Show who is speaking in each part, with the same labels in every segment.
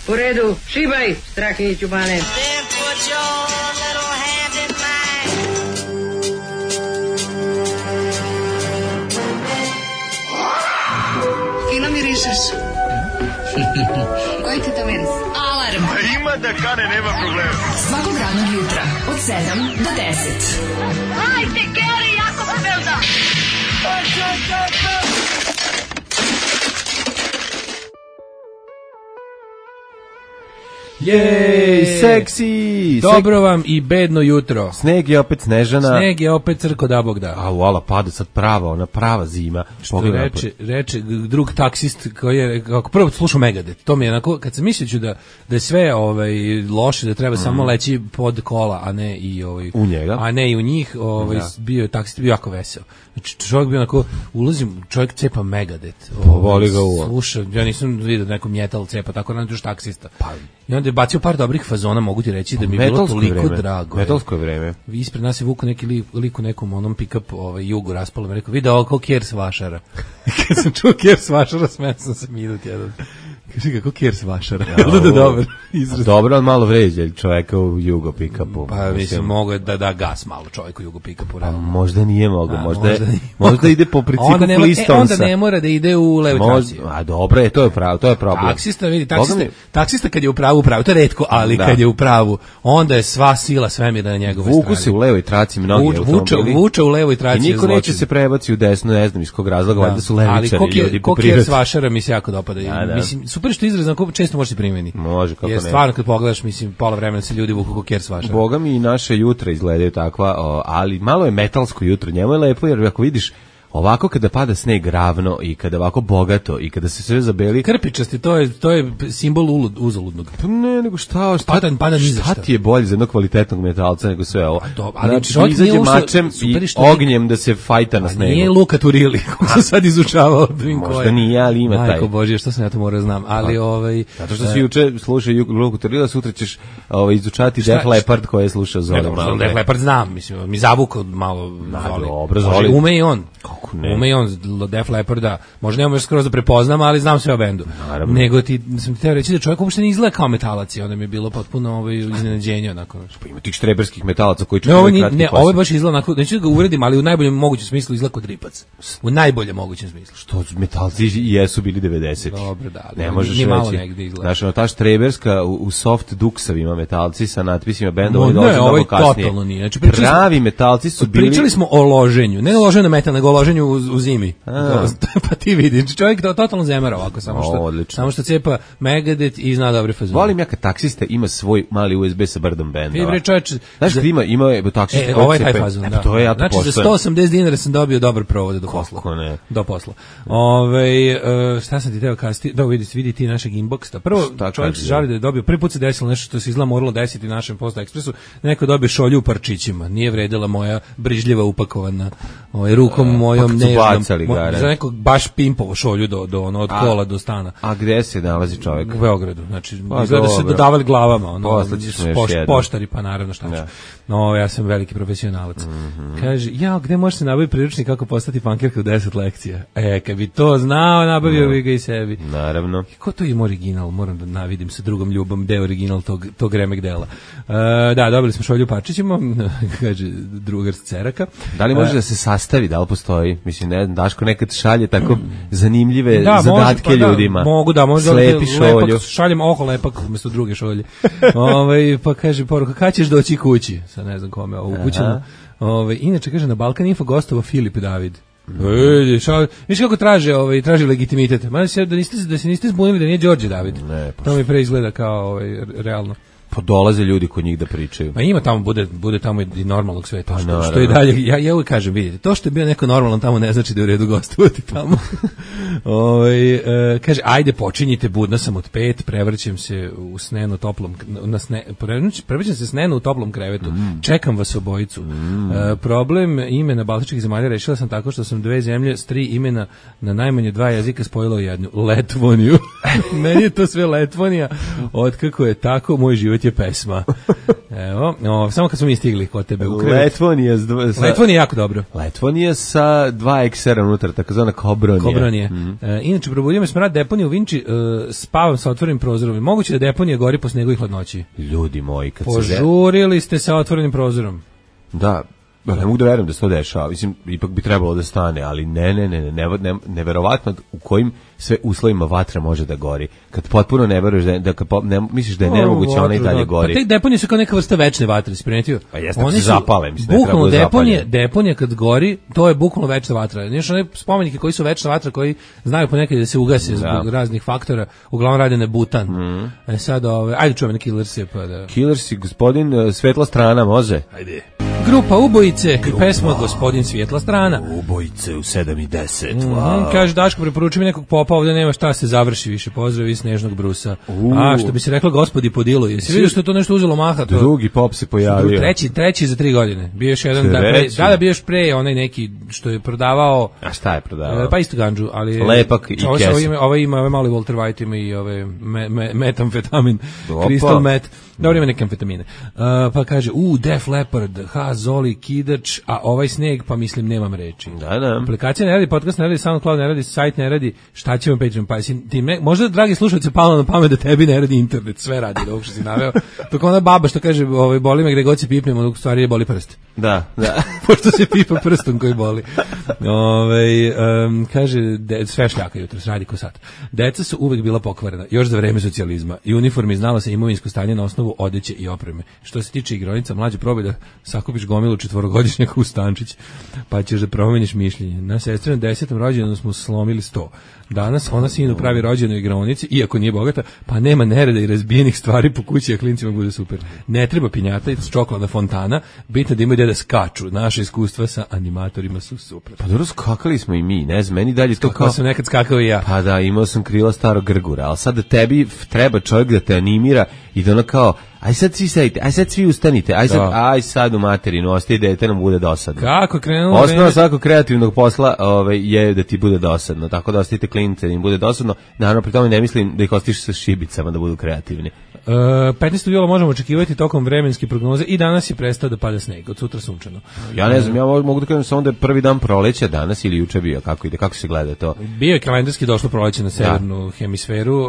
Speaker 1: U redu, šibaj, Strahinjiću Bane.
Speaker 2: Fino mirišeš. Koji ti to miris? Alarm.
Speaker 3: Ima da kane, nema problema.
Speaker 2: Svakog radnog jutra, od 7 do 10.
Speaker 4: Hajde, Geri, jako se velda.
Speaker 5: Jej, seksi!
Speaker 6: Dobro vam i bedno jutro.
Speaker 5: Sneg je opet snežana.
Speaker 6: Sneg je opet crko da Bog da.
Speaker 5: A uala, pada sad ona prava zima.
Speaker 6: Što reče drug taksist koji je, kako prvo slušao Megadeth, to mi je onako, kad sam mislio da je sve loše, da treba samo leći pod kola, a ne i
Speaker 5: u njega.
Speaker 6: A ne i u njih, bio je taksist, bio jako veseo. Znači, čovjek bio onako, ulazim, čovjek cepa Megadeth.
Speaker 5: Voli ga uvo.
Speaker 6: Sluša, ja nisam vidio da neko metal cepa, tako nam još taksista. I onda je bacio par dobrih fazona, mogu ti reći da mi je bilo toliko drago.
Speaker 5: Metalsko je vreme.
Speaker 6: Ispred nas je vuku neki lik u nekom onom pick-up jugu raspalo, me rekao, vidi ovo kao Kers Vašara. Kad sam čuo Kers Vašara, smeo sam se minut jedan. Kaži kako Kers Vašara. Dobar izraz.
Speaker 5: Dobro, ali malo vređa čoveka u jugo pick-upu.
Speaker 6: Pa mislim, mogo da gas malo čovjeku u jugo pick-upu.
Speaker 5: Možda nije mogo, možda ide po principu Flistonsa.
Speaker 6: Onda ne mora da ide u levu traci.
Speaker 5: A dobro, to je problem.
Speaker 6: Taksista, vidi, taksista kad je u pravu, to je retko, ali kad je u pravu, onda je sva sila svemira na njegove strane.
Speaker 5: Vuku se u levoj traci mnogi automobili.
Speaker 6: Vuče u levoj traci.
Speaker 5: I niko neće se prebaci u desno, ne znam iz kog razloga, valjda su levičari ljudi.
Speaker 6: Ali Kers Vašara mi se jako dopada. Mislim, super što izraz često može se primeni.
Speaker 5: Može, kako ne.
Speaker 6: Jer stvarno kad pogledaš, mislim, pola vremena se ljudi vuku kao Kers Vašara.
Speaker 5: Boga mi i naše jutra izgledaju takva, ali malo je metalsko jutro. Njemu je lepo, jer ako vidiš ovako kada pada sneg ravno i kada ovako bogato i kada se sve zabeli
Speaker 6: krpičasti, to je simbol uzaludnog.
Speaker 5: Pa ne, nego šta ti je bolje za jednog kvalitetnog metalca nego sve ovo. Znači, izađe mačem i ognjem da se fajta na snegu.
Speaker 6: Nije Luka Turili, kako sam sad izučavao.
Speaker 5: Možda nije, ali ima taj.
Speaker 6: Majko Božje, što sam ja to morao znam. Ali
Speaker 5: zato što si juče slušao Luku Turila, sutra ćeš izučati Def Leppard koje je slušao Zoli.
Speaker 6: Def Leppard znam, mislim, mi zavukao malo
Speaker 5: Zoli.
Speaker 6: Ume i on. Ume i on Def Lepparda, možda nemam još skoro da prepoznam, ali znam sve o bendu.
Speaker 5: Naravno.
Speaker 6: Nego sam ti teo reći da čovjek uopšte ne izgleda kao metalac, onda mi je bilo potpuno iznenađenje onako.
Speaker 5: Pa ima tih štreberskih metalaca koji
Speaker 6: ovo je baš izgleda onako, neću da ga uvredim, ali u najboljem mogućem smislu izgleda kod ripac. U najboljem mogućem smislu.
Speaker 5: Što metalci jesu bili 90.
Speaker 6: Dobro, da.
Speaker 5: Ne možeš reći. Znaš, ta štreberska u soft duksavima metalci sa natpisima benda, oni dolaze mnogo kasnije.
Speaker 6: Totalno nije. Znači,
Speaker 5: pravi metalci su bili...
Speaker 6: Pričali smo o loženju, ne loženju na metal, nego o loženju u zimi. Pa ti vidiš, čovjek totalno zemara ovako, samo što cepa Megadeth i zna dobre fazone.
Speaker 5: Volim ja kad taksista ima svoj mali USB sa brdom benda.
Speaker 6: Bre čovječ,
Speaker 5: znaš kad ima taksista
Speaker 6: ovaj taj fazon, da.
Speaker 5: To je ja to
Speaker 6: znači za 180 dinara sam dobio dobar provod do posla.
Speaker 5: Kako ne?
Speaker 6: Do posla. Šta sam ti teo kazati? Da vidi ti našeg inboxa. Prvo čovjek se žali da je dobio, prvi put se desilo nešto što se izgleda moralo desiti našem Posta Ekspresu, neko dobije šolju u parčićima. Nije vredila moja brižljiva upakovana rukom mojom nežnom. Za nekog baš pimpovo šolju od kola do stana.
Speaker 5: A gde se nalazi čovjek?
Speaker 6: U Beogradu. Znači, izgleda se dodavali glavama. Poštari, pa naravno šta ću. No, ja sam veliki profesionalac. Kaže, gde može se nabaviti priručnik kako postati pankirka u 10 lekcija? Kad bi to znao, nabavio bi ga i sebi.
Speaker 5: Naravno.
Speaker 6: Ko to ima original? Moram da navidim sa drugom ljubom gde je original tog remek dela. Da, dobili smo šolju parčićima, kaže drugar s Ceraka.
Speaker 5: Da li može da se sastavi, da li postoji? Mislim, ne znam, Daško nekad šalje tako zanimljive zadatke ljudima.
Speaker 6: Mogu da, možda
Speaker 5: slepi šolju.
Speaker 6: Šaljem lepak umjesto druge šolje. Pa kaže poruka, kad ćeš doći kući? Sad ne znam kome ovo upućeno. Inače, kaže, na Balkan Info gostova Filip David. Viš kako traži legitimitet. Da se niste zbunili da nije Đorđe David. To mi preizgleda kao realno.
Speaker 5: Pa dolaze ljudi kod njih da pričaju.
Speaker 6: Ma ima tamo, bude tamo i normalnog sveta. Što je dalje, ja uvijek kažem, vidite, to što je bio neko normalan tamo ne znači da je u redu gostovati tamo. Kaže, ajde počinjite, budna sam od 5, prevrćem se u snenu toplom, prevrćem se snenu u toplom krevetu, čekam vas obojicu. Problem imena baltičkih zemalja rešila sam tako što sam 2 zemlje s 3 imena na najmanje 2 jezika spojila u jednu, Letvoniju. Meni je to sve Letvonija, otkako je tako, moj život je pesma. Evo, samo kad smo mi stigli kod tebe u krevet.
Speaker 5: Letvonija
Speaker 6: je jako dobro.
Speaker 5: Letvonija sa 2 eksera unutra, takozvana Kobronija.
Speaker 6: Inače, probudio me smrad deponije u Vinči, spavam sa otvorenim prozorom. Moguće da deponija gori po snegu i hladnoći.
Speaker 5: Ljudi moji, kad
Speaker 6: požurili ste sa otvorenim prozorom.
Speaker 5: Da, ne mogu da verujem da se to dešava. Mislim, ipak bi trebalo da stane, ali neverovatno u kojim sve uslovima vatra može da gori. Kad potpuno ne veruješ misliš da je nemoguće, ona i dalje gori.
Speaker 6: Pa te deponije su kao neka vrsta večne vatre, si primetio?
Speaker 5: Pa jeste, oni se zapale, mislim,
Speaker 6: bukvalno deponije kad gori, to je bukvalno večna vatra. Znaš, one spomenike koji su večna vatra, koji znaju ponekad da se ugase zbog raznih faktora, uglavnom rade na butan. Sad, ajde čujemo na Killersi.
Speaker 5: Killersi, gospodin Svetla strana, može?
Speaker 6: Ajde. Grupa Ubojice i pesma Gospodin Svijetla strana.
Speaker 5: Ubojice u 7:10. Wow.
Speaker 6: Kaže Daško, preporuči mi nekog popa, ovdje nema šta se završi više. Pozdrav iz Snežnog Brusa. A što bi se reklo Gospodi Podilu. Jesi vidio što je to nešto uzelo maha?
Speaker 5: Drugi pop se pojavio.
Speaker 6: Treći za 3 godine. Bio još jedan bio još pre onaj neki što je prodavao.
Speaker 5: A šta je prodavao?
Speaker 6: Pa isto ganđu, ali
Speaker 5: lepak i kese.
Speaker 6: Ovo ima mali Walter White, ima i ove metamfetamin, crystal meth. Dobro, ima neke amfetamine. Pa kaže, Def Leppard, Zoli, Kidač, a ovaj sneg, pa mislim, nemam reči.
Speaker 5: Da.
Speaker 6: Aplikacija ne radi, podcast ne radi, SoundCloud ne radi, sajt ne radi, šta ćemo Patreon? Pa možda, dragi slušalci, palo na pamet da tebi ne radi internet, sve radi, da ovog što si naveo. Tako ona baba što kaže, boli me gde god se pipnemo, dok stvari je boli prst.
Speaker 5: Da.
Speaker 6: Pošto se pipa prstom koji boli. Kaže, sve šljaka jutros, radi ko sad. Deca su uvek bila pokvarena, još za vreme socijalizma. I uniformi znalo se imovinsko stanje na osnovu odeće i opreme. Što se tiče igronica, mlađe probaj da sakupiš gomilu 4-godišnjaka u stančić, pa ćeš da promeniš mišljenje. Na sestrinom 10. rođendanu smo slomili 100. Danas ona sinu pravi rođendan u igronici, iako nije bogata, pa nema nereda i razbijenih stvari po kući, a klincima bude super. Ne treba pinjata i čokolada fontana, bitno da imaju gde da skaču. Naše iskustva sa animatorima su super.
Speaker 5: Pa dobro, skakali smo i mi, ne znam, meni dalje to kao...
Speaker 6: sam nekad skakao i ja.
Speaker 5: Pa da, imao sam krila starog grgura, ali sad da tebi treba čovjek da te animira i da ono kao, aj sad svi sedite, aj sad svi ustanite, aj sad u materinu, ostaje dete nam bude dosadno.
Speaker 6: Kako krenulo?
Speaker 5: Osnova svakog kreativnog posla je da ti bude dosadno, tako da ostavite klince da im bude dosadno. Naravno, pri tome ne mislim da ih ostiš sa šibicama da budu kreativni.
Speaker 6: 15. jula možemo očekivati tokom vremenske prognoze i danas je prestao da pada sneg, od sutra sunčano.
Speaker 5: Ja ne znam, ja mogu da kažem samo da je prvi dan proleća danas ili juče bio, kako ide, kako se gleda to?
Speaker 6: Bio je kalendarski došlo proleće na severnu hemisferu,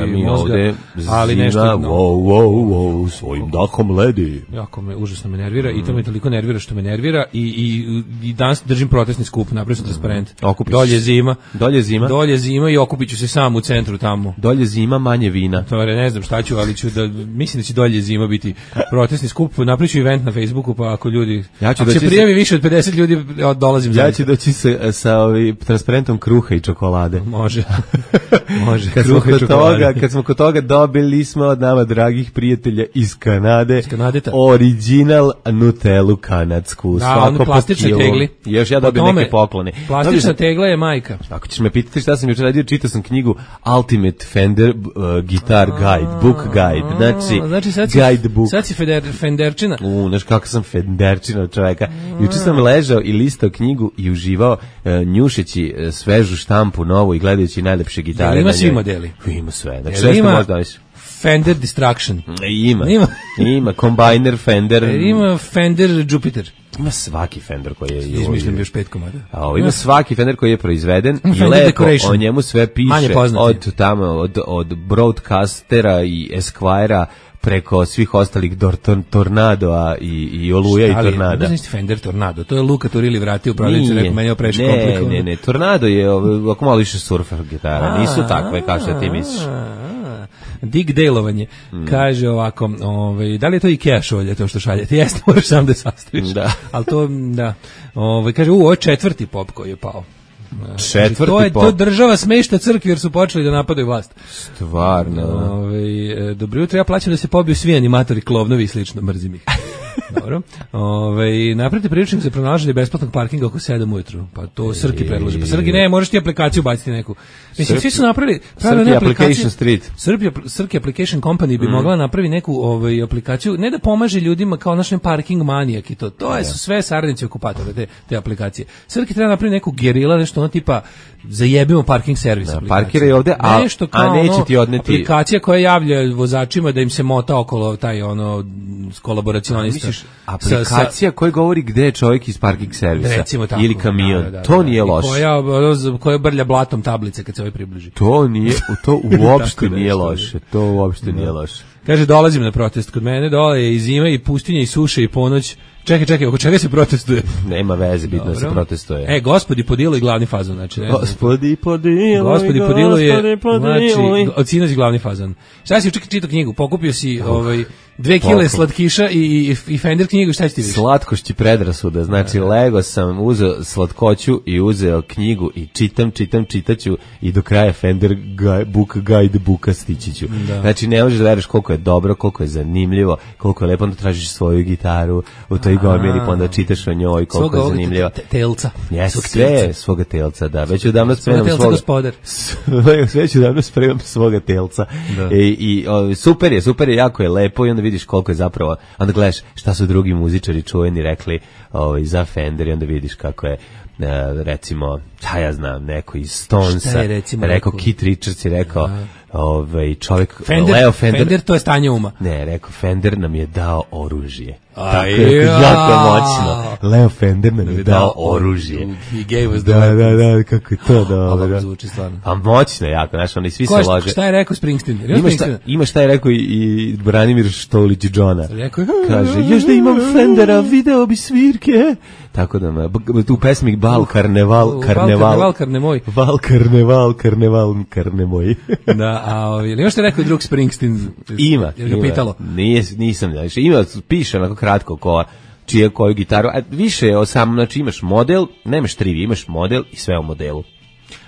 Speaker 5: mi
Speaker 6: mozga,
Speaker 5: ovde
Speaker 6: ali nešto...
Speaker 5: Wow, svojim dahom ledi.
Speaker 6: Jako me, užasno me nervira i to me toliko nervira što me nervira i danas držim protestni skup, napravio sam transparent. Dolje zima i okupit ću se sam u centru tamo.
Speaker 5: Dolje zima, manje vina.
Speaker 6: To ne znam šta ću, ali mislim da će dolje zima biti protestni skup, napravit ću event na Facebooku, pa ako ljudi, ako se prijavi više od 50 ljudi, dolazim za.
Speaker 5: Ja ću doći sa transparentom kruha i čokolade.
Speaker 6: Može.
Speaker 5: Kad smo kod toga dobili smo od nama dragih prijatelja iz Kanade,
Speaker 6: Kanadeta,
Speaker 5: original Nutellu kanadsku.
Speaker 6: Da, oni plastične tegli.
Speaker 5: Još ja dobijem neke poklone.
Speaker 6: Plastična tegla je majka.
Speaker 5: Ako ćeš me pitati šta sam jučer radio, čitao sam knjigu Ultimate Fender Guitar Guide, Book Guide, znači guidebook.
Speaker 6: Sad si Fenderčina.
Speaker 5: Znaš kako sam Fenderčina od čoveka. Jučer sam ležao i listao knjigu i uživao njušeći svežu štampu novu i gledajući najlepše gitare.
Speaker 6: Jel ima svi modeli?
Speaker 5: Ima sve. Znači sve što možda više.
Speaker 6: Fender Distraction.
Speaker 5: Ima Combiner Fender.
Speaker 6: Ima Fender Jupiter.
Speaker 5: Ima svaki Fender koji je
Speaker 6: izmišljen još 5 komada.
Speaker 5: Ima svaki Fender koji je proizveden i lepo o njemu sve piše od broadcastera i Esquire-a preko svih ostalih Tornadoa i Oluja i Tornada.
Speaker 6: Ali, Fender Tornado, to je Luka Turili vratio u prodavnicu, rekao, meni je previše komplikovano.
Speaker 5: Ne, Tornado je ovako malo više surfer gitara, nisu takve kao što ti misliš.
Speaker 6: Dick Dale-ovanje, kaže ovako, da li je to Ikea šolje, to što šaljete? Jeste, moraš sam da sastaviš.
Speaker 5: Da.
Speaker 6: Ali to, da. Kaže, ovo je 4. pop koji je pao.
Speaker 5: 4. pop.
Speaker 6: To država smešta crkvi jer su počeli da napadaju vlast.
Speaker 5: Stvarno.
Speaker 6: Dobro jutro, ja plaćam da se pobiju svi animatori, klovnovi i slično, mrzim ih. Dobro. Napravite priručnik za pronalaženje besplatnog parkinga oko 7 ujutru. Pa to Srki predloži. Pa Srki, ne, možeš ti aplikaciju baciti neku. Mislim, svi su napravili
Speaker 5: Srki Application Street.
Speaker 6: Srki Application Company bi mogla napravi neku aplikaciju, ne da pomaže ljudima kao naš parking manijak i to. To su sve saradnici okupatora te aplikacije. Srki treba napraviti neku gerila, nešto ono tipa zajebimo parking servis aplikaciju.
Speaker 5: Parkiraj ovde, a neće ti odneti.
Speaker 6: Aplikacija koja javlja vozačima da im se mota okolo taj kolaboracionista.
Speaker 5: Misliš, aplikacija koja govori gde je čovjek iz parking servisa ili kamion.
Speaker 6: Da,
Speaker 5: to nije loše.
Speaker 6: Koja brlja blatom tablice kad se ovaj približi.
Speaker 5: To uopšte nije loše. To uopšte nije loše.
Speaker 6: Kaže, dolazim na protest. Kod mene dole je i zima i pustinja i suše i ponoć. Čekaj, oko čega se protestuje?
Speaker 5: Nema veze, bitno se protestuje.
Speaker 6: Gospodi Podilo i glavni fazon, znači.
Speaker 5: Gospodi Podilo
Speaker 6: je, znači, od sinoć glavni fazon. Šta si čitao knjigu? Pokupio si 2 kile slatkiša i Fender knjigu, šta će ti više?
Speaker 5: Slatkošći predrasuda, znači lego sam, uzeo slatkoću i uzeo knjigu i čitaću i do kraja Fender Book Guide Booka stići ću. Znači ne možeš da veruješ koliko je dobro, koliko je zanimljivo, koliko je lepo, onda tražiš svoju gitaru u toj gomili, pa onda čitaš o njoj, koliko je zanimljivo.
Speaker 6: Telca.
Speaker 5: Sve svoga telca, da. Već odavno spremam svoga telca. I super je, jako je lepo i onda vidiš koliko je zapravo, onda gledaš šta su drugi muzičari čuveni rekli za Fender i onda vidiš kako je recimo, ja znam, neko iz Stonesa rekao, Keith Richards je rekao čovjek Leo
Speaker 6: Fender to je stanje uma.
Speaker 5: Ne, rekao Fender nam je dao oružje. Tako je jako moćno. Leo Fender nam je dao oružje.
Speaker 6: He gave us the
Speaker 5: da, kako je to dobro.
Speaker 6: Ovo zvuči stvarno.
Speaker 5: A moćno je jako, znaš, oni svi se lože.
Speaker 6: Šta je rekao Springsteen?
Speaker 5: Ima šta je rekao i Branimir Štolić Džona. Kaže, još da imam Fendera, video bi svirke. Tako da, tu pesmi Bal, Karneval,
Speaker 6: Karnemoj.
Speaker 5: Val, Karnemoj.
Speaker 6: Da, ili još šta je rekao drug Springsteen?
Speaker 5: Ima.
Speaker 6: Jer ga pitalo.
Speaker 5: Nisam, ima, piše onako kratko koju gitaru, a više je znači imaš model, nemaš trivi, imaš model i sve u modelu.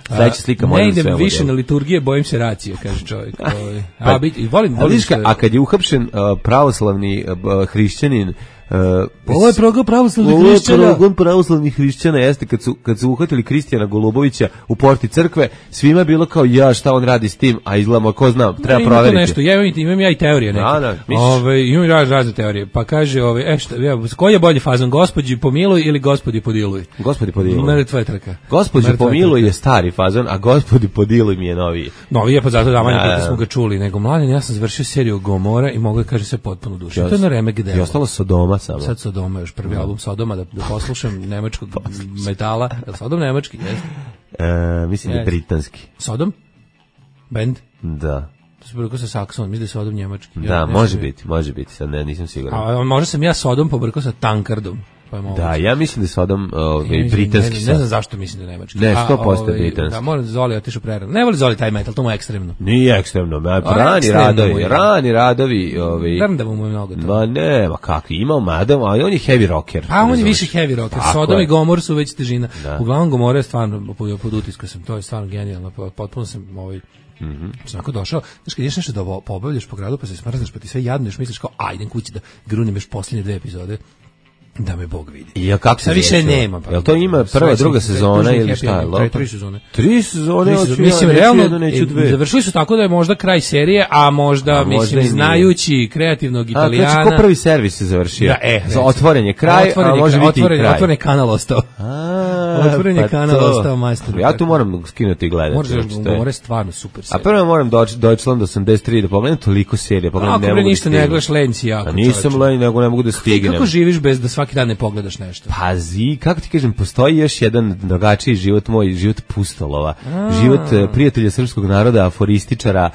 Speaker 5: Sledeća slika model i sve u modelu.
Speaker 6: Ne idem više na liturgije, bojim se racije, kaže čovjek. Volim
Speaker 5: a kad je uhapšen pravoslavni hrišćanin,
Speaker 6: ovo je progon pravoslavnih
Speaker 5: hrišćana, jeste kad su uhvatili Kristijana Golubovića u porti crkve, svima je bilo kao šta on radi s tim, a izgledamo, ko zna, treba proveriti.
Speaker 6: Nešto, imam ja i teorije neke. Imam razne teorije, pa kaže, koji je bolji fazon, Gospodi pomiluj ili Gospodi podiluj?
Speaker 5: Gospodi podiluj.
Speaker 6: Mrtva je trka.
Speaker 5: Gospodi pomiluj je stari fazon, a Gospodi podiluj mi je noviji.
Speaker 6: Novi je, pa zato da manje kako smo ga čuli, nego mladen, ja sam završio seriju Gomora i mogu da kaže sve potpuno duše. To je na remek delo.
Speaker 5: I ostalo Sodoma.
Speaker 6: Sad Sodoma, još prvi album Sodoma, da poslušam nemačkog metala. Je li Sodom nemački?
Speaker 5: Mislim da je britanski.
Speaker 6: Sodom? Band?
Speaker 5: Da.
Speaker 6: To se pobrkao sa Sakson, mislim da je Sodom njemački.
Speaker 5: Da, može biti, sad nisam siguran.
Speaker 6: A možda sam ja Sodom pobrkao sa Tankardom.
Speaker 5: Da, ja mislim da je Sodom britanski.
Speaker 6: Ne znam zašto mislim da je nemački.
Speaker 5: Ne, 100% britanski.
Speaker 6: Da, moram Zoli otišao prerano. Ne voli Zoli taj metal, to mu je ekstremno.
Speaker 5: Nije ekstremno, rani radovi.
Speaker 6: Drndavu mu je mnogo to.
Speaker 5: Ma ne, ma kakvi, imao madam, ali on je heavy rocker.
Speaker 6: A on je više heavy rocker, Sodom i Gomor su već težina. Uglavnom Gomora je stvarno, pod utiskom sam, to je stvarno genijalno, potpuno sam Onako došao, znaš kad ješ nešto da pobavljaš po gradu pa se smrznaš pa ti sve jadno još misliš kao idem kući da grunim još posljednje 2 epizode da me Bog vidi.
Speaker 5: I kako se
Speaker 6: više nema.
Speaker 5: Jel to ima prva, druga sezona ili šta je?
Speaker 6: 3 sezone.
Speaker 5: 3 sezone,
Speaker 6: mislim realno završili su tako da je možda kraj serije, a možda mislim znajući kreativnog Italijana.
Speaker 5: Znači ko prvi servis se završio? Za otvorenje kraj, a može biti i kraj.
Speaker 6: Otvoren kanal ostao. Otvoren je kanal ostao majstor.
Speaker 5: Ja tu moram skinuti i gledati.
Speaker 6: More stvarno super serija.
Speaker 5: A prvo moram Deutschland 83 da pogledam toliko serija,
Speaker 6: pogledam ne mogu. Ništa ne gledaš lenj si jako.
Speaker 5: Nisam lenj, nego ne mogu da stignem.
Speaker 6: Kako živiš bez da svaki dan ne pogledaš nešto?
Speaker 5: Pazi, kako ti kažem, postoji još jedan drugačiji život moj, život pustolova. Život prijatelja srpskog naroda, aforističara,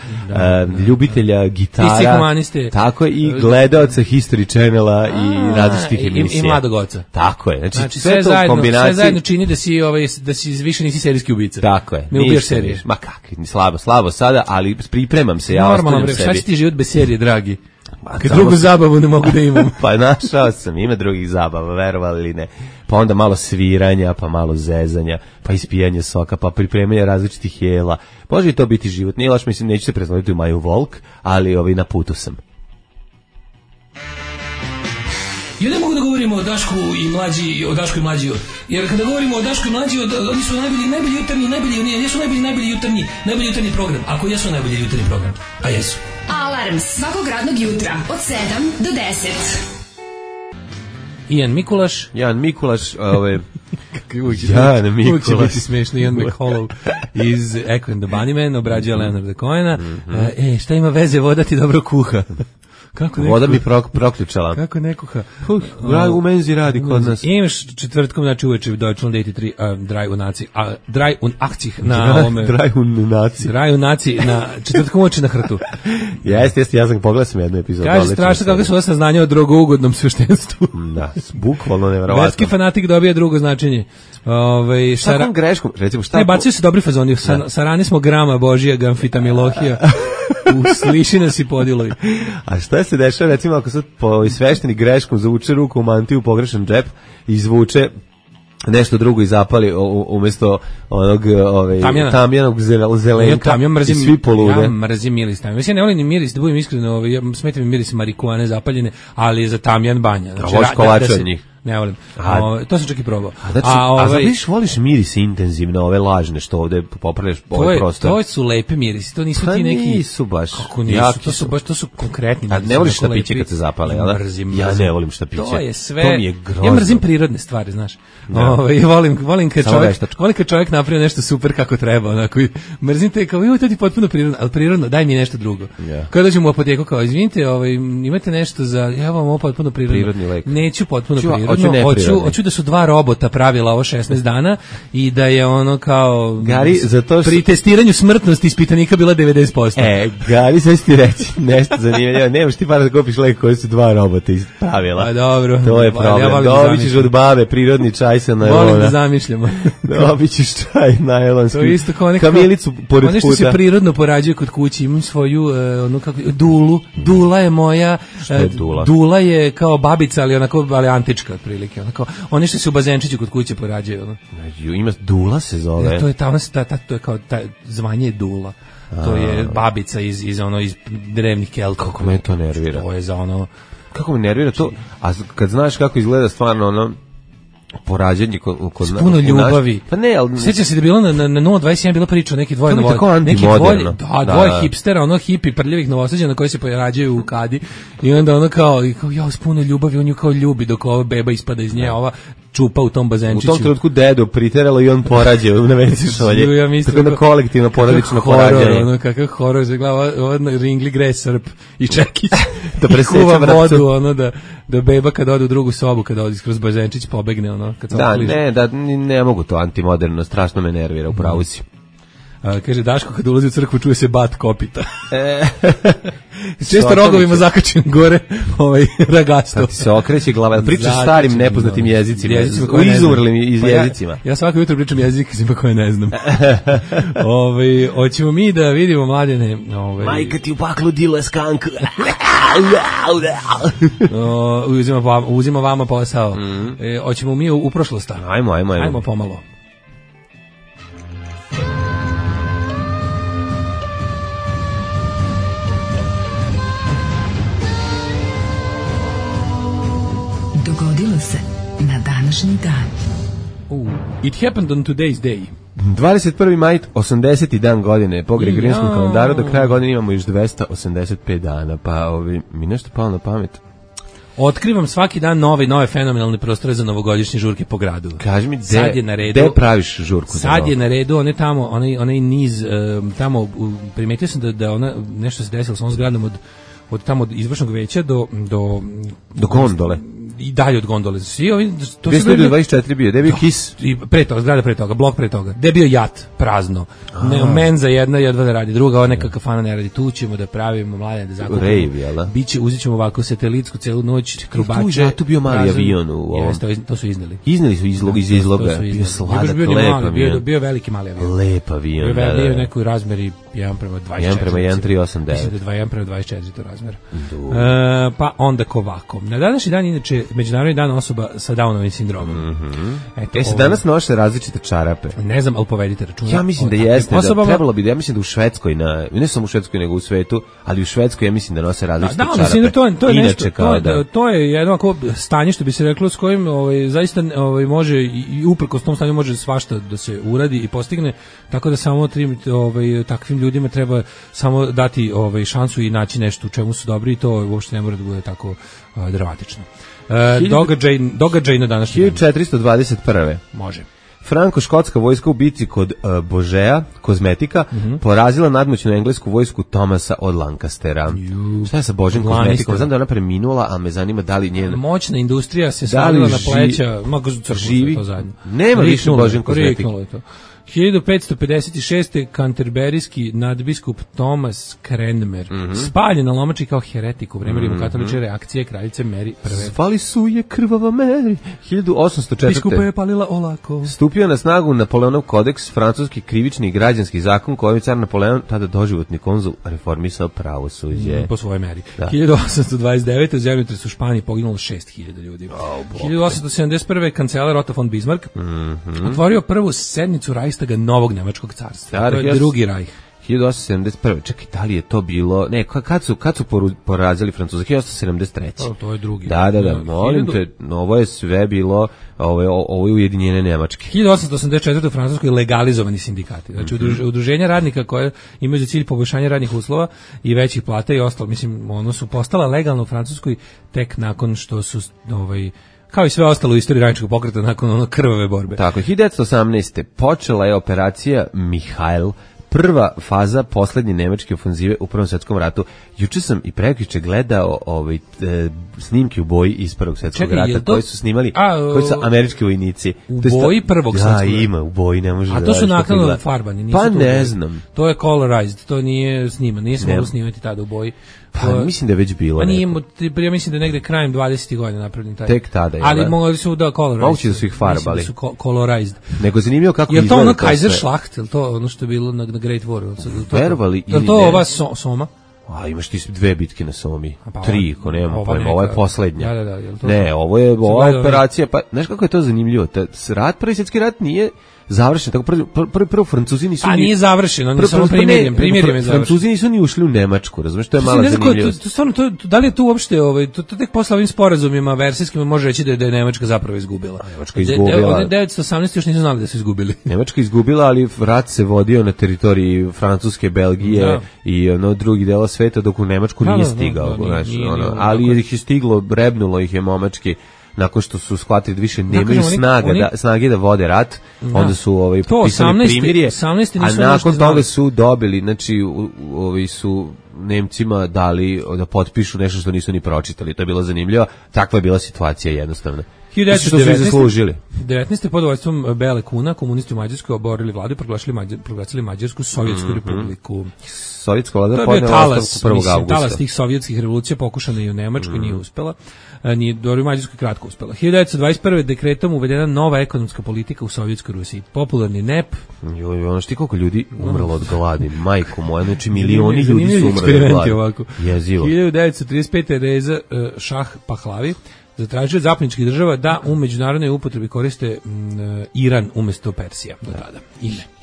Speaker 5: ljubitelja gitara. Tako i gledaoca History Channela i različitih emisija.
Speaker 6: I mladog oca.
Speaker 5: Tako je. Znači sve to u kombinaciji.
Speaker 6: Sve zajedno čini da si više nisi serijski ubica.
Speaker 5: Tako je.
Speaker 6: Ne ubijaš serije.
Speaker 5: Ma kakvi, slabo sada, ali pripremam se, ja ostavljam sebi.
Speaker 6: Šta će ti život bez serije, dragi? Kad drugu zabavu ne mogu da imam.
Speaker 5: Pa našao sam, ima drugih zabava, verovali ili ne. Pa onda malo sviranja, pa malo zezanja, pa ispijanje soka, pa pripremanje različitih jela. Može i to biti život. Nije loš, mislim, neću se pretvoriti u Maju Volk, ali na putu sam.
Speaker 6: Ja ne mogu da govorimo o Dašku i Mlađi, jer kada govorimo o Dašku i Mlađi, oni su najbolji jutarnji, nisu najbolji jutarnji program, ako jesu najbolji jutarnji program, a jesu.
Speaker 2: Alarm svakog radnog jutra od 7 do 10.
Speaker 6: Ian Mikulaš,
Speaker 5: Jan Mikulaš.
Speaker 6: Uvijek će biti smiješno. Ian McHollow iz Echo and the Bunnymen obrađuje Leonarda Cohena. Šta ima veze, voda ti dobro kuha.
Speaker 5: Voda mi proključala.
Speaker 6: Kako ne kuha?
Speaker 5: U menzi radi kod nas.
Speaker 6: Imaš četvrtkom, znači uveče Deutschland 83 Drei und 80 na ovome. Drei und Nazi na četvrtkom uveče na hrtu.
Speaker 5: Jeste, ja sam pogledao jednu epizodu.
Speaker 6: Kaže, strašno kako su saznanja o drogougodnom sveštenstvu.
Speaker 5: Da, bukvalno neverovatno.
Speaker 6: Verski fanatik dobija drugo značenje.
Speaker 5: Šta greškom? Recimo, šta?
Speaker 6: Bacaju se dobri fazoni. Sarani smo grama Božija, gamfitamilohija. Sliši nas i podilovi.
Speaker 5: A šta se dešava, recimo, ako sad svešteni greškom zavuče ruku u mantiju, pogrešan džep, izvuče nešto drugo i zapali umjesto onog tamjanog zelenka i svi polude.
Speaker 6: Ja mrzim miris tamjan. Mislim, ja ne volim ni miris, da budem iskreno, smeta mi miris marihuane zapaljene, ali je za tamjan banja.
Speaker 5: Znači, voliš kolače od njih?
Speaker 6: Ne volim. To sam čak i probao.
Speaker 5: Znači, voliš miris intenzivno, ove lažne što ovde popravljaš ovaj prostor?
Speaker 6: To su lepe mirisi, to nisu ti neki...
Speaker 5: Nisu baš.
Speaker 6: Kako nisu, to su konkretni mirisi.
Speaker 5: A ne voliš štapiće kad se zapale, jel da? Ja ne volim štapiće.
Speaker 6: To je sve...
Speaker 5: To mi je grozno.
Speaker 6: Ja mrzim prirodne stvari, znaš. Volim kad čovjek napravi nešto super kako treba, onako. Mrzim te kao, to ti potpuno prirodno, ali prirodno, daj mi nešto drugo. Kada dođem u apoteku, kao, izvinite, imate nešto za... Ja vam ovo potpuno prirodno. Neću potpuno prirodno. Hoću da su dva robota pravila ovo 16 dana i da je ono kao
Speaker 5: Gari,
Speaker 6: pri testiranju smrtnosti ispitanika bila 90%.
Speaker 5: Gari, sad ti reći nešto zanimljivo. Nemaš ti para da kupiš lek koji su dva robota pravila.
Speaker 6: A dobro.
Speaker 5: To je problem. Dobit ćeš od babe prirodni čaj sa najlona.
Speaker 6: Volim da zamišljamo.
Speaker 5: Dobit ćeš čaj najlonski.
Speaker 6: To je isto kao
Speaker 5: kamilicu pored puta.
Speaker 6: Ono što se prirodno porađuje kod kuće. Imam svoju dulu. Dula je moja. Dula je kao babica, ali antička otprilike. Oni što se u bazenčiću kod kuće porađaju, ono.
Speaker 5: Ima dula se zove.
Speaker 6: To je to je kao zvanje dula. To je babica iz drevnih Kelta.
Speaker 5: Kako me to nervira.
Speaker 6: To je za ono.
Speaker 5: Kako me nervira to? A kad znaš kako izgleda stvarno ono porađanje kod
Speaker 6: puno ljubavi.
Speaker 5: Pa ne, al
Speaker 6: sećam se da je bilo na 021 bila priča neki dvoje dvoje hipstera, ono hipi prljavih Novosađana koji se porađaju u kadi i onda ono kao ja s puno ljubavi, on ju kao ljubi dok ova beba ispada iz nje, ova čupa u tom bazenčiću.
Speaker 5: U tom trenutku dedu priteralo i on porađe na WC šolje.
Speaker 6: Ja mislim
Speaker 5: tako da kolektivno porodično porađanje.
Speaker 6: Ono kakav horor, za glava ringli gre Srp i Čekić.
Speaker 5: Da preseća
Speaker 6: vodu, ono da beba kad ode u drugu sobu, kad ode kroz bazenčić pobegne, ono kad se
Speaker 5: ne mogu to antimoderno, strašno me nervira, upravo si.
Speaker 6: Kaže Daško kad ulazi u crkvu čuje se bat kopita. Često rogovima zakačen gore ragasto.
Speaker 5: Kad ti se okreće glava, pričaš starim nepoznatim jezicima izumrlim jezicima.
Speaker 6: Ja svako jutro pričam jezicima koje ne znam. Hoćemo mi da vidimo mladene.
Speaker 5: Majka ti u paklu dile skank.
Speaker 6: Uzima vama posao. Hoćemo mi u prošlost. Ajmo pomalo.
Speaker 2: Dogodilo se na današnji dan.
Speaker 6: It happened on today's day.
Speaker 5: 21. maj, 80. dan godine. Po Gregorijanskom kalendaru do kraja godine imamo još 285 dana. Pa mi nešto palo na pamet.
Speaker 6: Otkrivam svaki dan nove fenomenalne prostore za novogodišnje žurke po gradu.
Speaker 5: Kaži mi, gde praviš žurku?
Speaker 6: Sad je na redu, onaj niz, tamo, primetio sam da ona, nešto se desilo s ovom zgradom od tamo od izvršnog veća do
Speaker 5: gondole.
Speaker 6: I dalje od gondole. Svi ovi
Speaker 5: to su 224 bio, gde je bio Kis?
Speaker 6: I zgrada pre toga, blok pre toga. Gde je bio jat, prazno. Menza jedna jedva da radi, druga ova neka kafana ne radi. Tu ćemo da pravimo mlade da zakupimo.
Speaker 5: Rave, jel da?
Speaker 6: Uzet ćemo ovako satelitsku celu noć, krubače.
Speaker 5: Tu bio mali avion u ovom.
Speaker 6: To su izneli.
Speaker 5: Izneli su iz izloga. Bio sladak, lep avion.
Speaker 6: Bio veliki mali avion.
Speaker 5: Lep avion, da.
Speaker 6: Bio nekoj razmeri 1:24.
Speaker 5: 1:1389.
Speaker 6: Mislim da 1:24 to razmer. Pa onda kovako. Na današnji dan inače Međunarodni dan osoba sa Downovim sindromom. Eto,
Speaker 5: Se danas nose različite čarape.
Speaker 6: Ne znam, ali povedite računa.
Speaker 5: Ja mislim da jeste, da trebalo bi, ja mislim da u Švedskoj, ne samo u Švedskoj nego u svetu, ali u Švedskoj ja mislim da nose različite čarape.
Speaker 6: To je nešto, to je jedno ako stanje što bi se reklo s kojim zaista može i uprkos tom stanju može svašta da se uradi i postigne, tako da samo takvim ljudima treba samo dati šansu i naći nešto u čemu su dobri i to uopšte ne mora da bude tako dramatično. Događaj na današnji dan.
Speaker 5: 1421.
Speaker 6: Može.
Speaker 5: Franko-škotska vojska u bici kod Božeja, kozmetika, porazila nadmoćnu englesku vojsku Thomasa od Lancastera. Šta je sa Božjom kozmetikom? Znam da je ona preminula, a me zanima da li njena...
Speaker 6: Moćna industrija se svalila na pleća, mogu živi to zajedno.
Speaker 5: Nema više Božjom kozmetika.
Speaker 6: 1556. kanterberijski nadbiskup Thomas Cranmer spaljen na lomači kao heretik u vreme rimokatoličke reakcije kraljice Mary I.
Speaker 5: Zvali su je krvava Mary. 1804.
Speaker 6: Biskupa je palila olako.
Speaker 5: Stupio na snagu Napoleonov kodeks, francuski krivični i građanski zakon koji je car Napoleon, tada doživotni konzul, reformisao pravosuđe.
Speaker 6: Po svojoj meri. 1829. u zemljotresu u Španiji poginulo 6000 ljudi. 1871. kancelar Otto von Bismarck otvorio prvu sednicu Reichstaga novog nemačkog carstva. To je drugi Reich.
Speaker 5: 1871. Čekaj, da li je to bilo... Ne, kad su porazili Francuza? 1873.
Speaker 6: To je drugi.
Speaker 5: Da, molim te, ovo je sve bilo, ovo je ujedinjene Nemačke.
Speaker 6: 1884. u Francuskoj legalizovani sindikati. Znači, udruženja radnika koje imaju za cilj poboljšanje radnih uslova i većih plata i ostalo. Mislim, ono su postala legalno u Francuskoj tek nakon što su kao i sve ostalo u istoriji radničkog pokreta nakon krvave borbe.
Speaker 5: Tako, 1918. počela je operacija Mihail, prva faza poslednje nemačke ofenzive u Prvom svetskom ratu. Juče sam i prekjuče gledao snimke u boji iz Prvog svetskog rata koji su snimali, koji su američki vojnici.
Speaker 6: U boji Prvog svetskog rata?
Speaker 5: Da, ima, u boji, ne može da...
Speaker 6: A to su naknadno farbani?
Speaker 5: Pa ne znam.
Speaker 6: To je colorized, to nije snima, nije se moglo snimati tada u boji.
Speaker 5: Pa mislim da je već bilo.
Speaker 6: Pa nije, ja mislim da je negde krajem 20. godina napravljen taj.
Speaker 5: Tek tada je.
Speaker 6: Ali mogli su da colorized.
Speaker 5: Moguće da su ih farbali.
Speaker 6: Mislim da su colorized.
Speaker 5: Nego zanimljivo kako
Speaker 6: izgleda. Je to ono Kaiserschlacht, je to ono što je bilo na Great War?
Speaker 5: Verovali ili ne?
Speaker 6: Je to ova Soma?
Speaker 5: A imaš ti 2 bitke na Somi. 3, ako nemam pojma, ovo je poslednja.
Speaker 6: Da,
Speaker 5: ne, ovo je ova operacija, pa znaš kako je to zanimljivo? Prvi svjetski rat nije završen, tako prvo Francuzi nisu...
Speaker 6: A nije završen, on je samo primirjem je završen.
Speaker 5: Francuzi nisu ni ušli u Nemačku, razumiješ, to je mala zanimljivost.
Speaker 6: Da li je to uopšte, to tek posle ovim sporazumima versijskima može reći da je Nemačka zapravo izgubila.
Speaker 5: Nemačka izgubila.
Speaker 6: 1918 još nisu znali da su izgubili.
Speaker 5: Nemačka izgubila, ali rat se vodio na teritoriji Francuske, Belgije i drugi dela sveta, dok u Nemačku nije stigao. Ali ih je stiglo, rebnulo ih je momački. Nakon što su shvatili da više nemaju snage da vode rat, onda su potpisali primirje, a nakon toga su dobili, znači su Nemcima dali da potpišu nešto što nisu ni pročitali. To je bilo zanimljivo. Takva je bila situacija jednostavno.
Speaker 6: 1919. pod vojstvom Bele Kuna komunisti u Mađarskoj oborili vladu i proglasili Mađarsku Sovjetsku republiku.
Speaker 5: Sovjetska vlada podnela ostavku 1. augusta.
Speaker 6: Talas tih sovjetskih revolucija pokušana i u Nemačkoj, nije uspela. Nije dobro u Mađarskoj kratko uspela. 1921. dekretom uvedena nova ekonomska politika u Sovjetskoj Rusiji. Popularni NEP.
Speaker 5: Ono što koliko ljudi umrlo od gladi, majko moja, znači milioni ljudi su umrli od gladi. Jezivo.
Speaker 6: 1935. Reza Šah Pahlavi zatražio od zapadničkih država da u međunarodnoj upotrebi koriste Iran umjesto Persija do tada.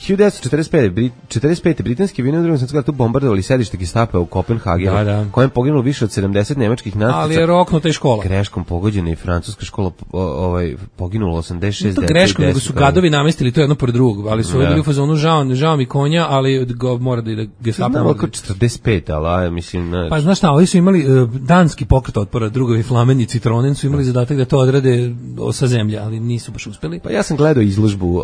Speaker 5: 1945. britanski vojnici u Drugom svjetskom ratu bombardovali sedište Gestapa u Kopenhagenu, kojem poginulo više od 70 nemačkih nacica.
Speaker 6: Ali je roknuta i škola.
Speaker 5: Greškom pogođena i francuska škola, poginulo 86 dece.
Speaker 6: To greškom, nego su gadovi namestili to jedno pored drugog, ali su bili u fazonu žao mi konja, ali mora da ide Gestapo.
Speaker 5: Znamo oko 45, ali mislim...
Speaker 6: Pa znaš šta, oni su imali danski pokret otpora, drugovi Flamen i Citronen su imali zadatak da to odrade sa zemlje, ali nisu baš uspeli.
Speaker 5: Pa ja sam gledao izložbu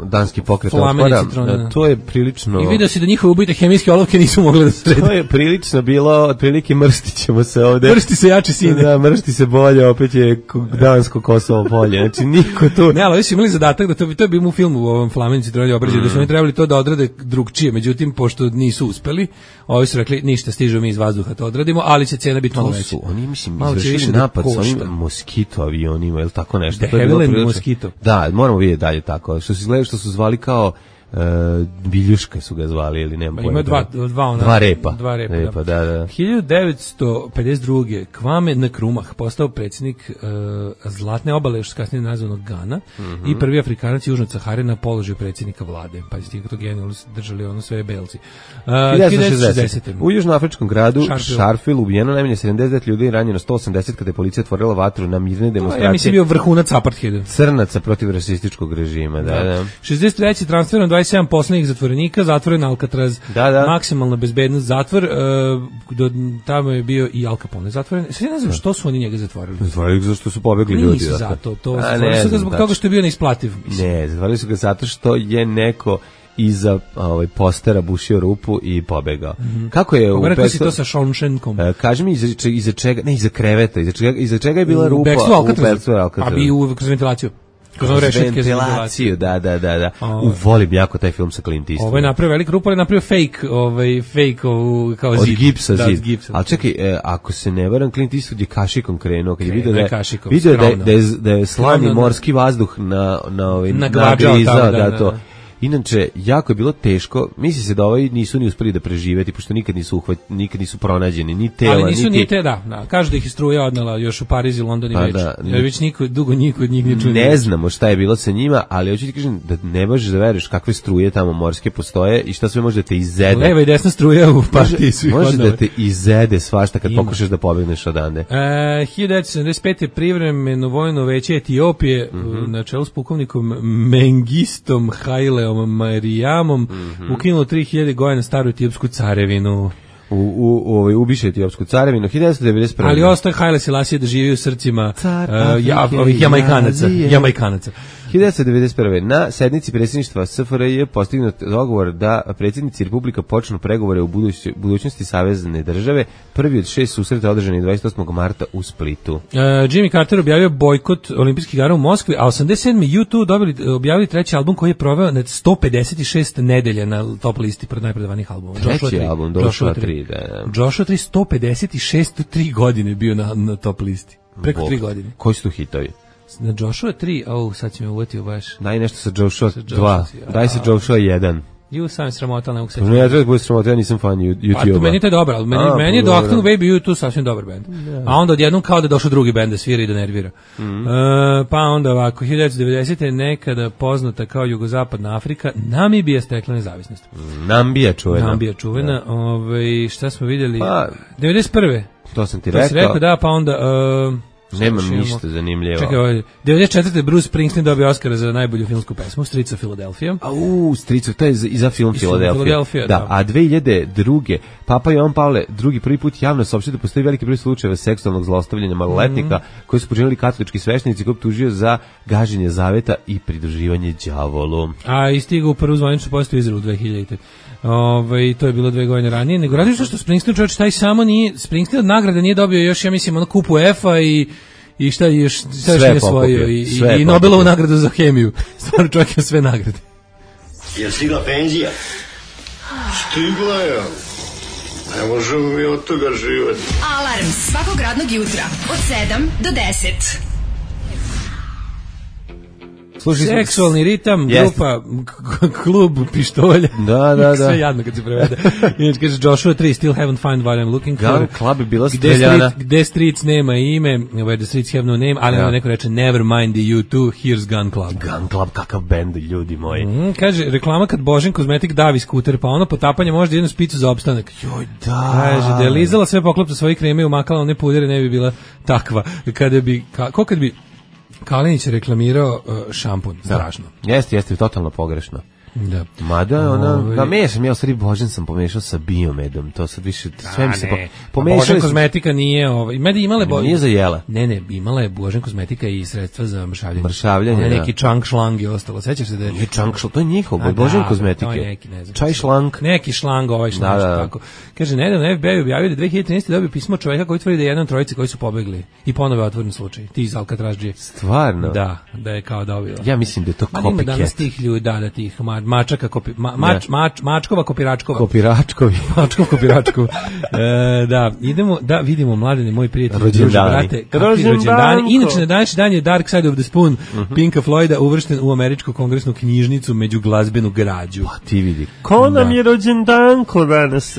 Speaker 5: danski pokret otpora, to je prilično...
Speaker 6: I vidio si da njihove ubite hemijske olovke nisu mogle da srede.
Speaker 5: To je prilično bilo, otprilike mrstit ćemo se ovde.
Speaker 6: Mršti se jači sine.
Speaker 5: Da, mršti se bolje, opet je dansko Kosovo polje, znači niko tu...
Speaker 6: Ne, ali oni su imali zadatak da to je bilo u filmu u ovom Flamenici Trolje obrađaju, da su oni trebali to da odrade drugčije, međutim, pošto nisu uspeli, ovi su rekli, ništa, stižu mi iz vazduha to odradimo, ali će cena biti malo veća.
Speaker 5: Oni, mislim, izvršili napad sa ovim moskito avionima, ili tako nešto.
Speaker 6: De Havilland moskito.
Speaker 5: Da, moramo vidjeti dalje tako. Što su zvali kao Biljuška su ga zvali ili nema pojma.
Speaker 6: Ima dva repa.
Speaker 5: Da.
Speaker 6: 1952. Kwame Nkrumah postao predsjednik Zlatne obale, još kasnije nazvanog Gana, i prvi Afrikanac južno od Sahare na položaju predsjednika vlade. Pa ste to genijalno držali ono sve belci.
Speaker 5: 1960. U južnoafričkom gradu Sharpeville ubijeno najmanje 79 ljudi i ranjeno 180 kada je policija otvorila vatru na mirne demonstracije.
Speaker 6: Ja mislim bio vrhunac apartheida.
Speaker 5: Crnaca protiv rasističkog režima, da.
Speaker 6: 63. transferom 27 poslednjih zatvorenika, zatvoren Alcatraz, maksimalna bezbednost zatvor, tamo je bio i Al Capone zatvoren. Sve ne znam što su oni njega zatvorili.
Speaker 5: Zatvorili ga zato što su pobegli ljudi.
Speaker 6: Nisu zato, zatvorili su ga zbog toga što je bio neisplativ.
Speaker 5: Ne, zatvorili su ga zato što je neko iza postera bušio rupu i pobegao. Kako je u
Speaker 6: Rekao si to sa Shawshankom?
Speaker 5: Kaži mi iza čega, ne iza kreveta, iza čega je bila rupa u Alcatrazu?
Speaker 6: A bi kroz ventilaciju.
Speaker 5: Kroz ventilaciju, da. Volim jako taj film sa Clint Eastwoodom.
Speaker 6: Ovo je napravio velik rupa, ali je napravio fake kao zid.
Speaker 5: Od gipsa zid. Ali čekaj, ako se ne varam, Clint Eastwood je kašikom krenuo, kad je vidio da je slani morski vazduh nagrizao, da to. Inače, jako je bilo teško, misli se da nisu ni uspeli da preživeti, pošto nikad nisu pronađeni, ni tela,
Speaker 6: ali nisu ni te, da. Kažu da ih je struja odnela još u Pariz i London i već. Jer već dugo niko od njih ne čuje.
Speaker 5: Ne znamo šta je bilo sa njima, ali hoću ti kažem da ne možeš da veruješ kakve struje tamo morske postoje i šta sve može da te izede.
Speaker 6: Leva i desna struja u partiji svih odnela.
Speaker 5: Može da te izede svašta kad pokušaš da pobegneš odande.
Speaker 6: 1975. privremeno vojno veće Etiopije na čelu s pukovnikom Mengistom Haileom Marijamom ukinulo 3000 godina staru etiopsku carevinu.
Speaker 5: Ubiše etiopsku carevinu 1991.
Speaker 6: Ali ostaje Haile Selassie da živi u srcima ovih Jamaikanaca.
Speaker 5: 1991. na sednici predsjedništva SFRJ je postignut dogovor da predsjednici Republika počnu pregovore u budućnosti savezne države. Prvi od 6 susreta održani 28. marta u Splitu.
Speaker 6: Jimmy Carter objavio bojkot olimpijskih igara u Moskvi, a 87. U2 objavili treći album koji je proveo na 156 nedelja na top listi pred najpredavanih albuma.
Speaker 5: Treći album, Joshua 3.
Speaker 6: Joshua 3, 156, 3 godine bio na top listi. Preko 3 godine.
Speaker 5: Koji su tu hitovi?
Speaker 6: Na Joshua 3, sad si me uvetio baš.
Speaker 5: Daj nešto sa Joshua 2, daj sa Joshua 1.
Speaker 6: Sam sramota, ne mogu se...
Speaker 5: Ne, ja treba da bude sramota, ja nisam fan YouTube-a.
Speaker 6: Meni to je dobro, ali meni je do Octane Baby U2 sasvim dobar band. A onda odjednom kao da je došao drugi band da svira i da nervira. Pa onda ovako, 1990. je nekada poznata kao Jugozapadna Afrika, Namibija stekla nezavisnost.
Speaker 5: Nambija čuvena.
Speaker 6: Šta smo vidjeli? 91.
Speaker 5: To sam ti rekao.
Speaker 6: To si rekao, da, pa onda...
Speaker 5: Nemam ništa zanimljivo.
Speaker 6: Čekaj, 94. Bruce Springsteen dobio Oscara za najbolju filmsku pesmu, Streets of Philadelphia.
Speaker 5: Streets, to je i za film Philadelphia. Da, a 2002. Papa Jovan Pavle II prvi put javno saopštio da postoji veliki broj slučajeva seksualnog zlostavljanja maloletnika koji su počinili katolički sveštenici koji optužio za gaženje zaveta i pridruživanje đavolu.
Speaker 6: A i stigao u prvu zvaničnu postavu Izraelu 2000. To je bilo 2 godine ranije, nego radi što Springsteen čovječ taj samo nije, Springsteen od nagrade nije dobio još, ja mislim, ono kupu EFA i šta još nije svojio i Nobelovu nagradu za hemiju. Stvarno čovjek je sve nagrade.
Speaker 7: Je stigla penzija? Stigla je. Ne možemo mi od toga živati.
Speaker 2: Alarm svakog radnog jutra od 7 do 10.
Speaker 6: Seksualni ritam, grupa, klub pištolja.
Speaker 5: Da.
Speaker 6: Sve jadno kad se prevede. Inače kaže Joshua 3, still haven't found what I'm looking for.
Speaker 5: Gun Club je bila streljana.
Speaker 6: Gde Streets nema ime, where the Streets have no name, ali onda neko reče never mind the U2, here's Gun Club.
Speaker 5: Gun Club, kakav bend, ljudi moji.
Speaker 6: Kaže, reklama kad Božen kozmetik davi skuter, pa ono potapanje može jednu spicu za opstanak.
Speaker 5: Joj, da.
Speaker 6: Kaže, da je lizala sve poklopce svojih kreme i umakala one pudere, ne bi bila takva. Kada bi Kalinić je reklamirao šampun, strašno.
Speaker 5: Jeste, totalno pogrešno.
Speaker 6: Da.
Speaker 5: Mada ona, mešam, ja u stvari Božen sam pomešao sa biomedom, to sad više, sve mi se
Speaker 6: pomešali. Božen kozmetika nije,
Speaker 5: nije za jela.
Speaker 6: Ne, imala je Božen kozmetika i sredstva za
Speaker 5: mršavljanje.
Speaker 6: Neki čang šlang je ostalo, sećaš se da je...
Speaker 5: Nije čang šlang, to je njihov, Božen kozmetike.
Speaker 6: To je neki, ne znam.
Speaker 5: Čaj šlang.
Speaker 6: Neki šlang, šlang, tako. Kaže, nedavno FBI objavio da 2013. dobio pismo čovjeka koji tvrdi da je jedan trojici koji su pobegli i ponovo je otvoren slučaj. Ti iz Alcatraz.
Speaker 5: Stvarno?
Speaker 6: Da je kao dobio.
Speaker 5: Ja mislim da je to copycat.
Speaker 6: Danas tih ljudi, da tih Mačaka, Mačkova, Kopiračkova.
Speaker 5: Kopiračkovi.
Speaker 6: Mačkov, Kopiračkov. Da, idemo da vidimo, Mladene, moj prijatelj, brate, rođendani. Inače, na današnji dan je Dark Side of the Spoon Pinka Floyda uvršten u američku kongresnu knjižnicu među glazbenu građu.
Speaker 5: Pa ti vidi.
Speaker 8: Ko nam je rođendanko danas?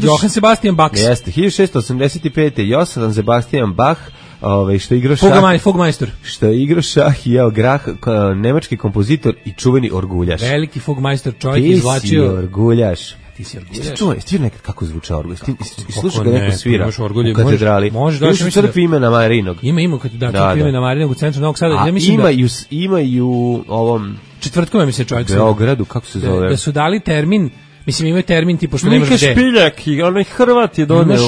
Speaker 6: Johann Sebastian Bach.
Speaker 5: Jeste, 1685. Johann Sebastian Bach, što je igrao
Speaker 6: Fugmeister.
Speaker 5: Što je igrao šah i jeo grah, nemački kompozitor i čuveni orguljaš.
Speaker 6: Veliki Fugmeister, čovjek izvlačio.
Speaker 5: Ti si orguljaš.
Speaker 6: Ti si orguljaš.
Speaker 5: Čuvaj, ti nekad kako zvuča orguljaš? Slušaj ga neko svira u katedrali.
Speaker 6: Može da
Speaker 5: se crkvi imena Marinog.
Speaker 6: Ima kad crkvi imena Marinog u centru Novog Sada.
Speaker 5: Ja mislim ima i u ovom
Speaker 6: četvrtkom, mi se čovjek
Speaker 5: u Beogradu, kako se zove?
Speaker 6: Da su dali termin. Mislim, imaju termin tipa što nemaš gde.
Speaker 8: Mika Špiljak i onaj Hrvat je doneo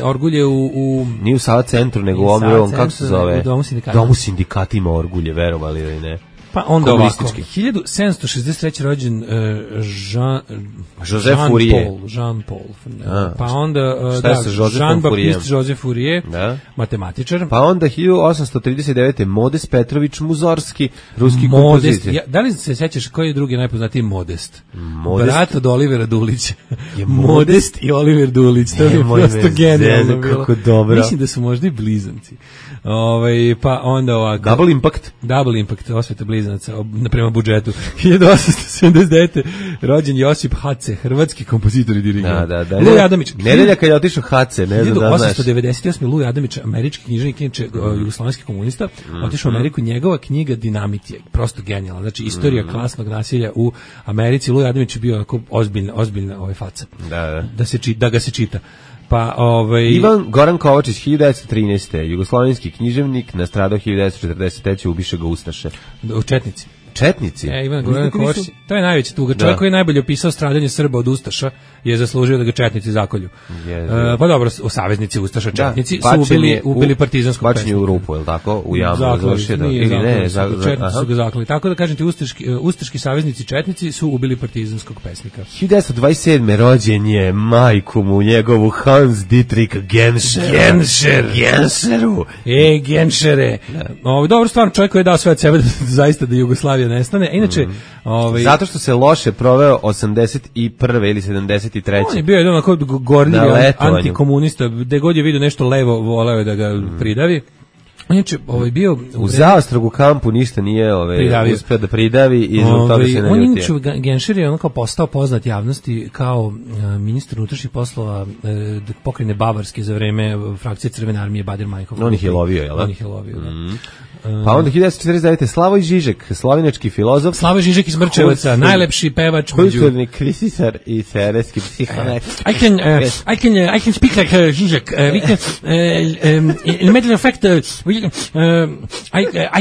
Speaker 6: orgulje u...
Speaker 5: Nije u Sava centru, nego u ovom, kako se zove?
Speaker 6: U
Speaker 5: Domu sindikata ima orgulje, verovali ili ne?
Speaker 6: Pa onda ovako, 1763. rođen Jean Paul. Pa onda Jean-Baptiste Joseph Fourier, matematičar.
Speaker 5: Pa onda 1839. Modest Petrović Muzorski, ruski kompozitor.
Speaker 6: Da li se sećaš koji je drugi najpoznatiji Modest? Brat od Olivera Dulića. Modest i Oliver Dulić. To je prosto genijalno bilo.
Speaker 5: Kako dobro.
Speaker 6: Mislim da su možda i blizanci. Pa onda ovako. Double Impact, osveta blizanaca prema budžetu. 1879. rođen Josip Hace, hrvatski kompozitor i dirigent. Luj Adamić.
Speaker 5: Nedelja kad je otišao Hace, ne znam da znaš.
Speaker 6: 1898. Luj Adamić, američki književnik, inače jugoslovenski komunista, otišao u Ameriku, njegova knjiga Dinamit je prosto genijalna. Znači, istorija klasnog nasilja u Americi. Luj Adamić je bio onako ozbiljna faca. Da ga se čita. Pa,
Speaker 5: Ivan Goran Kovačić, 1913. Jugoslovenski književnik, nastradao 1943. ubiše ga ustaše.
Speaker 6: U Četnici.
Speaker 5: Četnici?
Speaker 6: Ivan Goran Kovačić, to je najveća tuga. Čovjek koji je najbolje opisao stradanje Srba od ustaša je zaslužio da ga četnici zakolju. Pa dobro, saveznici ustaša četnici su ubili partizanskog pesnika.
Speaker 5: Bačenje u rupu, je li tako? U jamu.
Speaker 6: Četnici su ga zaklali. Tako da kažem ti, ustaški saveznici četnici su ubili partizanskog pesnika.
Speaker 5: 1927. rođen je majku mu njegovu Hans Dietrich Genscheru.
Speaker 6: Genšere. Dobro, stvarno čovjek koji je dao sve od sebe da zaista da Jugoslavija nestane. Inače,
Speaker 5: zato što se loše proveo 81. ili 73.
Speaker 6: On je bio jedan onako gorljivi antikomunista, gde god je vidio nešto levo, voleo je da ga pridavi. Inače, bio
Speaker 5: u Zaostrogu kampu ništa nije uspeo da pridavi i zbog toga se naljutio.
Speaker 6: On inače, Genscher je onako postao poznat javnosti kao ministar unutrašnjih poslova pokrajine Bavarske za vreme frakcije Crvene armije Bader-Meinhof.
Speaker 5: On ih je lovio, jel da?
Speaker 6: On ih je lovio, da.
Speaker 5: Pa onda 1949. Slavoj Žižek, slovenački filozof.
Speaker 6: Slavoj Žižek iz Mrčevaca, najlepši pevač.
Speaker 5: Kulturni kritičar i teoretski psihoanalitik.
Speaker 6: I can speak like Žižek. We can, in a matter of fact, I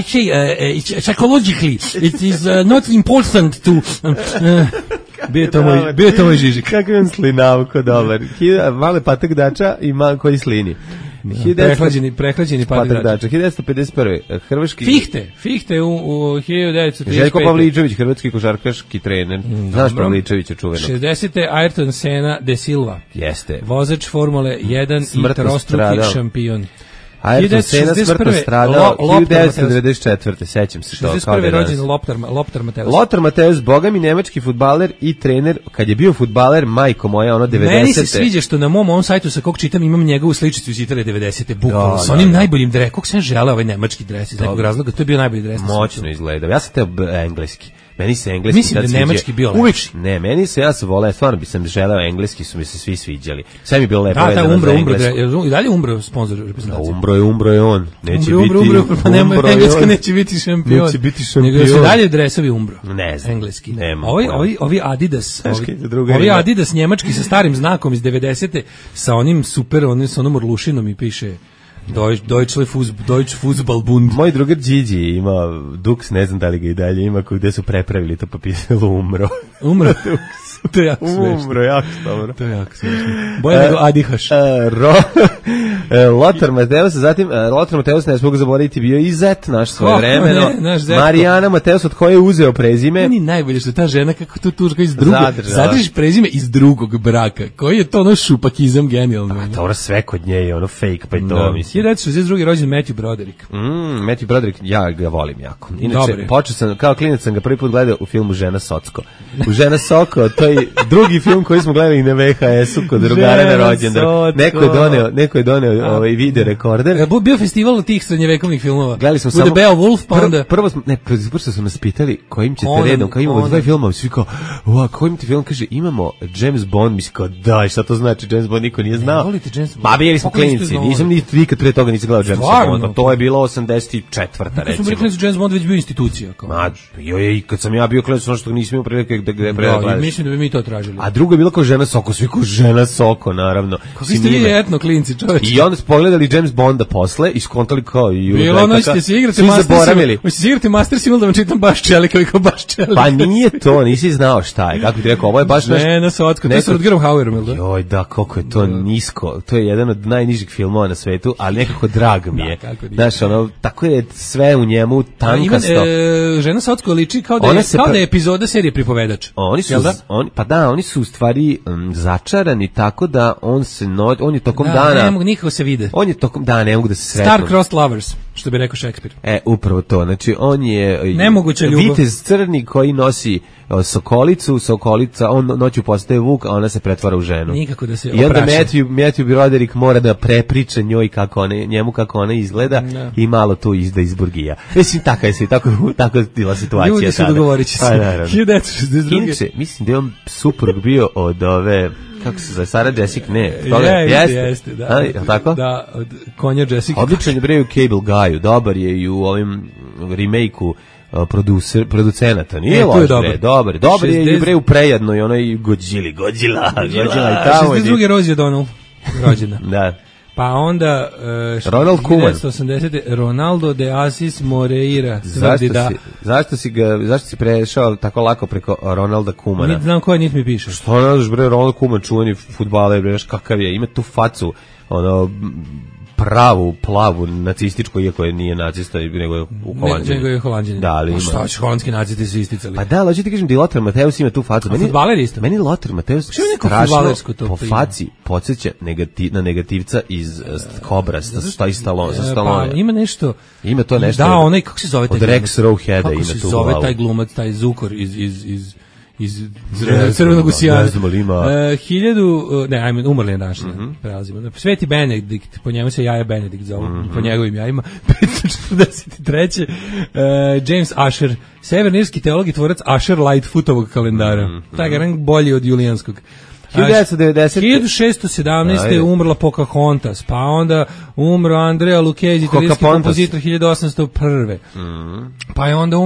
Speaker 6: say psychologically it is not important to... Bio je to moj Žižek.
Speaker 5: Kako je on slinavko dobar. Male patak dača i malo koji slini.
Speaker 6: Prehlađeni patak dača.
Speaker 5: 1951. Hrvatski...
Speaker 6: Fichte u 1935.
Speaker 5: Željko Pavličević, hrvatski košarkaški trener. Znaš Pavličevića čuvenog.
Speaker 6: 60. Ayrton Senna de Silva.
Speaker 5: Jeste.
Speaker 6: Vozač Formule 1 i trostruki šampion.
Speaker 5: Ayrton Senna smrtno stradao 1994. Sećam se to.
Speaker 6: 61. rođen Lothar Matthäus.
Speaker 5: Lothar Matthäus, bogami nemački fudbaler i trener. Kad je bio fudbaler, majko moja, 90.
Speaker 6: Meni se sviđa što na mom ovom sajtu sa kog čitam imam njegovu sličicu iz Italije 90. Bukvalno sa onim najboljim dresom. Kog sam želeo ovaj nemački dres iz nekog razloga, to je bio najbolji dres.
Speaker 5: Moćno izgleda. Ja sam teo engleski. Meni se engleski
Speaker 6: mislim da nemački bio lepši.
Speaker 5: Ne, ja sam voleo, stvarno bi sam želeo engleski, su mi se svi sviđali. Sve mi je bilo lepo
Speaker 6: vezano za englesko. I dalje Umbro sponsor reprezentacije.
Speaker 5: Umbro je on. Neće
Speaker 6: Umbro, pa nema, engleska neće biti šampion.
Speaker 5: Neće biti šampion.
Speaker 6: Nego su dalje dresovi Umbro.
Speaker 5: Ne znam.
Speaker 6: Engleski. Ovi Adidas njemački sa starim znakom iz 90. sa onim super, sa onom orlušinom i piše Deutsche Fußballbund.
Speaker 5: Moj drugar Điđi ima Dux, ne znam da li ga i dalje ima, gde su prepravili to pa pisalo Umbro.
Speaker 6: Dux. To je jako smešno.
Speaker 5: Umro, jako dobro.
Speaker 6: To je jako smešno. Bolje nego Adihaš.
Speaker 5: Lothar Mateus, zatim Lothar Mateus, ne smog zaboraviti, bio i zet naš svoje vremeno. Marijana Mateus, od koje je uzeo prezime.
Speaker 6: Meni najbolje što ta žena kako to tužka iz drugog. Zadržiš prezime iz drugog braka. Koji je to ono šupakizam genijalno.
Speaker 5: A to sve kod nje je ono fake, pa i to mislim.
Speaker 6: 1962. rođen Matthew Broderick.
Speaker 5: Matthew Broderick, ja ga volim jako. Inače, počeo sam, kao klinac sam ga prvi put gledao u filmu Žena Socko. U Žena Socko, to je drugi film koji smo gledali na VHS-u kod drugara na rođendan. Neko je doneo ovaj video rekorder.
Speaker 6: Bio festival tih srednjevekovnih filmova.
Speaker 5: Gledali smo samo
Speaker 6: Beowulf, pa onda
Speaker 5: prvo su nas pitali kojim ćete redom, kao imamo dva filma, svi kao, kojim ti film, kaže, imamo James Bond, mislim kao, daj, šta to znači, James Bond niko nije znao.
Speaker 6: Volite James Bond?
Speaker 5: Pa bili smo klinici, nisam nikad pre toga nisam gledao James Bond, to je bilo 84. recimo.
Speaker 6: Su rekli da James Bond već bio institucija.
Speaker 5: I kad sam ja bio klinac, ono što nisam imao prilike da gledaš.
Speaker 6: Mislim da bi mi to tražili.
Speaker 5: A drugo je bilo kao Žena Soko, svi kao Žena Soko, naravno.
Speaker 6: Kako ste vi etno klinci, čoveče.
Speaker 5: I onda smo pogledali James Bonda posle i skontali kao i
Speaker 6: bilo ono ćete se igrati Master Simul da vam čitam baš čelika i kao baš čelika.
Speaker 5: Pa nije to, nisi znao šta je. Kako ti rekao, ovo je baš naš...
Speaker 6: Ne, na Sotko, to je sa Rutgerom Hauerom, da?
Speaker 5: Joj, da, koliko je to nisko. To je jedan od najnižih filmova na svetu, ali nekako drag mi je. Znaš, ono, tako je sve u njemu tankasto.
Speaker 6: Žena Sotko liči kao da je epizoda serije Pripovedač.
Speaker 5: Oni su u stvari začarani tako da on je tokom dana...
Speaker 6: Ne mogu nikako se vide.
Speaker 5: On je tokom dana, ne mogu da se sretnu.
Speaker 6: Star-crossed lovers, što bi rekao Šekspir.
Speaker 5: Upravo to. Znači, on je
Speaker 6: nemoguća ljubav.
Speaker 5: Vitez crni koji nosi sokolica, on noću postaje vuk, a ona se pretvara u ženu.
Speaker 6: Nikako da se
Speaker 5: opraša. I onda Matthew Broderick mora da prepriča njoj njemu kako ona izgleda i malo tu izda iz burgija. Mislim, tako je bila situacija.
Speaker 6: Ljudi su dogovorići se. 1962.
Speaker 5: Inače, mislim da je on suprug bio od ove... Kako se zove, Sarah Jessica, ne.
Speaker 6: Jeste, da.
Speaker 5: Tako?
Speaker 6: Da, od konja Jessica.
Speaker 5: Odličan je bre u Cable Guy-u, dobar je i u ovim remake-u producenata, nije loš bre, dobar je i bre u Prejadnoj, onoj Godzilla i tamo.
Speaker 6: 62. Rosie O'Donnell, rođena.
Speaker 5: Da.
Speaker 6: Pa onda
Speaker 5: Ronald Koeman.
Speaker 6: 1980. Ronaldo de Assis Moreira.
Speaker 5: Zašto si prešao tako lako preko Ronalda Koemana?
Speaker 6: Niti znam koje, niti mi piše.
Speaker 5: Što ne znaš bre, Ronald Koeman, čuveni fudbaler, bre, kakav je, ima tu facu, ono, pravu, plavu, nacističku, iako je nije nacista, nego je Holanđanin.
Speaker 6: Nego je Holanđanin.
Speaker 5: Da, ali ima.
Speaker 6: Šta će, holandski nacisti su isticali.
Speaker 5: Pa da, ali hoću ti kažem da i Lothar Mateus ima tu facu.
Speaker 6: Fudbaler isto.
Speaker 5: Meni Lothar Mateus strašno po faci podsjeća na negativca iz Kobra, sa Stallone.
Speaker 6: Pa ima nešto.
Speaker 5: Ima to nešto.
Speaker 6: Da, onaj, kako se zove taj
Speaker 5: od Rex Rowheada ima tu glavu. Kako se zove
Speaker 6: taj glumac, taj Zukor iz Crvenog usijana.
Speaker 5: Ne znam li ima.
Speaker 6: Umrli je naš, prelazimo. Sveti Benedikt, po njemu se Jaja Benedikt zove, po njegovim jajima. 543. James Asher, severnirski teolog i tvorac Asher Lightfootovog kalendara. Taj je bolji od julijanskog. 1617. umrla Pocahontas, pa onda umro Andrea Lucchesi, italijanski kompozitor 1801. Pa je onda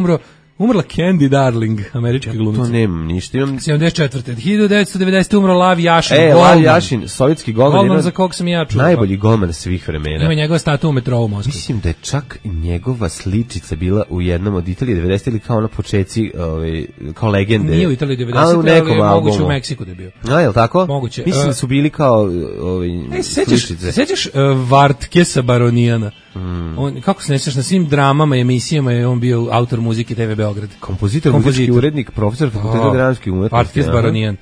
Speaker 6: umrla Candy Darling, američka glumica.
Speaker 5: To nemam ništa.
Speaker 6: 74. 1990. umro Lav Jašin.
Speaker 5: Lav Jašin, sovjetski golman.
Speaker 6: Golman za kog sam ja čuo.
Speaker 5: Najbolji golman svih vremena.
Speaker 6: Ima njegova statua u metrou u Moskvi.
Speaker 5: Mislim da je čak njegova sličica bila u jednom od Italije 90. ili kao na počeci, kao legende.
Speaker 6: Nije u Italiji 90. ali je moguće u Meksiku da je bio.
Speaker 5: Je li tako?
Speaker 6: Moguće.
Speaker 5: Mislim da su bili kao sličice.
Speaker 6: Sećaš Vartkesa Baronijana? Kako se nećeš, na svim dramama i emisijama je on bio autor muzike TV Beograd.
Speaker 5: Kompozitor, muzički urednik, profesor fakulteta dramskih umetnosti.
Speaker 6: Vartkes Baronijan.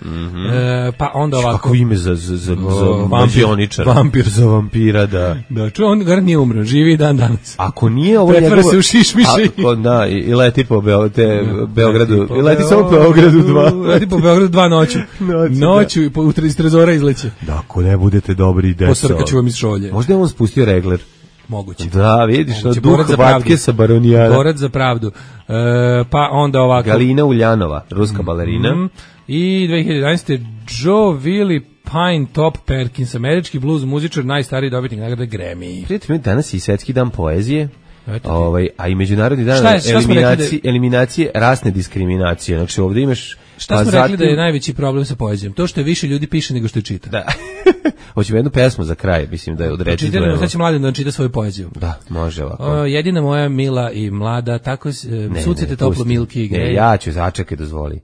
Speaker 6: Pa onda ovako.
Speaker 5: Kako ime za mađioničara.
Speaker 6: Vampir.
Speaker 5: Za vampira, da.
Speaker 6: Da, čuo, on gar nije umro, živi dan danas.
Speaker 5: Ako nije ovo
Speaker 6: pretvara se u šišmiši.
Speaker 5: Da, i leti po Beogradu. I leti samo po Beogradu 2.
Speaker 6: Leti po Beogradu 2 noću. Noću iz trezora izleće.
Speaker 5: Da, ako ne budete dobri deco.
Speaker 6: Posrkaću vam iz šolje.
Speaker 5: Možda je on spustio regler.
Speaker 6: Moguće.
Speaker 5: Da, vidiš, duh Vartkesa Baronijana.
Speaker 6: Borac za pravdu. Pa onda ovako.
Speaker 5: Galina Uljanova, ruska balerina.
Speaker 6: I 2011. Joe Willie Pine Top Perkins, američki blues muzičar, najstariji dobitnik nagrade Grammy.
Speaker 5: Prijatelj, danas je i svetski dan poezije. A i međunarodni dan eliminacije rasne diskriminacije. Znači ovdje imaš...
Speaker 6: Šta smo rekli da je najveći problem sa poezijom? To što je više ljudi piše nego što je čita.
Speaker 5: Da. Hoćemo jednu pesmu za kraj, mislim da je odreći.
Speaker 6: Sad će Mladen da čita svoju poeziju.
Speaker 5: Da, može ovako.
Speaker 6: Jedina moja mila i mlada, tako sucite toplo milki i grej.
Speaker 5: Ja ću, začekaj, dozvoli.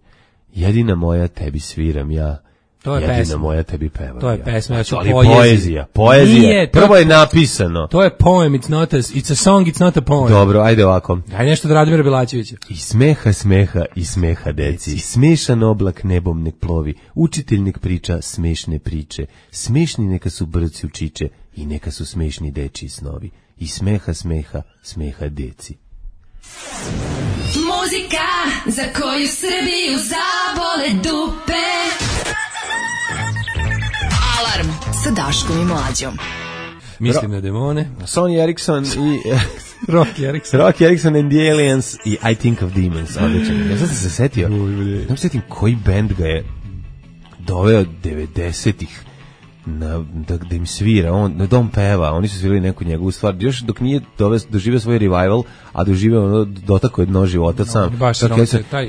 Speaker 5: jedina moja tebi sviram ja.
Speaker 6: To je
Speaker 5: jedina
Speaker 6: pesma.
Speaker 5: moja tebi pevam.
Speaker 6: To je pesma, ja ću
Speaker 5: ali
Speaker 6: poezija.
Speaker 5: Poezija. Prvo je napisano.
Speaker 6: To je poem, it's a song, it's not a poem.
Speaker 5: Dobro, ajde ovako.
Speaker 6: Ajde nešto od Radomira Belačevića.
Speaker 5: I smeha deci, smešan oblak nebom nek plovi, učitelj nek priča smešne priče, smešni neka su brci učiče i neka su smešni dečiji snovi. I smeha deci.
Speaker 2: Muzika za koju Srbiju zabole dupe. Alarm sa Daškom i Mlađom.
Speaker 6: Mislim na demone.
Speaker 5: Sony Ericsson i
Speaker 6: Rocky
Speaker 5: Ericsson and the Aliens i I Think of Demons. Odličan. Ja sam se setio. Ne se setim koji bend ga je doveo 90-ih da im svira, da on peva, oni su svirali neku njegovu stvar, još dok nije doživio svoj revival, a doživio dotako je dno života sam.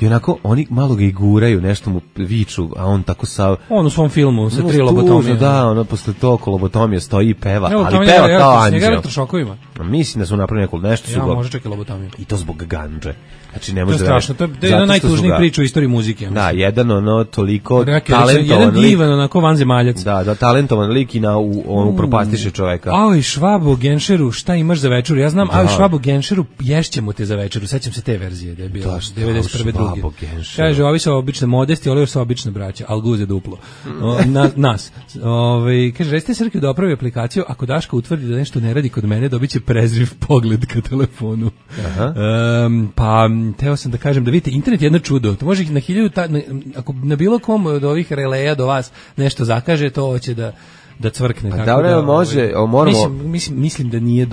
Speaker 5: I onako, oni malo ga iguraju, nešto mu viču, a on tako sav...
Speaker 6: On u svom filmu sa 3 lobotomije.
Speaker 5: Da, posle toliko lobotomija stoji i peva, ali peva kao anđel.
Speaker 6: Njega elektrošokovima.
Speaker 5: Mislim da su napravili nešto su
Speaker 6: ga... može čekati lobotomiju.
Speaker 5: I to zbog ganđe. Znači, ne može
Speaker 6: to je strašno, to je jedna najtužnijih priča u istoriji muzike.
Speaker 5: Da, jedan toliko talentovan
Speaker 6: jedan divan, onako vanzemaljac.
Speaker 5: Da, talentovan lik i on propastiše čoveka.
Speaker 6: Aj, Švabo Genšeru, šta imaš za večeru? Ja znam, aj, Švabo Genšeru, ješćemo te za večeru. Sećam se te verzije, da je bila 91. drugi. Kaže, ovi su obične modesti, ovi su obične braća, al guze duplo. Nas. Kaže, recite Srki da opravi aplikaciju, ako Daško utvrdi da nešto ne radi kod mene, dobit će prezriv pogled ka telefonu. Pa teo sam da kažem da vidite, internet je jedno čudo. To može na 1000 ako na bilo kom od ovih releja do vas nešto zakaže, to hoće da cvrkne.
Speaker 5: Tako da može, moramo...
Speaker 6: Mislim da nije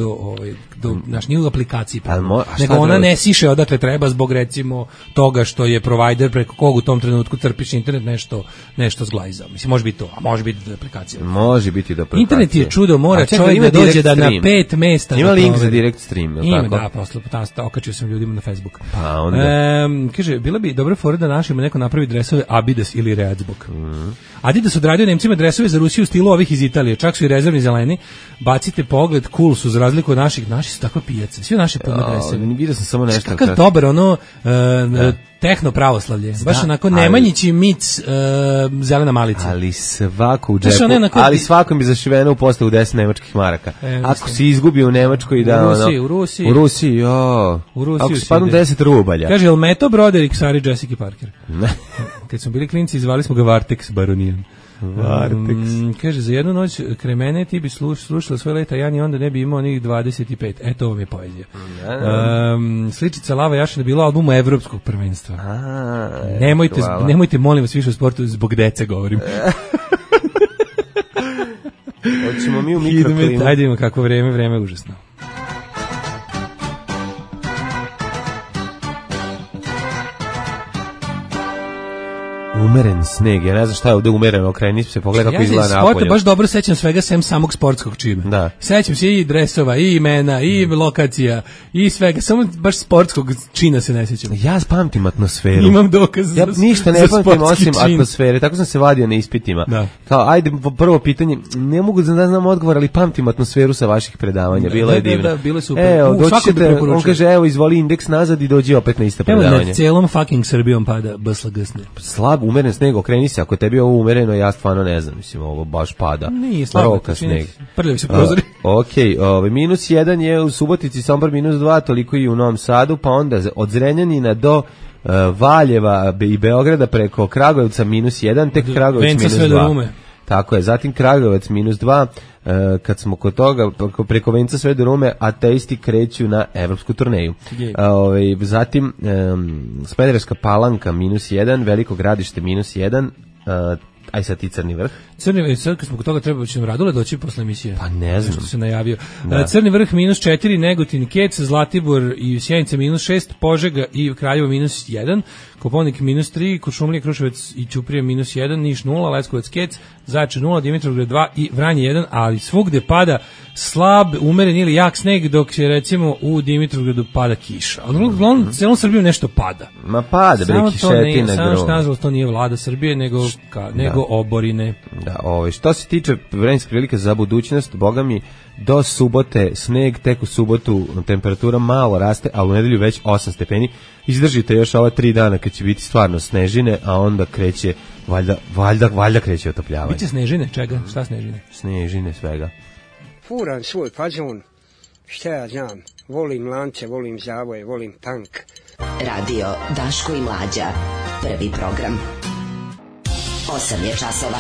Speaker 6: nije u aplikaciji, nego ona ne siše odakle treba zbog recimo toga što je provider preko kog u tom trenutku crpiš internet nešto zglajzao. Mislim, može biti to, a može biti aplikacija.
Speaker 5: Može biti da aplikacija.
Speaker 6: Internet je čudo, mora čovjek da dođe da na 5 mesta...
Speaker 5: Ima link za direct stream, ili tako?
Speaker 6: Da, posle okačio sam ljudima na Facebook.
Speaker 5: Pa onda...
Speaker 6: Kaže, bila bi dobra fora da našima neko napravi dresove Adidas ili Readsbog. Adidas odradio Nemcima dresove za Rusiju u stilu ovih iz Italije, čak su i rezervni zeleni. Bacite pogled, cool su za razliku od naših su takve pijace, sve naše pune dresove.
Speaker 5: Vidio sam samo nešto.
Speaker 6: Kakav dobar, tehno pravoslavlje, baš onako Nemanjići mic zelena malica.
Speaker 5: Ali svako u džepu, ali svakom bi zašiveno u postavu 10 nemačkih maraka. Ako si izgubio u Nemačkoj da
Speaker 6: u Rusiji.
Speaker 5: Ako si padnu 10 rubalja.
Speaker 6: Kaže, jel Meto Broderick Sari Jessica Parker? Kad smo bili klinci, zvali smo ga Vartex baronijan. Kaže, za jednu noć kremene ti bi slušala svoje leta Jan i onda ne bi imao onih 25. Eto, ovo je poezija. Sličica Lava Jašina bila u albumu Evropskog prvenstva. Nemojte, molim vas, više o sportu, zbog dece govorim.
Speaker 5: Hoćemo mi u mikroklimu.
Speaker 6: Ajde, ima kako vreme je užasno.
Speaker 5: Umeren sneg, ja ne znam šta je ovde umereno, okreni se, pogleda kako izgleda napolje. Ja se
Speaker 6: baš dobro sećam svega sem samog sportskog čina.
Speaker 5: Da.
Speaker 6: Sećam se i dresova, i imena, i lokacija, i svega, samo baš sportskog čina se ne sećam.
Speaker 5: Ja pamtim atmosferu.
Speaker 6: Imam dokaz
Speaker 5: ja ništa ne pamtim osim atmosfere, tako sam se vadio na ispitima.
Speaker 6: Da.
Speaker 5: Kao, ajde, prvo pitanje, ne mogu da znam odgovor, ali pamtim atmosferu sa vaših predavanja, bilo je divno.
Speaker 6: Da, bilo je super.
Speaker 5: On kaže, evo, izvoli indeks nazad i dođi opet na ista predavanja.
Speaker 6: Evo, na celom fucking Srbijom pada BSLGSne.
Speaker 5: Slab, umeren sneg, okreni se, ako je tebi ovo umereno, ja stvarno ne znam, mislim, ovo baš pada.
Speaker 6: Nije slabo,
Speaker 5: sneg.
Speaker 6: Prljavi se prozori.
Speaker 5: -1 je u Subotici, Sombor -2, toliko i u Novom Sadu, pa onda od Zrenjanina do Valjeva i Beograda preko Kragujevca -1, tek Kragujevac -2. Tako je, zatim Kragujevac -2, kad smo kod toga, preko Venca sve do Rume, ateisti kreću na evropsku turneju. Zatim Smederevska Palanka -1, Veliko Gradište -1, aj sad ti Crni Vrh.
Speaker 6: Sad kad smo kod toga treba će nam Radule doći posle emisije.
Speaker 5: Pa ne znam.
Speaker 6: Što se najavio. Crni Vrh -4, Negotin, Kec, Zlatibor i Sjenica -6, Požega i Kraljevo -1, Koponik -3, Kuršumlija, Kruševac i Ćuprija -1, Niš 0, Leskovac, Kec, Zaječar 0, Dimitrovgrad 2 i Vranje 1, ali svugde pada slab, umeren ili jak sneg, dok je recimo u Dimitrovgradu pada kiša. Ali uglavnom celom Srbiju nešto pada.
Speaker 5: Ma pada, bre, kišetina.
Speaker 6: Samo što nažalost to nije vlada Srbije, nego oborine.
Speaker 5: Da, što se tiče vremenskih prilika za budućnost, boga mi, do subote sneg, tek u subotu temperatura malo raste, a u nedelju već 8 stepeni. Izdržite još ova 3 dana kad će biti stvarno snežine, a onda kreće, valjda kreće otopljavanje.
Speaker 6: Biće snežine, čega? Šta snežine?
Speaker 5: Snežine, svega.
Speaker 9: Furam svoj fazon, šta ja znam, volim lance, volim zavoje, volim tank.
Speaker 2: Radio Daško i Mlađa, prvi program. 8 je časova.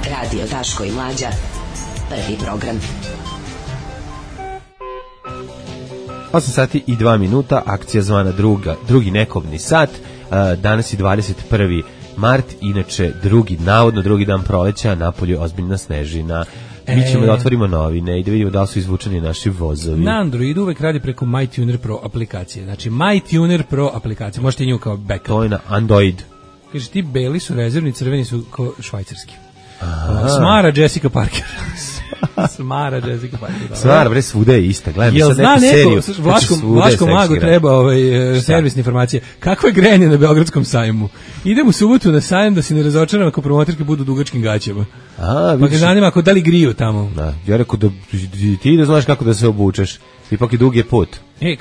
Speaker 2: Radio Daško i Mlađa, prvi program.
Speaker 5: 8 sati i 2 minuta, akcija zvana drugi nekobni sat. Danas je 21. mart, inače navodno drugi dan proleća, napolju ozbiljna snežina. Mi ćemo da otvorimo novine i da vidimo da li su izvučeni naši vozovi.
Speaker 6: Na Androidu uvek radi preko MyTuner Pro aplikacije. Znači MyTuner Pro aplikacija, možete nju kao backup.
Speaker 5: To je na Android.
Speaker 6: Kaže, ti beli su rezervni, crveni su ko švajcarski. Smara Jessica Parker. Smara Jessica Parker.
Speaker 5: Smara, bre, svuda je ista. Gledam,
Speaker 6: jel zna neko, Vlaškom magu treba servisne informacije. Kakvo je grejanje na Beogradskom sajmu? Idem u subotu na sajam da se ne razočaram ako promoterke budu u dugačkim gaćama. Pa ga zanima ako da li griju tamo.
Speaker 5: Da, ja rekao da ti da znaš kako da se obučeš. Ipak je dug je put.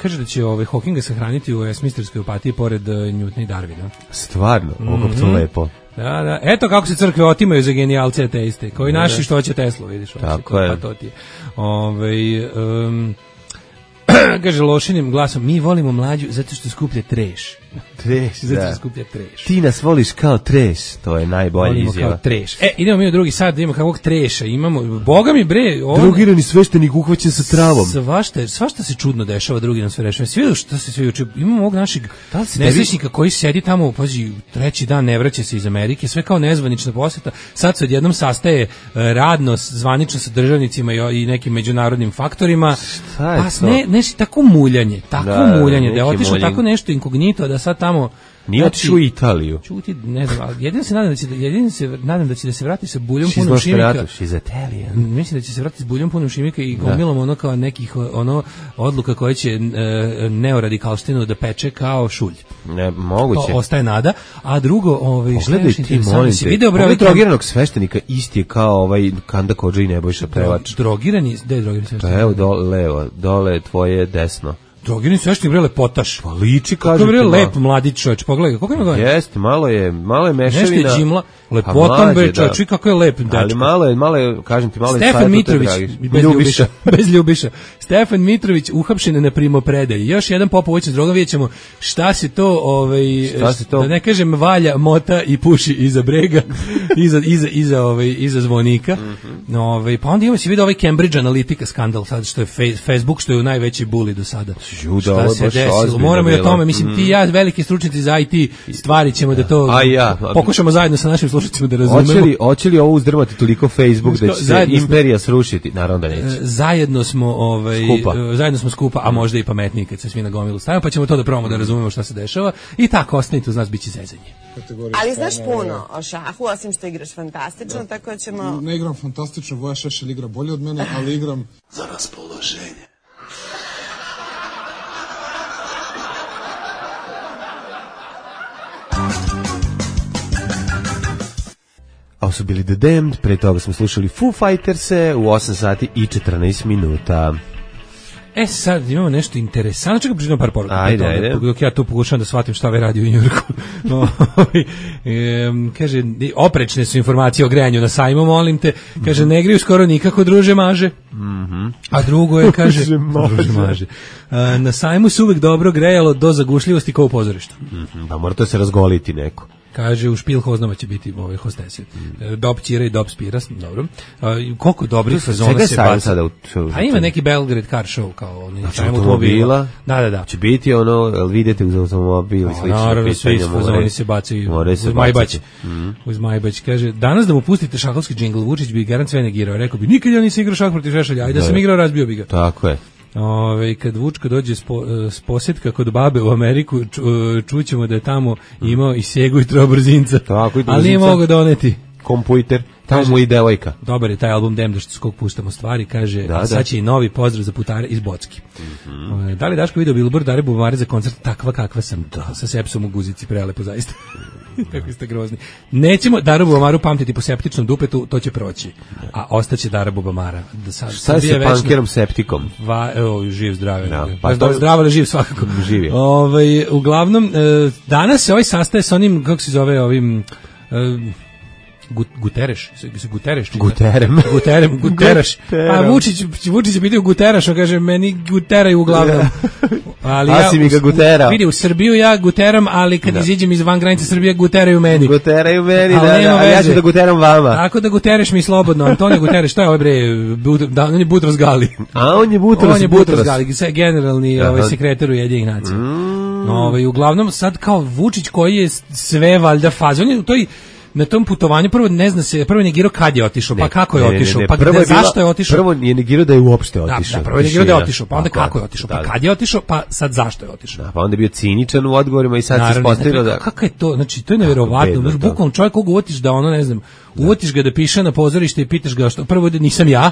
Speaker 6: Kaže da će Hawkinga sahraniti u Westminsterskoj opatiji pored Newtona i Darwina.
Speaker 5: Stvarno, ovo to lepo.
Speaker 6: Da. Eto kako se crkve otimaju za genijalce ateiste, koji naši što će Teslu, vidiš.
Speaker 5: Tako je.
Speaker 6: Pa to ti je. Kaže lošinim glasom, mi volimo Mlađu zato što skuplja treš.
Speaker 5: Treš,
Speaker 6: zato što skuplja treš.
Speaker 5: Ti nas voliš kao treš, to je najbolja izjava.
Speaker 6: Volimo kao treš. Idemo mi u drugi sad da imamo kakvog treša, imamo, boga mi bre.
Speaker 5: Drogirani sveštenik uhvaćen sa travom.
Speaker 6: Svašta se čudno dešava, drugi nam sve rešava. Svi vidio šta se sve juče, imamo ovog našeg nesrećnika koji sedi tamo, pazi, treći dan ne vraća se iz Amerike, sve kao nezvanična poseta, sad se odjednom sastaje radno, zvanično sa državnicima i nekim međunarodnim faktorima. Tako muljanje, da je otišlo tako nešto inkognito, da sad tamo
Speaker 5: nije otišao u Italiju.
Speaker 6: Čuti, ne znam, jedino se nadam da će da se vrati sa buljom punom šimika. Mislim da će se vrati s buljom punom šimika i gomilom ono kao nekih odluka koje će neoradikalštinu da peče kao šulj.
Speaker 5: Ne, moguće.
Speaker 6: To ostaje nada. A drugo,
Speaker 5: pogledaj ti, molim te, pogledaj drogiranog sveštenika isti je kao Kanda Kodža i Nebojša Pevač.
Speaker 6: Drogirani, gde je drogirani sveštenik?
Speaker 5: Pa evo, dole tvoje desno.
Speaker 6: Drogirani sveštenik bre lepotaš.
Speaker 5: Pa liči, kažete.
Speaker 6: To je bre lep mladić čovjek. Pogledaj, koliko ima godina?
Speaker 5: Jeste, malo je mešavina.
Speaker 6: Nešto je džimla. Lepotan bre čovjek, kako je lep dečko.
Speaker 5: Ali malo je, kažem ti, malo je
Speaker 6: Stefan Mitrović, bez Ljubiša. Stefan Mitrović uhapšen na primopredaji. Još jedan Popović s drogom, vidjet ćemo šta se to, da ne kažem valja, mota i puši iza brega, iza zvonika. Pa onda imamo se vidio Cambridge Analytica skandal, sad što je Facebook, što je najveći bully do sada. Šta se desilo? Moramo i o tome, mislim, ti i ja, veliki stručnjaci za IT, stvari ćemo da to pokušamo zajedno sa našim slušateljima da razumemo.
Speaker 5: Hoće li ovo uzdrmati toliko Facebook da će se imperija srušiti? Naravno da neće.
Speaker 6: Zajedno smo skupa, a možda i pametniji kad se svi na gomilu stavimo, pa ćemo to da probamo da razumemo šta se dešava i tako, ostanite uz nas, bit će zezanje.
Speaker 10: Ali znaš puno o šahu, osim što igraš fantastično, tako da ćemo...
Speaker 11: Ne igram fantastično, Voja Šešelj igra bolje od mene, ali igram
Speaker 12: za raspoloženje.
Speaker 5: Ovo su bili The Damned, pre toga smo slušali Foo Fighters-e u 8 sati i 14 minuta.
Speaker 6: Sad imamo nešto interesantno, čekaj pričam par poruka.
Speaker 5: Ajde.
Speaker 6: Dok ja tu pokušam da shvatim šta ovaj radi u Njujorku. Kaže, oprečne su informacije o grejanju na sajmu, molim te. Kaže, ne griju skoro nikako, druže maže. A drugo je, kaže, druže maže. Na sajmu se uvek dobro grejalo do zagušljivosti kao u pozorištu.
Speaker 5: Pa mora to se razgoliti neko.
Speaker 6: Kaže, u Špilhoznama će biti hostesi. Dob Ćira i Dob Spiras, dobro. Koliko dobrih sezona se baca. A ima neki Belgrade car show kao oni.
Speaker 5: Znači automobila?
Speaker 6: Da.
Speaker 5: Će biti vidite uz automobil i slično.
Speaker 6: Naravno, svi sezoni se bacaju uz Majbać. Kaže, danas da mu pustite šahovski džingl, Vučić bi garant sve negirao. Rekao bi, nikad ja nisam igrao šah protiv Šešelja, ajde da sam igrao, razbio bi ga.
Speaker 5: Tako je.
Speaker 6: Kad Vučko dođe s posjetka kod babe u Ameriku, čućemo da je tamo imao i Segu i trobrzinca, ali nije mogao doneti
Speaker 5: kompjuter. Tamo mu i devojka.
Speaker 6: Dobar je taj album Demda što skog puštamo stvari, kaže, a sad će i novi pozdrav za putare iz Bocki. Da li Daško video Billboard Dare Bubamare za koncert takva kakva sam, sa sepsom u guzici, prelepo zaista. Kako ste grozni. Nećemo Daru Bubamaru pamtiti po septičnom dupetu, to će proći. A ostaće Dara Bubamara.
Speaker 5: Šta je sa pankerom septikom?
Speaker 6: Živ, zdrave. Zdravo, ali živ svakako.
Speaker 5: Živ je.
Speaker 6: Uglavnom, danas se ovaj sastaje sa onim, kako se zove, ovim... Guterres. A Vučić je pitao Guteraš, on kaže, meni guteraju uglavnom. Ali ja,
Speaker 5: si mi ga guterao.
Speaker 6: Vidi, u Srbiju ja guteram, ali kad iziđem iz van granice Srbije, guteraju meni.
Speaker 5: Guteraju meni, a ja ću da guteram vama.
Speaker 6: Tako da gutereš mi slobodno. Antonio Guterres, što je ovaj bre? On je Butros Gali.
Speaker 5: A on je Butros
Speaker 6: Gali, generalni sekretar Ujedinjenih nacija. Uglavnom, sad kao Vučić koji je sve valjda faze, on je u toj na tom putovanju prvo ne zna se, prvo je negirao kad je otišao, pa kako je otišao, pa zašto je otišao.
Speaker 5: Prvo je negirao da je uopšte otišao.
Speaker 6: Da, prvo je negirao da je otišao, pa onda kako je otišao, pa kad je otišao, pa sad zašto je otišao.
Speaker 5: Da, pa onda je bio ciničan u odgovorima i sad se ispostavilo da...
Speaker 6: Kako je to, znači to je neverovatno, znači bukvalno čovjek koga uvatiš da ono, ne znam, uvatiš ga da piše na pozorište i pitaš ga što, prvo da nisam ja,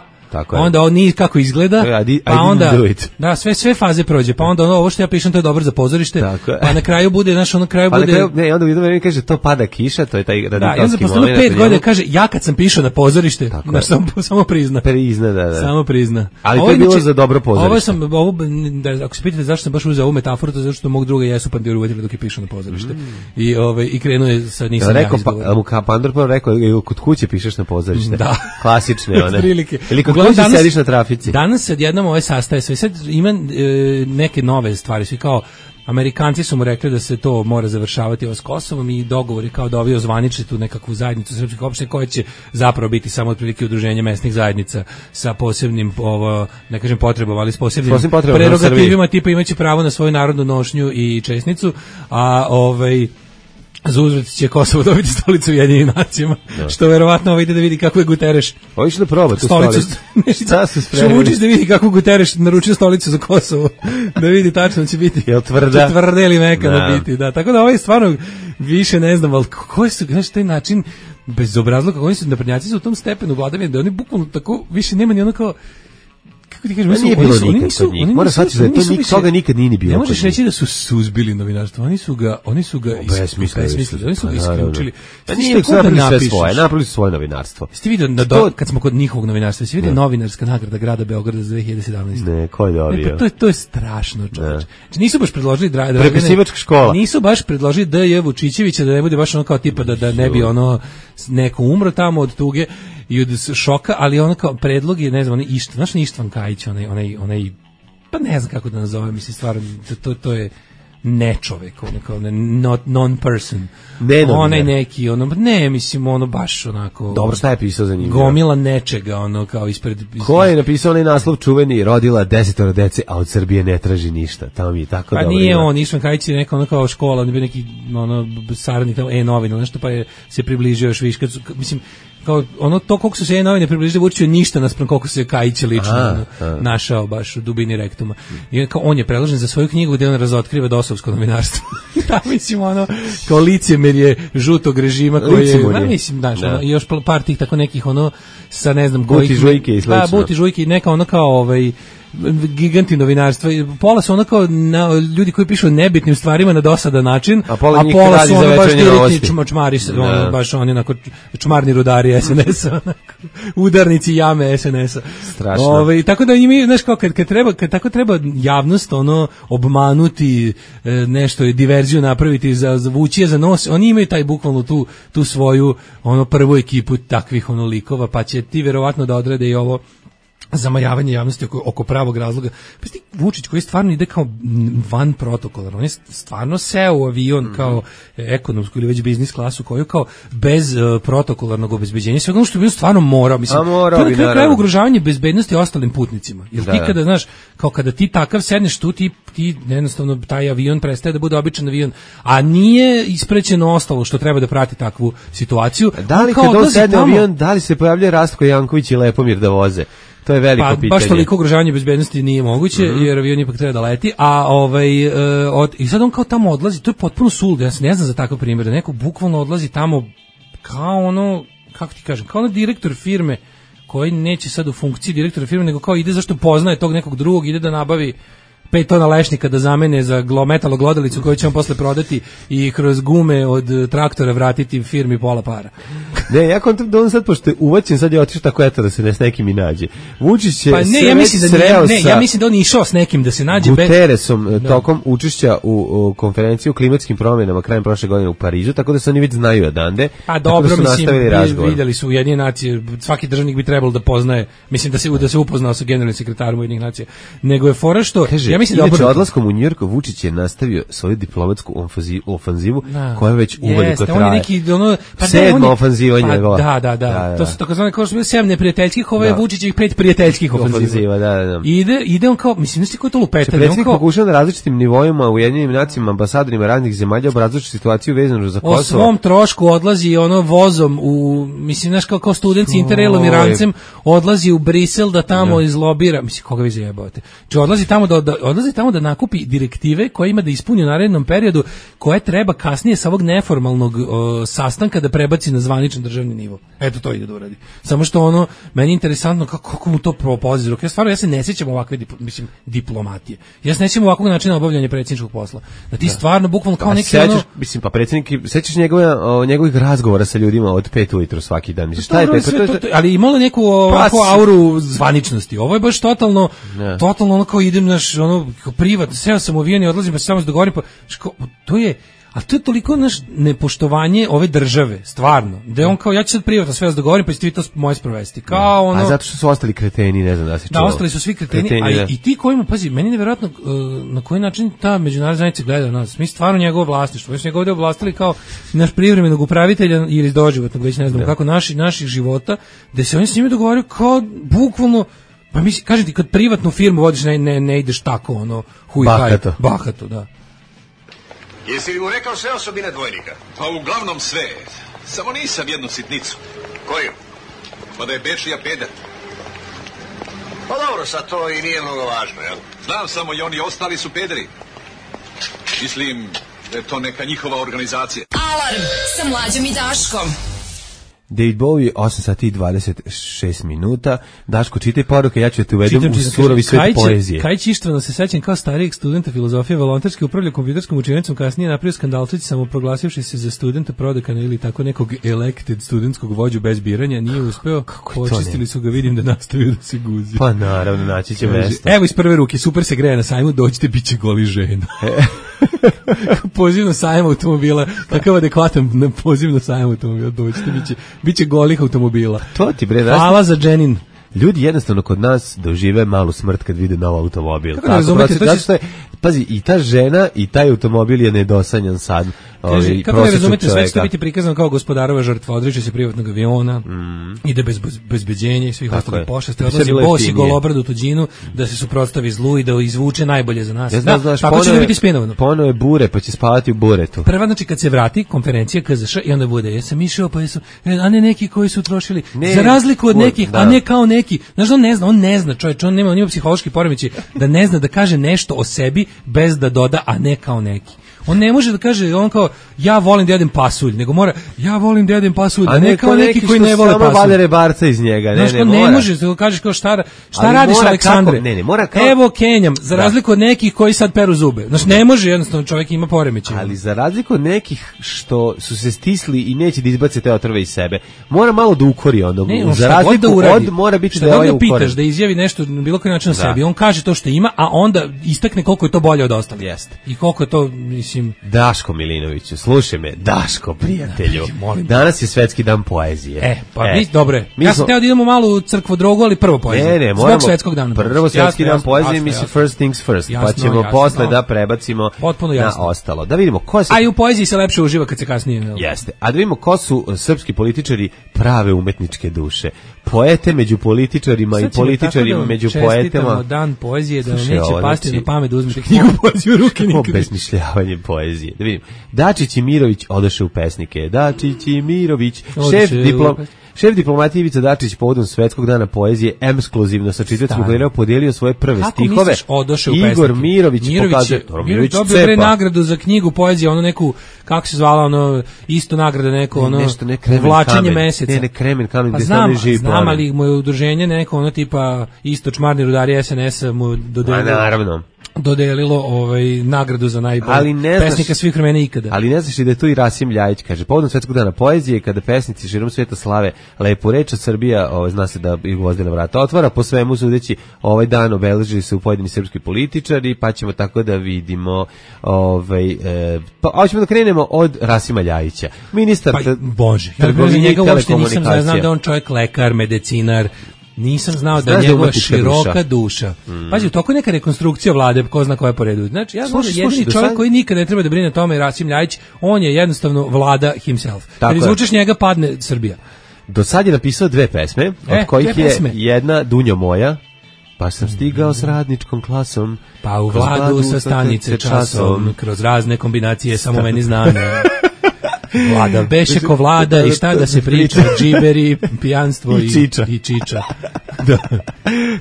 Speaker 6: onda on nije kako izgleda, pa onda da sve faze prođe, pa onda ovo što ja pišem to je dobro za pozorište, pa na kraju bude
Speaker 5: ne, onda u jedno vreme kaže to pada kiša, to je taj radikalski moment.
Speaker 6: Da, onda posle 5 godina kaže ja kad sam pišao na pozorište, samo prizna. Samo prizna.
Speaker 5: Ali to je bilo za dobro pozorište.
Speaker 6: Ako se pitate zašto sam baš uzeo ovu metaforu, to je zato što mog druga jesu Pandiru uvetili dok je pišao na pozorište. I krenuo je sa nisam ja izgovorio.
Speaker 5: Mu Pandor prvo rekao kod kuće pišeš na pozorište. Klasične one.
Speaker 6: Danas,
Speaker 5: sediš na trafici.
Speaker 6: Danas se odjednom ovaj sastaje sve. Sad ima neke nove stvari. Svi kao, Amerikanci su mu rekli da se to mora završavati s Kosovom i dogovori kao da ovi ozvaničili tu nekakvu zajednicu srpskih opština koja će zapravo biti samo otprilike udruženje mesnih zajednica sa posebnim, ne kažem potrebama, ali s posebnim prerogativima, tipa imaće pravo na svoju narodnu nošnju i česnicu, a za uzvrat će Kosovo dobiti stolicu u Ujedinjenim nacijama, što verovatno ide da vidi kako je Guterres.
Speaker 5: Ovo će da proba tu stolicu.
Speaker 6: Što Vučić da vidi kako Guterres naručio stolicu za Kosovo, da vidi tačno će biti.
Speaker 5: Jel tvrda?
Speaker 6: Tvrda ili mekana biti, da. Tako da ovo je stvarno više ne znam, ali koji su, znaš, taj način bezobrazluka, oni su naprednjaci su u tom stepenu vladavine, da oni bukvalno tako, više nema ni ono kao, kako ti kažem,
Speaker 5: nije bilo nikad kod njih. Moraš shvatiti da toga nikad nije ni bilo.
Speaker 6: Ne možeš reći da su suzbili novinarstvo. Oni su ga
Speaker 5: besmislili,
Speaker 6: oni su ga isključili.
Speaker 5: Pa nije napravili sve svoje, napravili su svoje novinarstvo.
Speaker 6: Jeste vidio kad smo kod njihovog novinarstva, jeste vidio novinarska nagrada grada Beograda za 2017.
Speaker 5: Ne, ko je dobio?
Speaker 6: To je strašno, čoveče. Nisu baš predložili
Speaker 5: prepisivačka škola.
Speaker 6: Nisu baš predložili D.J. Vučićevića da ne bude baš ono kao tipa da ne bi ono neko umro tamo od tuge i od šoka, ali ono kao predlog je, ne znam, Ištvan Kajić, onaj, pa ne znam kako da nazovem, mislim, stvarno, to je nečovek, non-person. Onaj neki, mislim, baš onako...
Speaker 5: Dobro, šta je pisao za njim?
Speaker 6: Gomila nečega, kao ispred...
Speaker 5: Ko je napisao onaj naslov čuveni, rodila 10 dece, a od Srbije ne traži ništa, tamo mi je tako dobro.
Speaker 6: Pa nije on, Ištvan Kajić je neka kao škola, on je bio neki saradnik novina, nešto, pa je se približio još više, mislim, kao to koliko su se novine približili Vučiću ništa naspram koliko se Kajić lično našao baš u dubini rektuma. I kao on je predložen za svoju knjigu gde on razotkriva dosovsko novinarstvo. Da, mislim, kao licemerje žutog režima koji je, mislim, znaš, i još par tih tako nekih sa ne znam kojih...
Speaker 5: Buti žujke i slično.
Speaker 6: Da, Buti žujke i neka kao giganti novinarstva. Pola su kao ljudi koji pišu o nebitnim stvarima na dosadan način, a pola su baš direktni čmari, baš oni onako čmarni rudari SNS-a, udarnici jame SNS-a.
Speaker 5: Strašno.
Speaker 6: Tako da ima, znaš, kao kad tako treba javnost obmanuti, nešto, diverziju napraviti, vući za nos, oni imaju taj bukvalno tu svoju prvu ekipu takvih likova, pa će ti verovatno da odrede i ovo zamajavanje javnosti oko pravog razloga. Pa sti Vučić koji stvarno ide kao van protokola, on je stvarno seo u avion kao ekonomsku ili već biznis klasu koju kao bez protokolarnog obezbeđenja, sve ono što bi stvarno morao, mislim, to je kraj ugrožavanje bezbednosti ostalim putnicima. Jer ti kada, znaš, kao kada ti takav sedneš tu, ti jednostavno taj avion prestaje da bude običan avion, a nije isprećeno ostalo što treba da prati takvu situaciju.
Speaker 5: Da li kad on sedne avion, da li se pojavljuje Rastko Janković i Lepomir da voze? To je veliko pitanje.
Speaker 6: Baš toliko ugrožavanje bezbednosti nije moguće, jer avion ipak treba da leti, a i sad on kao tamo odlazi, to je potpuno suludo, ja ne znam za takav primjer, da neko bukvalno odlazi tamo kao kako ti kažem, kao ono direktor firme koji neće sad u funkciji direktora firme, nego kao ide zašto poznaje tog nekog drugog, ide da nabavi 5 tona lešnika da zamene za metaloglodalicu koju će on posle prodati i kroz gume od traktora vratiti firmi pola para.
Speaker 5: Ne, ja kontam da on sad, pošto je uvaćen, sad je otišao tako eto da se ne s nekim i nađe. Vučić će
Speaker 6: ja mislim da on je išao s nekim da se nađe.
Speaker 5: Guterresom tokom učešća u konferenciji o klimatskim promjenama krajem prošle godine u Parizu, tako da se oni već znaju odande.
Speaker 6: Pa dobro, mislim, vidjeli su Ujedinjene nacije, svaki državnik bi trebalo da poznaje, mislim da se upoznao sa generalnim sekretarom Ujedinjenih nacija. Nego je fora što ja mislim da
Speaker 5: odlaskom u Njujork Vučić je nastavio svoju diplomatsku ofanzivu koja već uveliko traje.
Speaker 6: On je neki
Speaker 5: sedma ofanziva njegova.
Speaker 6: Da. To su takozvane kao što je 7 neprijateljskih, ovo je Vučićevih 5 prijateljskih ofanziva.
Speaker 5: Da.
Speaker 6: Ide on kao, mislim, nisi koji to lupetanje.
Speaker 5: Predsjednik pokušao na različitim nivoima u Ujedinjenim nacijama, ambasadorima raznih zemalja obrazložiti situaciju vezanu za Kosovo.
Speaker 6: O svom trošku odlazi vozom u, mislim, znaš, kao student Interrailom i rancem odlazi u Brisel da tamo izlobira, mislim, koga vi zajebavate. Či odlazi tamo da nakupi direktive koje ima da ispuni u narednom periodu, koje treba kasnije sa ovog neformalnog sastanka da prebaci na zvaničan državni nivo. Eto, to ide da uradi. Samo što meni je interesantno kako mu to propozira. Ja se ne sjećam ovakve diplomatije. Ja se ne sjećam ovakvog načina obavljanja predsjedničkog posla. Da ti stvarno bukvalno kao neki
Speaker 5: mislim, pa predsjednik, sećaš njegovih razgovora sa ljudima od 5 ujutro svaki dan. Mislim, šta je 5?
Speaker 6: Ali imalo neku auru zvaničnosti. Ovo je baš totalno kao idem privatno, seo sam u avion i odlazim pa se samo se dogovorim, to je toliko nepoštovanje ove države, stvarno, da je on kao, ja ću sad privatno sve vas dogovorim, pa ćete vi to moje sprovesti. Kao
Speaker 5: a zato što su ostali kreteni, ne znam da si čuo.
Speaker 6: Da, ostali su svi kreteni, a i ti kojima, pazi, meni je nevjerojatno na koji način ta međunarodna zajednica gleda na nas. Mi stvarno njegovo vlasništvo, mi smo njega ovdje oblastili kao naš privremenog upravitelja ili doživotnog, već ne znam kako, naših života, da se oni s njima dogovaraju kao bukvalno. Pa mislim, kažem ti, kad privatnu firmu vodiš, ne ideš tako, bahato, da.
Speaker 12: Jesi li mu rekao sve osobine dvojnika?
Speaker 13: Pa uglavnom sve, samo nisam jednu sitnicu.
Speaker 12: Koju?
Speaker 13: Pa da je Bečija peder.
Speaker 12: Pa dobro, sad to i nije mnogo važno, jel?
Speaker 13: Znam samo i oni ostali su pederi. Mislim da je to neka njihova organizacija.
Speaker 2: Alarm sa Mlađom i Daškom.
Speaker 5: David Bowie, 8 sati i 26 minuta. Daško, čitaj poruke, ja ću te uvedem u surovi svet poezije.
Speaker 6: Kajić Ištvano se sećam kao starijeg studenta filozofije, volonterski upravlja kompjuterskom učionicom, kasnije napravio skandalčić samoproglasivši se za studenta prodekana ili tako nekog elected studentskog vođu bez biranja, nije uspeo, počistili su ga, vidim da nastavio da se guzi.
Speaker 5: Pa naravno, naći će mesto.
Speaker 6: Evo iz prve ruke, super se greje na sajmu, dođite, bit će goli žena. Poziv na sajam automobila, takav adekvatan poziv na sajam automobila, dođite, biće golih automobila.
Speaker 5: To ti bre,
Speaker 6: hvala za Dženin.
Speaker 5: Ljudi jednostavno kod nas dožive malu smrt kad vide nov automobil.
Speaker 6: Kako ne razumete?
Speaker 5: Pazi, i ta žena i taj automobil je nedosanjan sad.
Speaker 6: Kako ne razumete, sve će biti prikazano kao gospodarova žrtva, odriče se privatnog aviona, ide bez bezbeđenja i svih ostalih pošasti, odlazi bos i golobrad u tuđinu da se suprotstavi zlu i da izvuče najbolje za nas. Tako će biti spinovano.
Speaker 5: Ponovo je bure, pa će spavati u buretu.
Speaker 6: Prva, znači kad se vrati konferencija KZŠ i onda bude, jesam išao, pa jesu, a ne neki koji su trošili, za razliku od nekih, a ne kao neki. Znaš, on ne zna, čovječ, on nema psihološki poremećaj da ne zna da kaže nešto o sebi bez da doda, a ne kao neki. On ne može da kaže, on kao, ja volim da jedem pasulj, nego mora, ja volim da jedem pasulj, a ne kao neki koji ne vole pasulj.
Speaker 5: Samo vade rebarca iz njega,
Speaker 6: ne može, da kažeš kao šta radiš, Aleksandre? Evo Kenjam, za razliku od nekih koji sad peru zube. Znaš, ne može, jednostavno čovjek ima poremećaj.
Speaker 5: Ali za razliku od nekih što su se stisli i neće da izbace te otrove iz sebe, mora malo da ukori onda. Za razliku od, mora biti da je ovaj ukoren.
Speaker 6: Pitaš da izjavi nešto na bilo koji način o sebi, on kaže to što ima, a onda istakne koliko je to bolje od ostalih.
Speaker 5: Jeste.
Speaker 6: I koliko je to, mislim...
Speaker 5: Daško Milinoviću, slušaj me, Daško, prijatelju, danas je svetski dan poezije.
Speaker 6: Dobre, ja sam teo da idemo malo u crkvu drogu, ali prvo poezije.
Speaker 5: Ne,
Speaker 6: moramo, zbog svetskog dana.
Speaker 5: Prvo svetski dan poezije, mislim first things first, pa ćemo posle da prebacimo na ostalo. Da vidimo ko se...
Speaker 6: A i u poeziji se lepše uživa kad se kasnije...
Speaker 5: Jeste, a da vidimo ko su srpski političari prave umetničke duše. Poete među političarima i političarima među poetama.
Speaker 6: Čestitamo dan poezije, da vam neće pasti na pamet da uzmete knjigu poeziju u ruke nikad.
Speaker 5: Obesmišljavanje poezije. Da vidim. Dačić i Mirović odoše u pesnike. Dačić i Mirović, Šef diplomatije Ivica Dačić povodom Svetskog dana poezije ekskluzivno sa čitacima Gledao podijelio svoje prve stihove.
Speaker 6: Kako misliš odoše u pesnike?
Speaker 5: Igor Mirović pokazuje.
Speaker 6: Mirović dobio nagradu za knjigu poezije, ono neku, kako se zvala, ono, isto nagrada neko, ono, uvlačenje meseca.
Speaker 5: Ne, Kremen kamen,
Speaker 6: pa
Speaker 5: gde
Speaker 6: znam, ali mu je udruženje neko, ono tipa, isto čmarni rudari SNS-a mu dodelilo nagradu za najbolji pesnika svih vremena ikada.
Speaker 5: Ali ne znaš i da je tu i Rasim Ljajić, kaže, povodom Svetskog dana poezije, kada pesnici širom sveta slave lepu reč, a Srbija, zna se da ih Gvozdena vrata otvara, po svemu sudeći, ovaj dan obeležili se u pojedini srpski političari, pa ćemo tako da vidimo, pa hoćemo da krenemo od Rasima Ljajića. Ministar trgovine i telekomunikacija.
Speaker 6: Znam da on čovjek lekar, medicinar, nisam znao da je njegova široka duša. Pazi, u toku je neka rekonstrukcija vlade, ko zna koja je po redu. Znači, ja znam da jedini čovjek koji nikada ne treba da brine o tome je Rasim Ljajić, on je jednostavno vlada himself. Kad izvučeš njega, padne Srbija.
Speaker 5: Do sad je napisao 2 pesme, od kojih je jedna Dunjo moja, pa sam stigao s radničkom klasom,
Speaker 6: pa u vladu sa stanice časom, kroz razne kombinacije samo meni znane. Vlada beše ko vlada i šta da se priča, džiberi, pijanstvo i čiča.
Speaker 5: Da.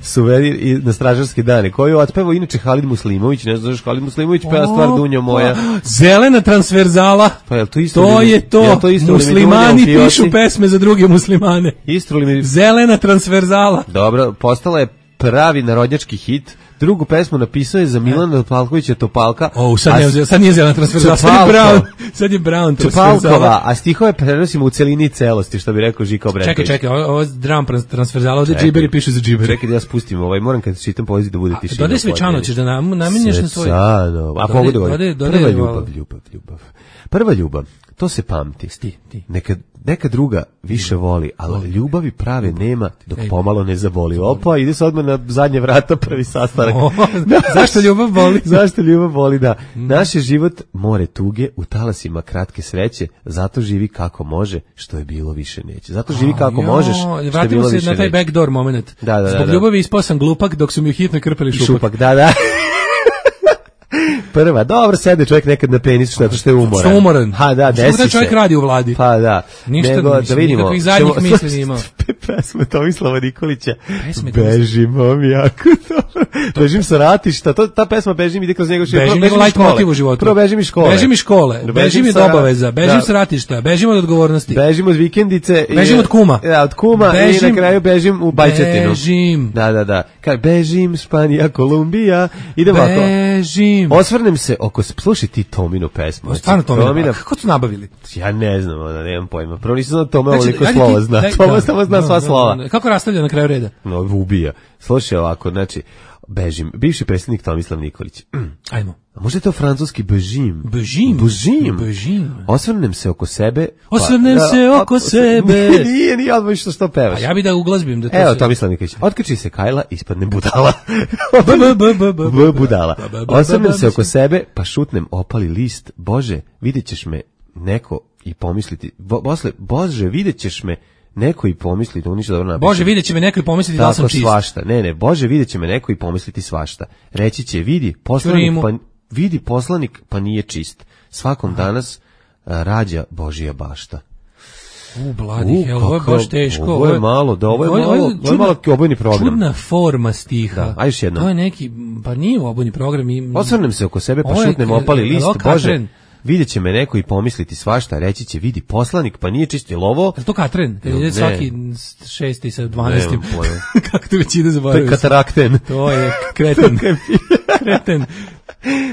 Speaker 5: Suvenir i na stražarske dane, koju otpevao inače Halid Muslimović, ne znaš Halid Muslimović, peva stvar Dunjo moja.
Speaker 6: Zelena transverzala,
Speaker 5: pa je
Speaker 6: to isto, muslimani pišu pesme za druge muslimane. Zelena transverzala.
Speaker 5: Dobro, postala je pravi narodnjački hit. Drugu pesmu napisao je za Milana Topalkovića Topalka.
Speaker 6: Sad nije zelena transverzala, sad je Brown
Speaker 5: Topalkova, a stihove prenosimo u celini celosti, što bi rekao Žika Obrenović.
Speaker 6: Čekaj, ovo je dram transverzala, ovdje džiberi pišu za džiberi.
Speaker 5: Čekaj da ja spustim, moram kad čitam poeziju da bude tišina.
Speaker 6: Dodaj Svečano, ćeš da namenješ na svoj...
Speaker 5: A mogu da govorim. Prva ljubav, to se pamti. Neka druga više voli, ali ljubavi prave nema dok pomalo ne zaboli. Opa, ide se odmah na zadnje vrata, prvi sastanak.
Speaker 6: Zašto ljubav boli?
Speaker 5: Zašto ljubav boli, da. Naš je život more tuge, u talasima kratke sreće, zato živi kako može, što je bilo više neće. Zato živi kako možeš, što je bilo više neće.
Speaker 6: Vratimo se na taj backdoor moment. Zbog ljubavi ispao sam glupak dok su mi u hitno krpeli šupak.
Speaker 5: Da. Prva, dobro, sede čovjek nekad na penis što je umoran.
Speaker 6: Što je umoran?
Speaker 5: Ha, da, desi se.
Speaker 6: Što čovjek radi u vladi?
Speaker 5: Pa da.
Speaker 6: Ništa, nikakvih zadnjih misli nije imao.
Speaker 5: Pesme Tomislava Nikolića. Bežimo mi jako dobro. Bežim sa ratišta. Ta pesma Bežim ide kroz njegov život.
Speaker 6: Bežim light motiv u životu.
Speaker 5: Prvo bežim iz škole.
Speaker 6: Bežim iz škole. Bežim iz obaveza. Bežim sa ratišta. Bežim od odgovornosti.
Speaker 5: Bežim od vikendice.
Speaker 6: Bežim od kuma.
Speaker 5: Da, od kuma i na kraju bežim u Bajčetinu.
Speaker 6: Bežim.
Speaker 5: Da. Bežim, Španija, Kolumbija. Ide ovako.
Speaker 6: Bežim.
Speaker 5: Osvrnem se slušaj ti Tominu pesmu.
Speaker 6: Stvarno Tomina, kako su nabavili?
Speaker 5: Ja ne znam, nemam pojma. Prvo nisam znao Tome ovoliko slova zna. Tome samo zna sva slova.
Speaker 6: Kako rastavlja na kraju reda?
Speaker 5: Ubija. Slušaj ovako, znači, Bežim, bivši predsjednik Tomislav Nikolić.
Speaker 6: Ajmo.
Speaker 5: A možda je to francuski Bežim?
Speaker 6: Bežim.
Speaker 5: Osvrnem se oko sebe. Nije odmah što pevaš.
Speaker 6: A ja bi da uglazbim. Da
Speaker 5: evo, Tomislav Nikolić. Otkači se Kajla, ispadne budala. Budala. Osvrnem se oko sebe, pa šutnem opali list. Bože, vidjet ćeš me neko i pomisliti. Bože, vidjet ćeš me neko i pomisliti, to ništa dobro napiše.
Speaker 6: Bože, vidjet će me neko i pomisliti da sam čist.
Speaker 5: Svašta. Ne, Bože, vidjet će me neko i pomisliti svašta. Reći će, vidi poslanik pa nije čist. Svakom danas rađa Božija bašta.
Speaker 6: Bloody hell, ovo je baš teško.
Speaker 5: Ovo je malo obojni program.
Speaker 6: Čudna forma stiha.
Speaker 5: Da, a još jedno.
Speaker 6: To je neki, pa nije obojni program.
Speaker 5: Osvrnem se oko sebe, pa šutnem opali list. Bože, vidjet će me neko i pomisliti svašta, reći će, vidi poslanik, pa nije čist, je ovo?
Speaker 6: Je to Katren? Je svaki 6. sa 12. Kako to već ide zaboravio?
Speaker 5: To je katarakten.
Speaker 6: To je kreten.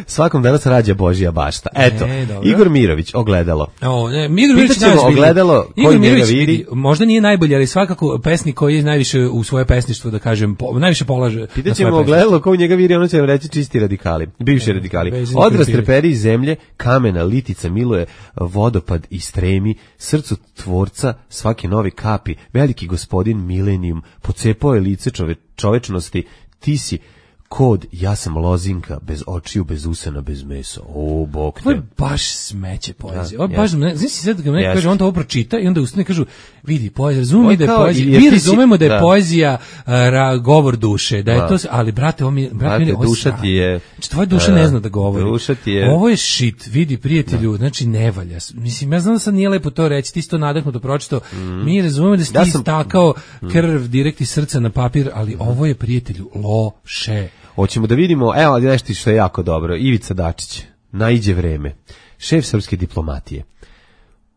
Speaker 5: Svakom danas rađa Božija bašta. Eto, Igor Mirović, Ogledalo.
Speaker 6: Pitaćemo
Speaker 5: Ogledalo, koji njega vidi.
Speaker 6: Možda nije najbolji, ali svakako pesnik koji je najviše u svoje pesništvo, da kažem, najviše polaže.
Speaker 5: Pitaćemo Ogledalo, koji njega vidi, ono će vam reći čisti radikali, bivši radikali. Odraz treperi iz zemlje, kamena, litica, miluje, vodopad i stremi, srcu tvorca, svake nove kapi, veliki gospodin milenijum, pocepao je lice čovečnosti, ti si Kod, ja sam lozinka, bez očiju, bez usana, bez mesa. O, bok te.
Speaker 6: Ovo je baš smeće poezije. Ovo je baš, znaš si sad kad neko kaže, on to ovo pročita i onda ustane i kažu, vidi, poezija, razumemo da je poezija, mi razumemo da je poezija govor duše, da je to, ali brate,
Speaker 5: duša ti je...
Speaker 6: Znači, tvoja duša ne zna da govori.
Speaker 5: Duša ti je...
Speaker 6: Ovo je shit, vidi, prijatelju, znači ne valja. Mislim, ja znam da sad nije lepo to reći, ti si to nadahnuto pročitao, mi razumemo da si ti stakao krv direkt iz srca na papir, ali ovo je, prijatelju, loše.
Speaker 5: Hoćemo da vidimo, evo nešto što je jako dobro. Ivica Dačić, naiđe vreme. Šef srpske diplomatije.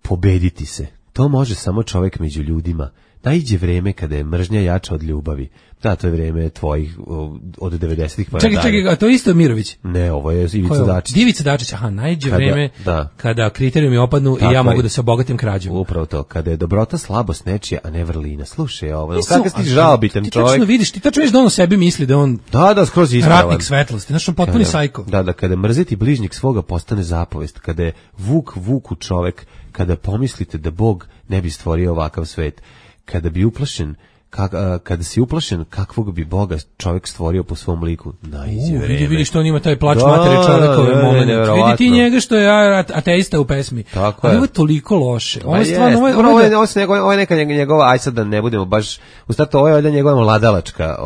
Speaker 5: Pobediti se. To može samo čovjek među ljudima. Naiđe vreme kada je mržnja jača od ljubavi. Da, to je vreme tvojih od 90-ih pa nadalje.
Speaker 6: Čekaj, a to je isto Mirović?
Speaker 5: Ne, ovo je Ivica Dačić.
Speaker 6: Ivica Dačić, aha, naiđe vreme kada kriterijumi opadnu i ja mogu da se obogatim krađom.
Speaker 5: Upravo to, kada je dobrota slabost nečija, a ne vrlina. Slušaj ovo, kako si žalbitan čovjek.
Speaker 6: Ti tačno vidiš, ti tačno vidiš da on o sebi misli da on
Speaker 5: skroz ispravan.
Speaker 6: Ratnik svetlosti, znači on potpuni sajko.
Speaker 5: Da, kada mrziti bližnjeg svoga postane zapovest, kada je vuku čovjek, kada pomislite da Bog ne bi stvorio ovakav svet, kada bi uplašen, kada si uplašen kakvog bi Boga čovjek stvorio po svom liku, naiđe vreme.
Speaker 6: Vidi što on ima taj plač matere čovjekove momente. Vidi ti njega što je ateista u pesmi.
Speaker 5: Tako
Speaker 6: ali ovo je toliko loše. Ovo je
Speaker 5: stvarno, ovo je neka njegova, aj sad da ne budemo baš, u startu ovo je valjda njegova mladalačka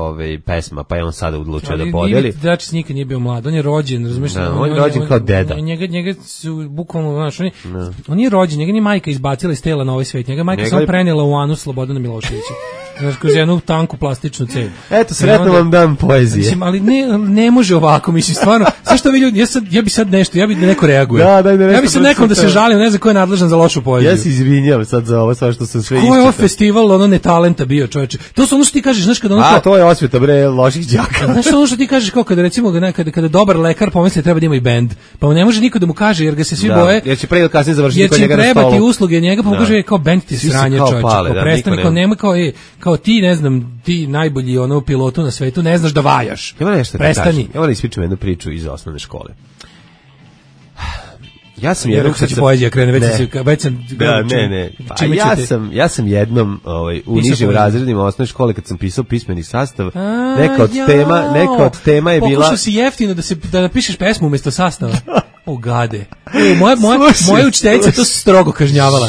Speaker 5: pesma, pa je on sada odlučio da podeli.
Speaker 6: Dačić nikad nije bio mlad, on je rođen, razumiješ?
Speaker 5: On je rođen kao deda.
Speaker 6: Njega su bukvalno, znaš, on je rođen, njega ni majka izbacila iz tela na ovaj svet, njega majka sam prenijela u anus Slobodana Miloševića. Znaš, kroz jednu tanku plastičnu cev.
Speaker 5: Eto, sretno vam dan poezije.
Speaker 6: Mislim, ali ne može ovako, mislim, stvarno. Zašto vi ljudi, ja bi sad nešto, ja bi da neko reaguje. Ja bi sad nekom da se žalim, ne znam ko je nadležan za lošu poeziju.
Speaker 5: Ja se izvinjam sad za ovo, sve što sam sve iščitao.
Speaker 6: Ko je ovo festival, netalenta bio, čoveče? To su ono što ti kažeš, znaš, kada ono...
Speaker 5: to je osveta, bre, loših đaka.
Speaker 6: Znaš ono što ti kažeš, kao kada recimo, kada dobar lekar pomisli treba da ima i bend, pa mu ne može niko da mu kaže, jer ga se svi boje.
Speaker 5: Jer će pre ili kasnije završiti kod njega na stolu.
Speaker 6: Jer će trebati usluge njega, pa mu kaže, kao bend ti sranje, čoveče. Prestani, kao nema, kao ti, ne znam, ti najbolji pilotu na svetu, ne znaš da vajaš. Prestani.
Speaker 5: Ja moram ispričam jednu priču iz osnovne škole. Ja sam
Speaker 6: jednom kad poezija krene, već sam
Speaker 5: ja sam jednom u nižim razredima osnovne škole kad sam pisao pismeni sastav, neka od tema je bila...
Speaker 6: Pokušao si jeftino da napišeš pesmu umjesto sastava. O gade. Moja učiteljica to strogo kažnjavala.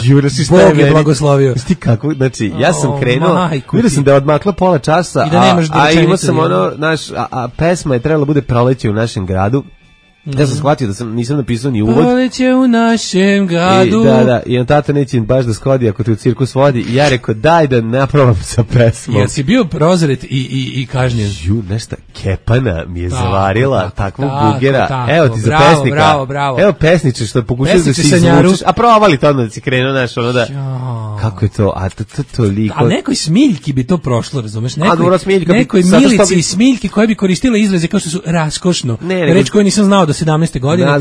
Speaker 6: Bog je blagoslovio.
Speaker 5: Sti kako, znači, ja sam krenuo, vidio sam da je odmaklo pola časa, a imao sam a pesma je trebala bude Proleće u našem gradu. Ja sam shvatio da nisam napisao ni uvod.
Speaker 6: Proleće u našem gradu.
Speaker 5: I on tata neće baš da skodi ako te u cirkus vodi. I ja rekao, daj da naprovam sa pesmom.
Speaker 6: Jer si bio prozret i kažnjen.
Speaker 5: Nešto, Kepana mi je zavarila takvog bugera. Evo ti za pesnika.
Speaker 6: Bravo.
Speaker 5: Evo pesniče što pokušaš da si izvučeš. A provali to onda da si krenuo, znaš, ono da... Kako je to? A to toliko...
Speaker 6: A nekoj smiljki bi to prošlo, razumeš? Nekoj milici i smiljki koje bi koristile izraze kao što su raskošno. Reč koju nisam znao do 17. godine.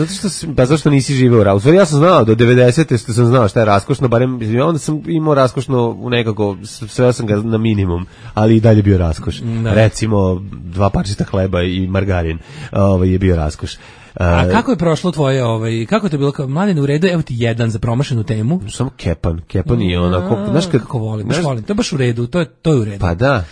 Speaker 5: Zašto nisi živeo u Rausvori? Ja sam znao, do 90. što sam znao šta je raskošno, barem onda sam imao raskošno u nekako, sveo sam ga na minimum, ali i dalje bio raskoš. Recimo, 2 parčeta hleba i margarin je bio raskoš.
Speaker 6: A kako je prošlo tvoje, kako je to bilo kao mladen u redu, evo ti jedan za promašenu temu?
Speaker 5: Samo Kepan je onako, znaš
Speaker 6: kako volim, to je baš u redu, to je u redu.
Speaker 5: Pa da.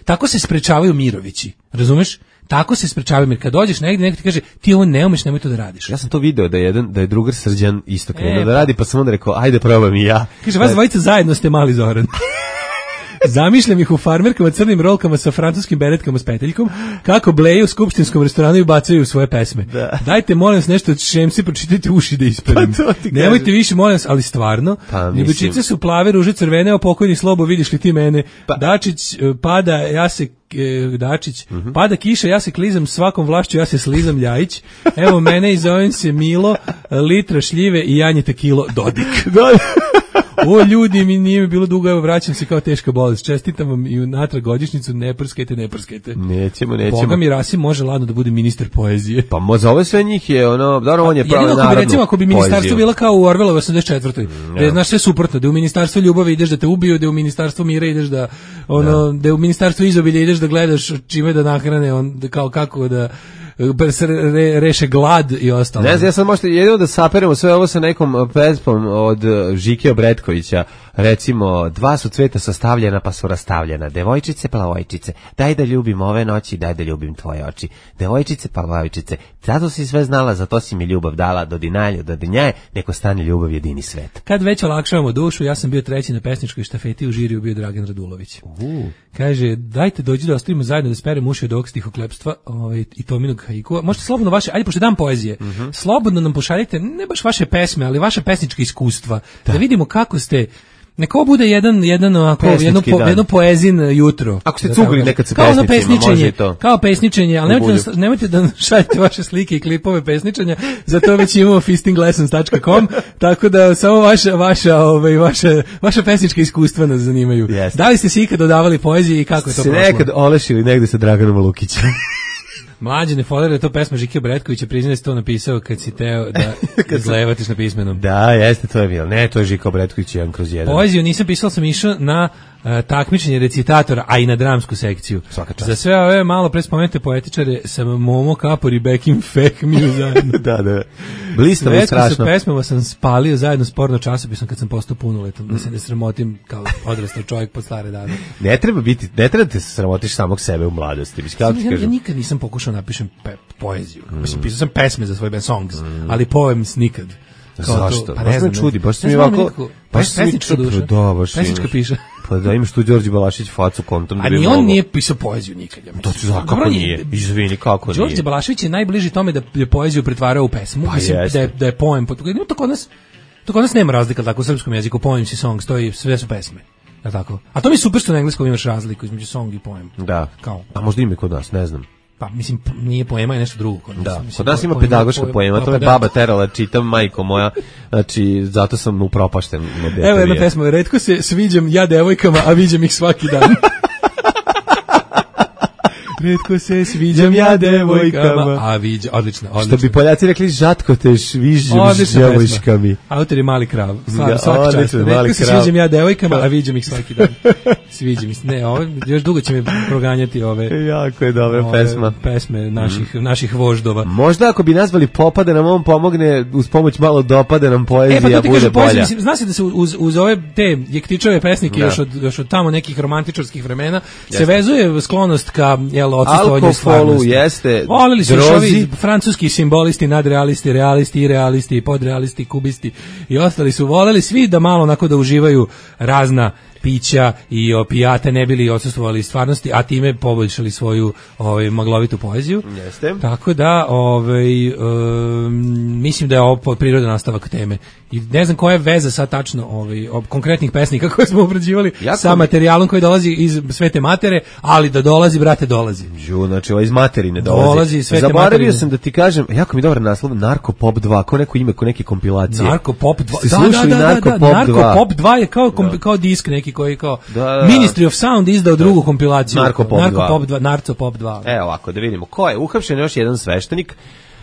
Speaker 6: Tako se sprečavaju Mirovići, razumeš? Tako se sprečavaju, jer kad dođeš negdje, neko ti kaže, ti ovo ne umeš, nemoj to da radiš.
Speaker 5: Ja sam to video da je drugar Srđan isto krenuo da radi, pa sam onda rekao, ajde probam i ja.
Speaker 6: Kaže, vas dvojica zajedno ste mali Zoran. Zamišljam ih u farmerkama, crnim rolkama sa francuskim beretkama s peteljkom, kako bleju u skupštinskom restoranu i bacaju svoje pesme. Dajte, molim vas, nešto od Šemsi, pročitajte uši da ispravim. Nemojte više, molim vas, ali stvarno. Ljubičice su plave, ruže crvene, a pokojni Slobo, vidiš li ti mene? Dačić pada, pada kiša, ja se klizam svakom vlašću, ja se slizam Ljajić. Evo mene i zovem se Milo, litra šljive i janjete kilo Dodik. O ljudi, nije mi bilo dugo, evo vraćam se kao teška bolest. Čestitam vam i natrag godišnjicu, ne prskajte.
Speaker 5: Nećemo.
Speaker 6: Boga mi Rasim može ladno da bude ministar poezije.
Speaker 5: Pa za ove sve njih je dobro, on je pravi narodnu poeziju.
Speaker 6: Recimo, ako bi ministarstvo bilo kao u Orvelovoj 84. Da je, znaš, sve suprotno, da je u ministarstvu ljubavi ideš da te ubiju, da je u ministarstvu mira ideš da je u ministarstvu izobilja ideš da gledaš čime da nahrane, kao kako da reše glad i ostalo.
Speaker 5: Ne znam, ja sam možda jedino da saperemo sve ovo sa nekom pesmom od Žike Obretkovića. Bretkovića, recimo, dva su cveta sastavljena pa su rastavljena, devojčice, plavojčice, daj da ljubim ove noći, daj da ljubim tvoje oči, devojčice, plavojčice, zato si sve znala, zato si mi ljubav dala, do dinjaje, neko stane ljubav jedini svet.
Speaker 6: Kad već olakšavamo dušu, ja sam bio treći na pesničkoj štafeti, u žiriju bio Dragan Radulović. Kaže, dajte dođi da ostavimo zajedno da sperem uši od ovog stihoklepstva i Tominog haikua. Možete slobodno vaše, ajde pošto dan poezije, slobodno nam pošaljite, ne baš vaše pesme, ali vaše pesničke iskustva, da vidimo kako ste. Neka ovo bude jedno poezin jutro.
Speaker 5: Ako ste cugli nekad sa
Speaker 6: pesničima, može i to. Kao pesničenje, ali nemojte da šaljete vaše slike i klipove pesničenja, za to već imamo fistinglessons.com, tako da samo vaša pesnička iskustva nas zanimaju. Da li ste se ikad dodavali poeziji i kako je to prošlo?
Speaker 5: Se nekad olešili negde sa Draganom Lukićem.
Speaker 6: Mlađe, ne folere, je to pesma Žike Bretkovića, priznaj si to napisao kad si teo da izlevatiš na pismenom.
Speaker 5: Da, jeste, to je bilo. Ne, to je Žiko Bretković 1/1.
Speaker 6: Poeziju nisam pisao, sam išao na takmičenje recitatora, a i na dramsku sekciju. Za sve ove malo pre spomenute poetičare sam Momo Kapor i Bekim Fehmiju zajedno.
Speaker 5: Da. Blistavo i strašno.
Speaker 6: Sa pesmama sam spalio zajedno s porno časopisom kad sam postao punoletan, da se ne sramotim kao odrastao čovjek pod stare dane.
Speaker 5: Ne treba te se sramotiš samog sebe u mladosti.
Speaker 6: Ja nikad nisam pokušao napišem poeziju. Mislim, pisao sam pesme za svoj band songs, ali poems nikad.
Speaker 5: Zašto? Baš me čudi, baš si mi ovako...
Speaker 6: Pesnička duša. Pesnička piše.
Speaker 5: Pa da imaš tu Đorđe Balašić facu kontom.
Speaker 6: A ni on nije pisao poeziju nikad.
Speaker 5: To ću znati kako nije. Izvini, kako nije.
Speaker 6: Đorđe Balašić je najbliži tome da je poeziju pretvarao u pesmu. Mislim da je poem. To kod nas nema razlika tako u srpskom jeziku. Poems i songs, to i sve su pesme. Tako. A to mi je super što na engleskom imaš razliku između song i poem.
Speaker 5: Da. A možda ima kod nas, ne znam.
Speaker 6: Pa mislim nije poema, je nešto drugo.
Speaker 5: Da, kod nas ima pedagoška poema, to me baba terala, čitam, majko moja, znači zato sam upropašten.
Speaker 6: Evo jedna pesma, retko se sviđam ja devojkama, a viđam ih svaki dan. Retko se sviđam ja devojkama, a viđam, odlično.
Speaker 5: Što bi Poljaci rekli, žatko te viđam s devojčkami.
Speaker 6: Autor je Mali Krav, svaki čas. Retko se sviđam ja devojkama, a viđam ih svaki dan. Sviđa mi se. Ne, još dugo će me proganjati ove.
Speaker 5: Jako je dobra pesma.
Speaker 6: Pesme naših voždova.
Speaker 5: Možda ako bi nazvali Popa da nam on pomogne uz pomoć malo dopada nam poezija bude bolja.
Speaker 6: Zna se da se uz ove te Jektičove pesnike još od tamo nekih romantičarskih vremena se vezuje sklonost ka odsustovanju stvarnosti.
Speaker 5: Jeste.
Speaker 6: Volili su ovi francuski simbolisti, nadrealisti, realisti, irealisti, podrealisti, kubisti i ostali su voleli svi da malo onako da uživaju razna pića i opijate ne bili odsustvovali stvarnosti, a time poboljšali svoju maglovitu poeziju.
Speaker 5: Jeste.
Speaker 6: Tako da mislim da je ovo prirodan nastavak teme. I ne znam koja je veza sad tačno konkretnih pesnika koje smo obrađivali sa materijalom koji dolazi iz Svete Matere, ali da dolazi, brate, dolazi.
Speaker 5: Znači, iz materine dolazi. Zaboravio sam da ti kažem, jako mi dobar naslov, Narko Pop 2, ko neko ime, ko neke kompilacije.
Speaker 6: Narko Pop 2.
Speaker 5: Ste slušali Narko Pop 2?
Speaker 6: Narko Pop 2 je kao disk neki koji kao Ministry of Sound izdao drugu kompilaciju.
Speaker 5: Narko Pop 2.
Speaker 6: Narco Pop 2.
Speaker 5: Evo ovako, da vidimo. Ko je? Uhapšen još jedan sveštenik.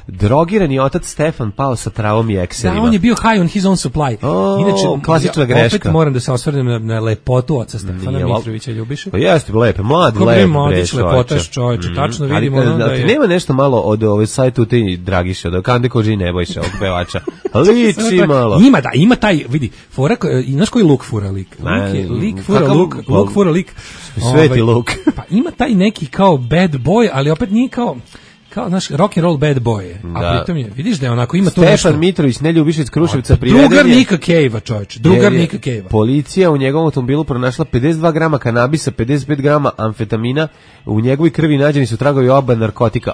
Speaker 5: Drogirani otac Stefan pao sa travom i ekserima.
Speaker 6: Da, on je bio high on his own supply.
Speaker 5: Inače, klasična greška.
Speaker 6: Opet moram da se osvrnem na lepotu oca Stefana Mitrovića Ljubiše.
Speaker 5: Pa jeste, lepe, mlad,
Speaker 6: lepotaš čovječe, tačno vidimo
Speaker 5: da je... Nema nešto malo od ove sajtu u ti Dragiša, od Kande Koži Nebojša, ovog pevača. Liči malo.
Speaker 6: Ima taj, vidi, fora, znaš koji luk fura lik? Luk fura lik.
Speaker 5: Sveti luk.
Speaker 6: Pa ima taj neki kao bad boy, ali opet nije kao naš rock and roll bad boy. A pritom je, vidiš da je onako ima to nešto.
Speaker 5: Stefan Mitrović, Neljubiša iz Kruševca priveden.
Speaker 6: Drugar Nika Cave-a, čovječ. Drugar Nika Cave-a.
Speaker 5: Policija u njegovom automobilu pronašla 52 grama kanabisa, 55 grama amfetamina. U njegovoj krvi nađeni su tragovi oba narkotika.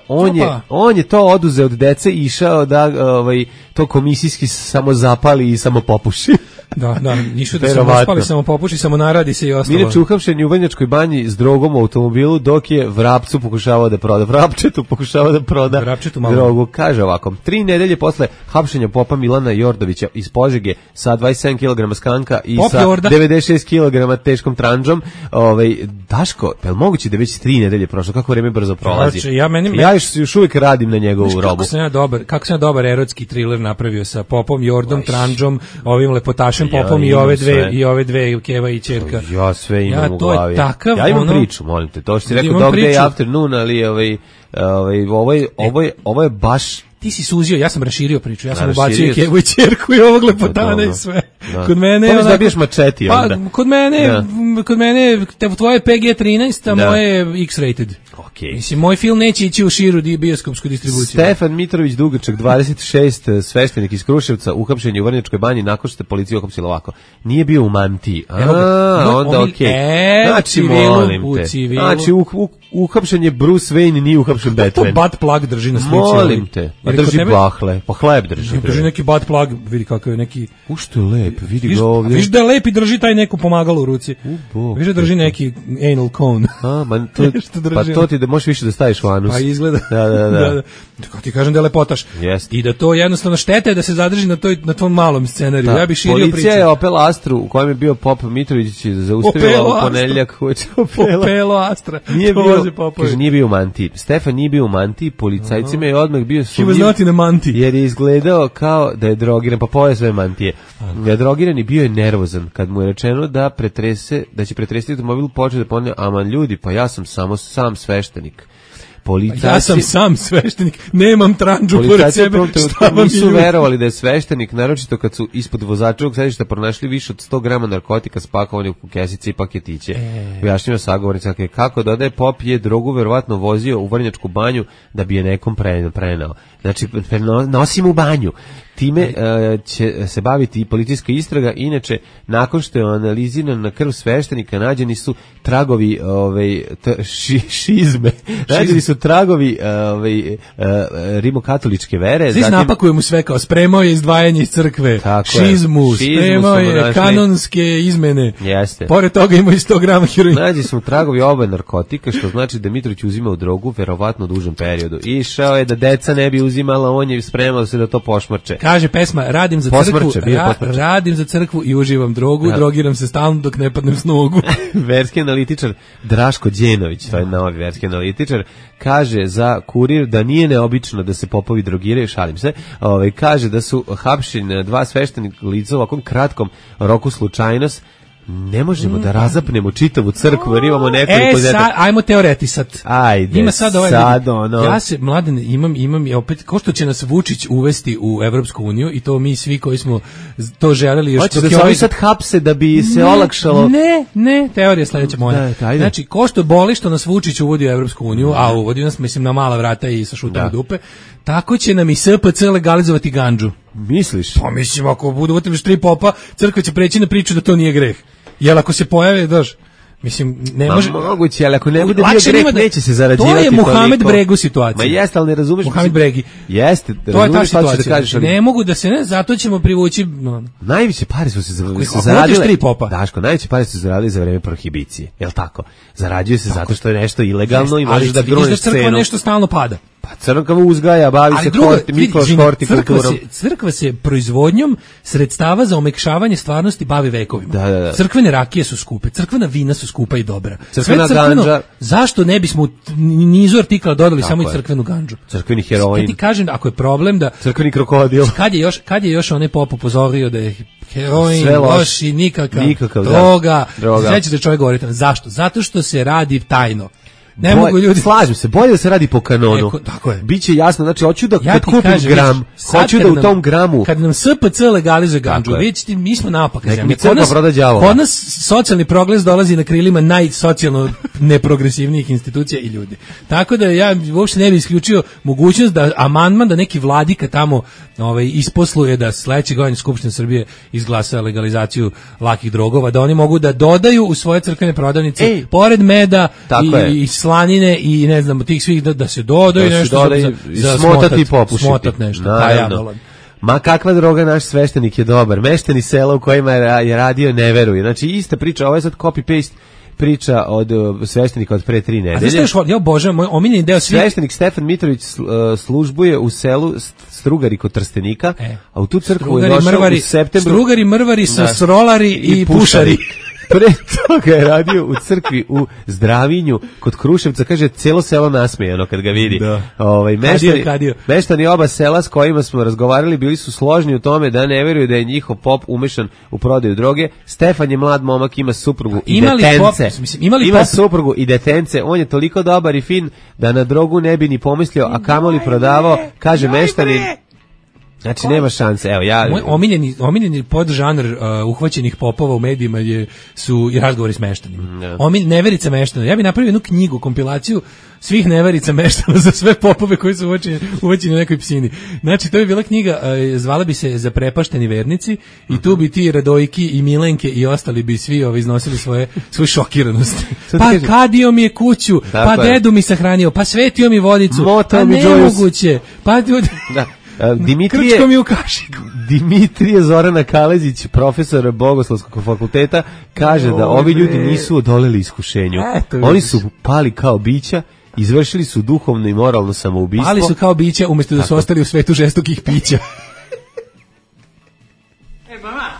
Speaker 5: On je to oduzeo od dece i išao da to komisijski samo zapali i samo popuši.
Speaker 6: Da, ništa da samo spali, samo popuši, samo naradi se i ostalo.
Speaker 5: Mile Čuhavšen u Banjačkoj banji s drogom u automobilu, dok je Vrapčetu pokušavao da proda drogu. Kaže ovako, 3 nedelje posle hapšenja popa Milana Jordovića iz Požege sa 27 kg skanka i sa 96 kg teškom tranđom, Daško, je li moguće da već 3 nedelje prošlo? Kako vreme brzo prolazi?
Speaker 6: Znači,
Speaker 5: ja još uvijek radim na njegovu robu.
Speaker 6: Kako sam ja dobar erotski thriller napravio sa popom, Jordom, tranđom, ovim lepotašem popom i ove dve Keva i ćerka.
Speaker 5: Ja sve imam u glavi.
Speaker 6: Takav,
Speaker 5: ja imam priču, molim te. To što si rekao Dog Day Afternoon, ali ovo je baš
Speaker 6: ti si suzio, ja sam raširio priču, ja sam ubacio i kevu i ćerku i ovog lepotana i sve. Kod mene je
Speaker 5: onako... dobiješ mačeti onda.
Speaker 6: Pa, kod mene tvoje PG-13, a moje je X-rated.
Speaker 5: Okay.
Speaker 6: Mislim, moj film neće ići u širu bioskopsku distribuciju.
Speaker 5: Stefan Mitrović Dugačak, 26, sveštenik iz Kruševca, uhapšen je u Vrnjačkoj banji nakon što je policija uhapsila ovako. Nije bio u mantiji. Onda okej. Znači, molim te. Znači, uhapšen je Bruce Wayne, nije uhapšen Batman.
Speaker 6: To butt plug drži na slici.
Speaker 5: Molim te. A drži bahle. Pa hleb drži.
Speaker 6: Drži neki butt plug, vidi kakav je neki...
Speaker 5: Što je lep, vidi ga ovdje.
Speaker 6: Viš da je lep i drži taj neko pomagalo u ruci. Viš da drži neki anal cone.
Speaker 5: Pa to ti da možeš više da staviš u anus.
Speaker 6: Pa izgleda.
Speaker 5: Da.
Speaker 6: Kako ti kažem da je lepotaš. I da to jednostavno štete da se zadrži na tvom malom scenariju. Ja bih širio priču.
Speaker 5: Policija je Opel Astru u kojem je bio Pop Mitrović zaustavila u ponedeljak.
Speaker 6: Opelo Astra.
Speaker 5: Nije bio u mantiji. Stefan nije bio u mantiji, policajcima je odmah bio sumnjiv.
Speaker 6: He was not in a mantiji.
Speaker 5: Jer je izgledao kao da je drogiran, pa poje sve mantije. Da je drogiran i bio je nervozan kad mu je rečeno da će pretresiti automobil, počeo da ponavlja, aman ljudi, pa ja sam samo sam sveštenik.
Speaker 6: Ja sam sam sveštenik, nemam tranđu pored sebe.
Speaker 5: Nisu verovali da je sveštenik, naročito kad su ispod vozačevog sedišta pronašli više od 100 grama narkotika spakovanih u kesice i paketiće. Objašnjava sagovornica kako dodaje Pop je drogu verovatno vozio u Vrnjačku banju da bi je nekom prenao. Znači, nosim u banju. Time će se baviti i policijska istraga. Inače, nakon što je analiziran na krv sveštenika, nađeni su tragovi šizme. Nađeni su tragovi rimokatoličke vere.
Speaker 6: Svi napakujemo sve kao spremao je izdvajanje iz crkve, šizmu, spremao je kanonske izmene.
Speaker 5: Jeste.
Speaker 6: Pored toga ima i 100 grama heroina.
Speaker 5: Nađeni su tragovi oba narkotika, što znači da Mitrović uzimao drogu verovatno u dužem periodu. Išao je da deca ne bi uzimala, on je spremao se da to pošmrče.
Speaker 6: Kaže pesma, radim za crkvu i uživam drogu, drogiram se stalno dok ne padnem s nogu.
Speaker 5: Verski analitičar Draško Đenović, to je novi verski analitičar, kaže za Kurir da nije neobično da se popovi drogiraju, šalim se, kaže da su hapšeni dva sveštenika lica u ovakvom kratkom roku slučajnost. Ne možemo da razapnemo čitavu crkvu jer imamo nekoliko
Speaker 6: ajmo teoretisat.
Speaker 5: Ajde,
Speaker 6: ima sad ja se, Mladen, imam opet, ko što će nas Vučić uvesti u Evropsku uniju i to mi svi koji smo to želeli još.
Speaker 5: Hoće da se sad hapse da bi se olakšalo.
Speaker 6: Ne, teorija sledeća moja. Znači, ko što boli što nas Vučić uvodi u Evropsku uniju, a uvodi nas, mislim, na mala vrata i sa šutom u dupe, tako će nam i SPC legalizovati gandžu.
Speaker 5: Misliš?
Speaker 6: Pa mislim, ako budu utrbiš 3 popa, crkva će preći na priču da to nije greh. Jel ako se pojave, mislim, ne može...
Speaker 5: Moguće, ali ako ne bude bio greh, neće se zarađivati.
Speaker 6: To je Muhamed Bregu situacija.
Speaker 5: Ma jeste, ali ne razumeš...
Speaker 6: Muhamed Bregi.
Speaker 5: Jeste,
Speaker 6: to je ta situacija. Ne mogu da se zato ćemo privući...
Speaker 5: Najveće pare su se zaradile...
Speaker 6: 3 popa.
Speaker 5: Daško, najveće pare su se zaradile za vreme prohibicije. Jel tako? Zarađuje se zato što je nešto ilegalno i možeš da gruneš cenu.
Speaker 6: Ali crkva nešto stalno pada.
Speaker 5: Pa crkva uzgaja, bavi se hortikulturom.
Speaker 6: Crkva se proizvodnjom sredstava za omekšavanje stvarnosti bavi vekovima.
Speaker 5: Da.
Speaker 6: Crkvene rakije su skupe, crkvena vina su skupa i dobra.
Speaker 5: Crkvena gandža.
Speaker 6: Zašto ne bismo nizu artikala dodali samo i crkvenu gandžu?
Speaker 5: Crkveni heroin.
Speaker 6: Ja ti kažem, ako je problem da...
Speaker 5: Crkveni krokodil.
Speaker 6: Kad je još onaj pop upozorio da je heroin, loš i nikakav droga. Sveće da čovjek govori. Zašto? Zato što se radi tajno. Ne mogu ljudi.
Speaker 5: Slažem se, bolje da se radi po kanonu.
Speaker 6: Tako je.
Speaker 5: Biće jasno, znači hoću da kad kupim gram, hoću da u tom gramu.
Speaker 6: Kad nam SPC legalizuje gandžu, vidite, mi smo napak zemlje.
Speaker 5: Kod
Speaker 6: nas socijalni progres dolazi na krilima najsocijalno neprogresivnijih institucija i ljudi. Tako da ja uopšte ne bih isključio mogućnost da amandman da neki vladika tamo isposluje da sledeće godine Skupština Srbije izglasa legalizaciju lakih drogova, da oni mogu da dodaju u svoje crkvene prodavnice pored meda i slanine i ne znam tih svih da se dodaju nešto za
Speaker 5: smotati i popušiti.
Speaker 6: Smotat nešto.
Speaker 5: Ma kakva droga, naš sveštenik je dobar. Mešteni sela u kojima je radio ne veruje. Znači ista priča, ovo je sad copy-paste priča od sveštenika od pre 3 nedelje.
Speaker 6: A znaš, ja obožavam, moj omiljeni deo
Speaker 5: sveštenik Stefan Mitrović službuje u selu Strugari kod Trstenika, a u tu crkvu je došao u septembru.
Speaker 6: Strugari, mrvari, srolari i pušari.
Speaker 5: Pre toga je radio u crkvi u Zdravinju kod Kruševca, kaže celo selo nasmejano kad ga vidi.
Speaker 6: Da.
Speaker 5: Meštani oba sela s kojima smo razgovarali bili su složni u tome da ne veruju da je njihov pop umešan u prodaju droge. Stefan je mlad momak, ima suprugu i detence. Ima suprugu i detence, on je toliko dobar i fin da na drogu ne bi ni pomislio, a kamoli prodavao, kaže meštanin. Znači nema šanse. Evo ja
Speaker 6: moj omiljeni podžanr uhvaćenih popova u medijima su i razgovori s meštanima. Neverica meštana. Ja bih napravio jednu knjigu, kompilaciju svih neverica meštana za sve popove koji su uvaćeni u nekoj psini. Znači to je bila knjiga, zvala bi se Zaprepašteni vernici i tu bi ti Radojki i Milenke i ostali bi svi iznosili svoju šokiranost. Pa kadio mi je kuću, pa dedu mi sahranio, pa svetio mi vodicu, pa nemoguće, pa
Speaker 5: Dimitrije Zorana Kalezić, profesor Bogoslovskog fakulteta, kaže da ovi ljudi nisu odoleli iskušenju. Oni su pali kao bića, izvršili su duhovno i moralno samoubistvo.
Speaker 6: Pali su kao bića umjesto da su ostali u svetu žestokih pića.
Speaker 14: Mama,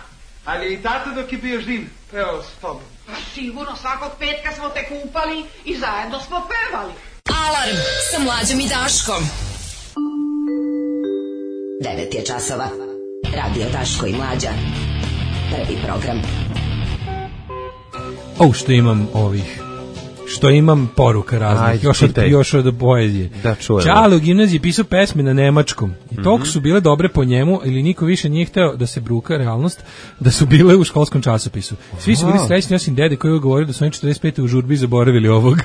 Speaker 14: ali i tata dok je bio živ pevao s tobom?
Speaker 4: Pa sigurno, svakog petka smo te kupali i zajedno smo pevali.
Speaker 2: Alarm sa Mlađom i Daškom. 9 je časova. Radio Daško i Mlađa. Prvi program.
Speaker 6: Što imam poruka raznih. Još od poezije. Čale u gimnaziji pisao pesme na nemačkom. I toliko su bile dobre po njemu, ili niko više nije hteo da se bruka realnost, da su bile u školskom časopisu. Svi su bili srećni, osim dede koji je govorio da su oni 45. u žurbi zaboravili ovog.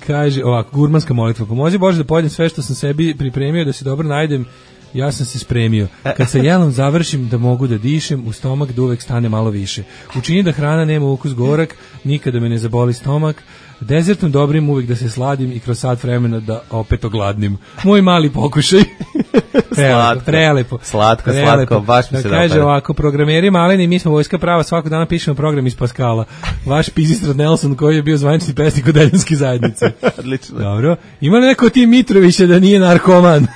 Speaker 6: Kaže ovako, gurmanska molitva. Pomozi Bože da pojedem sve što sam sebi pripremio, da se dobro najdem. Ja sam se spremio. Kad sa jelom završim da mogu da dišem, u stomak da uvek stane malo više. Učini da hrana nema ukus gorak, nikada me ne zaboli stomak. Dezertom dobrim uvek da se sladim i kroz sat vremena da opet ogladnim. Moj mali pokušaj. Prelepo.
Speaker 5: Slatko, baš mi se dopada.
Speaker 6: Kaže ovako, programeri maleni, mi smo vojska prava, svakog dana pišemo program iz Paskala. Vaš Pizistrad Nelson koji je bio zvanični pesnik od Deljanske zajednice.
Speaker 5: Odlično.
Speaker 6: Dobro. Ima li neko od ti Mitrovića da nije narkoman?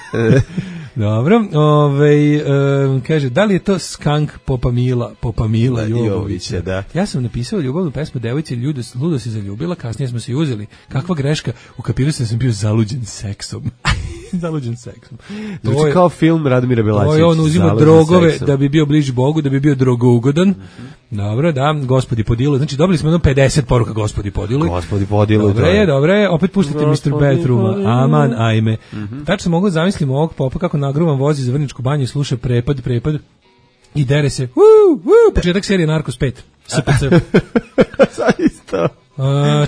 Speaker 6: Dobro, kaže, da li je to Skank Popamila Jovovića?
Speaker 5: Da.
Speaker 6: Ja sam napisao ljubavnu pesmu devojci, ludo se zaljubila, kasnije smo se uzeli. Kakva greška, ukapirao sam bio zaluđen seksom. Zaluđen seksom.
Speaker 5: Znači kao film Radomira Belačevića.
Speaker 6: On uzima drogove seksom da bi bio bliži Bogu, da bi bio drogougodan. Dobro, da, Gospodi Podilu. Znači dobili smo 50 poruka Gospodi Podilu.
Speaker 5: Gospodi Podilu.
Speaker 6: Dobro je, opet puštate Mr. Bedrooma. Aman, ajme. Tačno mogu zamisliti ovog popa kako nagruvan vozi za Vrničku banju i sluša prepad i dere se. Početak serije Narcos 5.
Speaker 5: Zaista.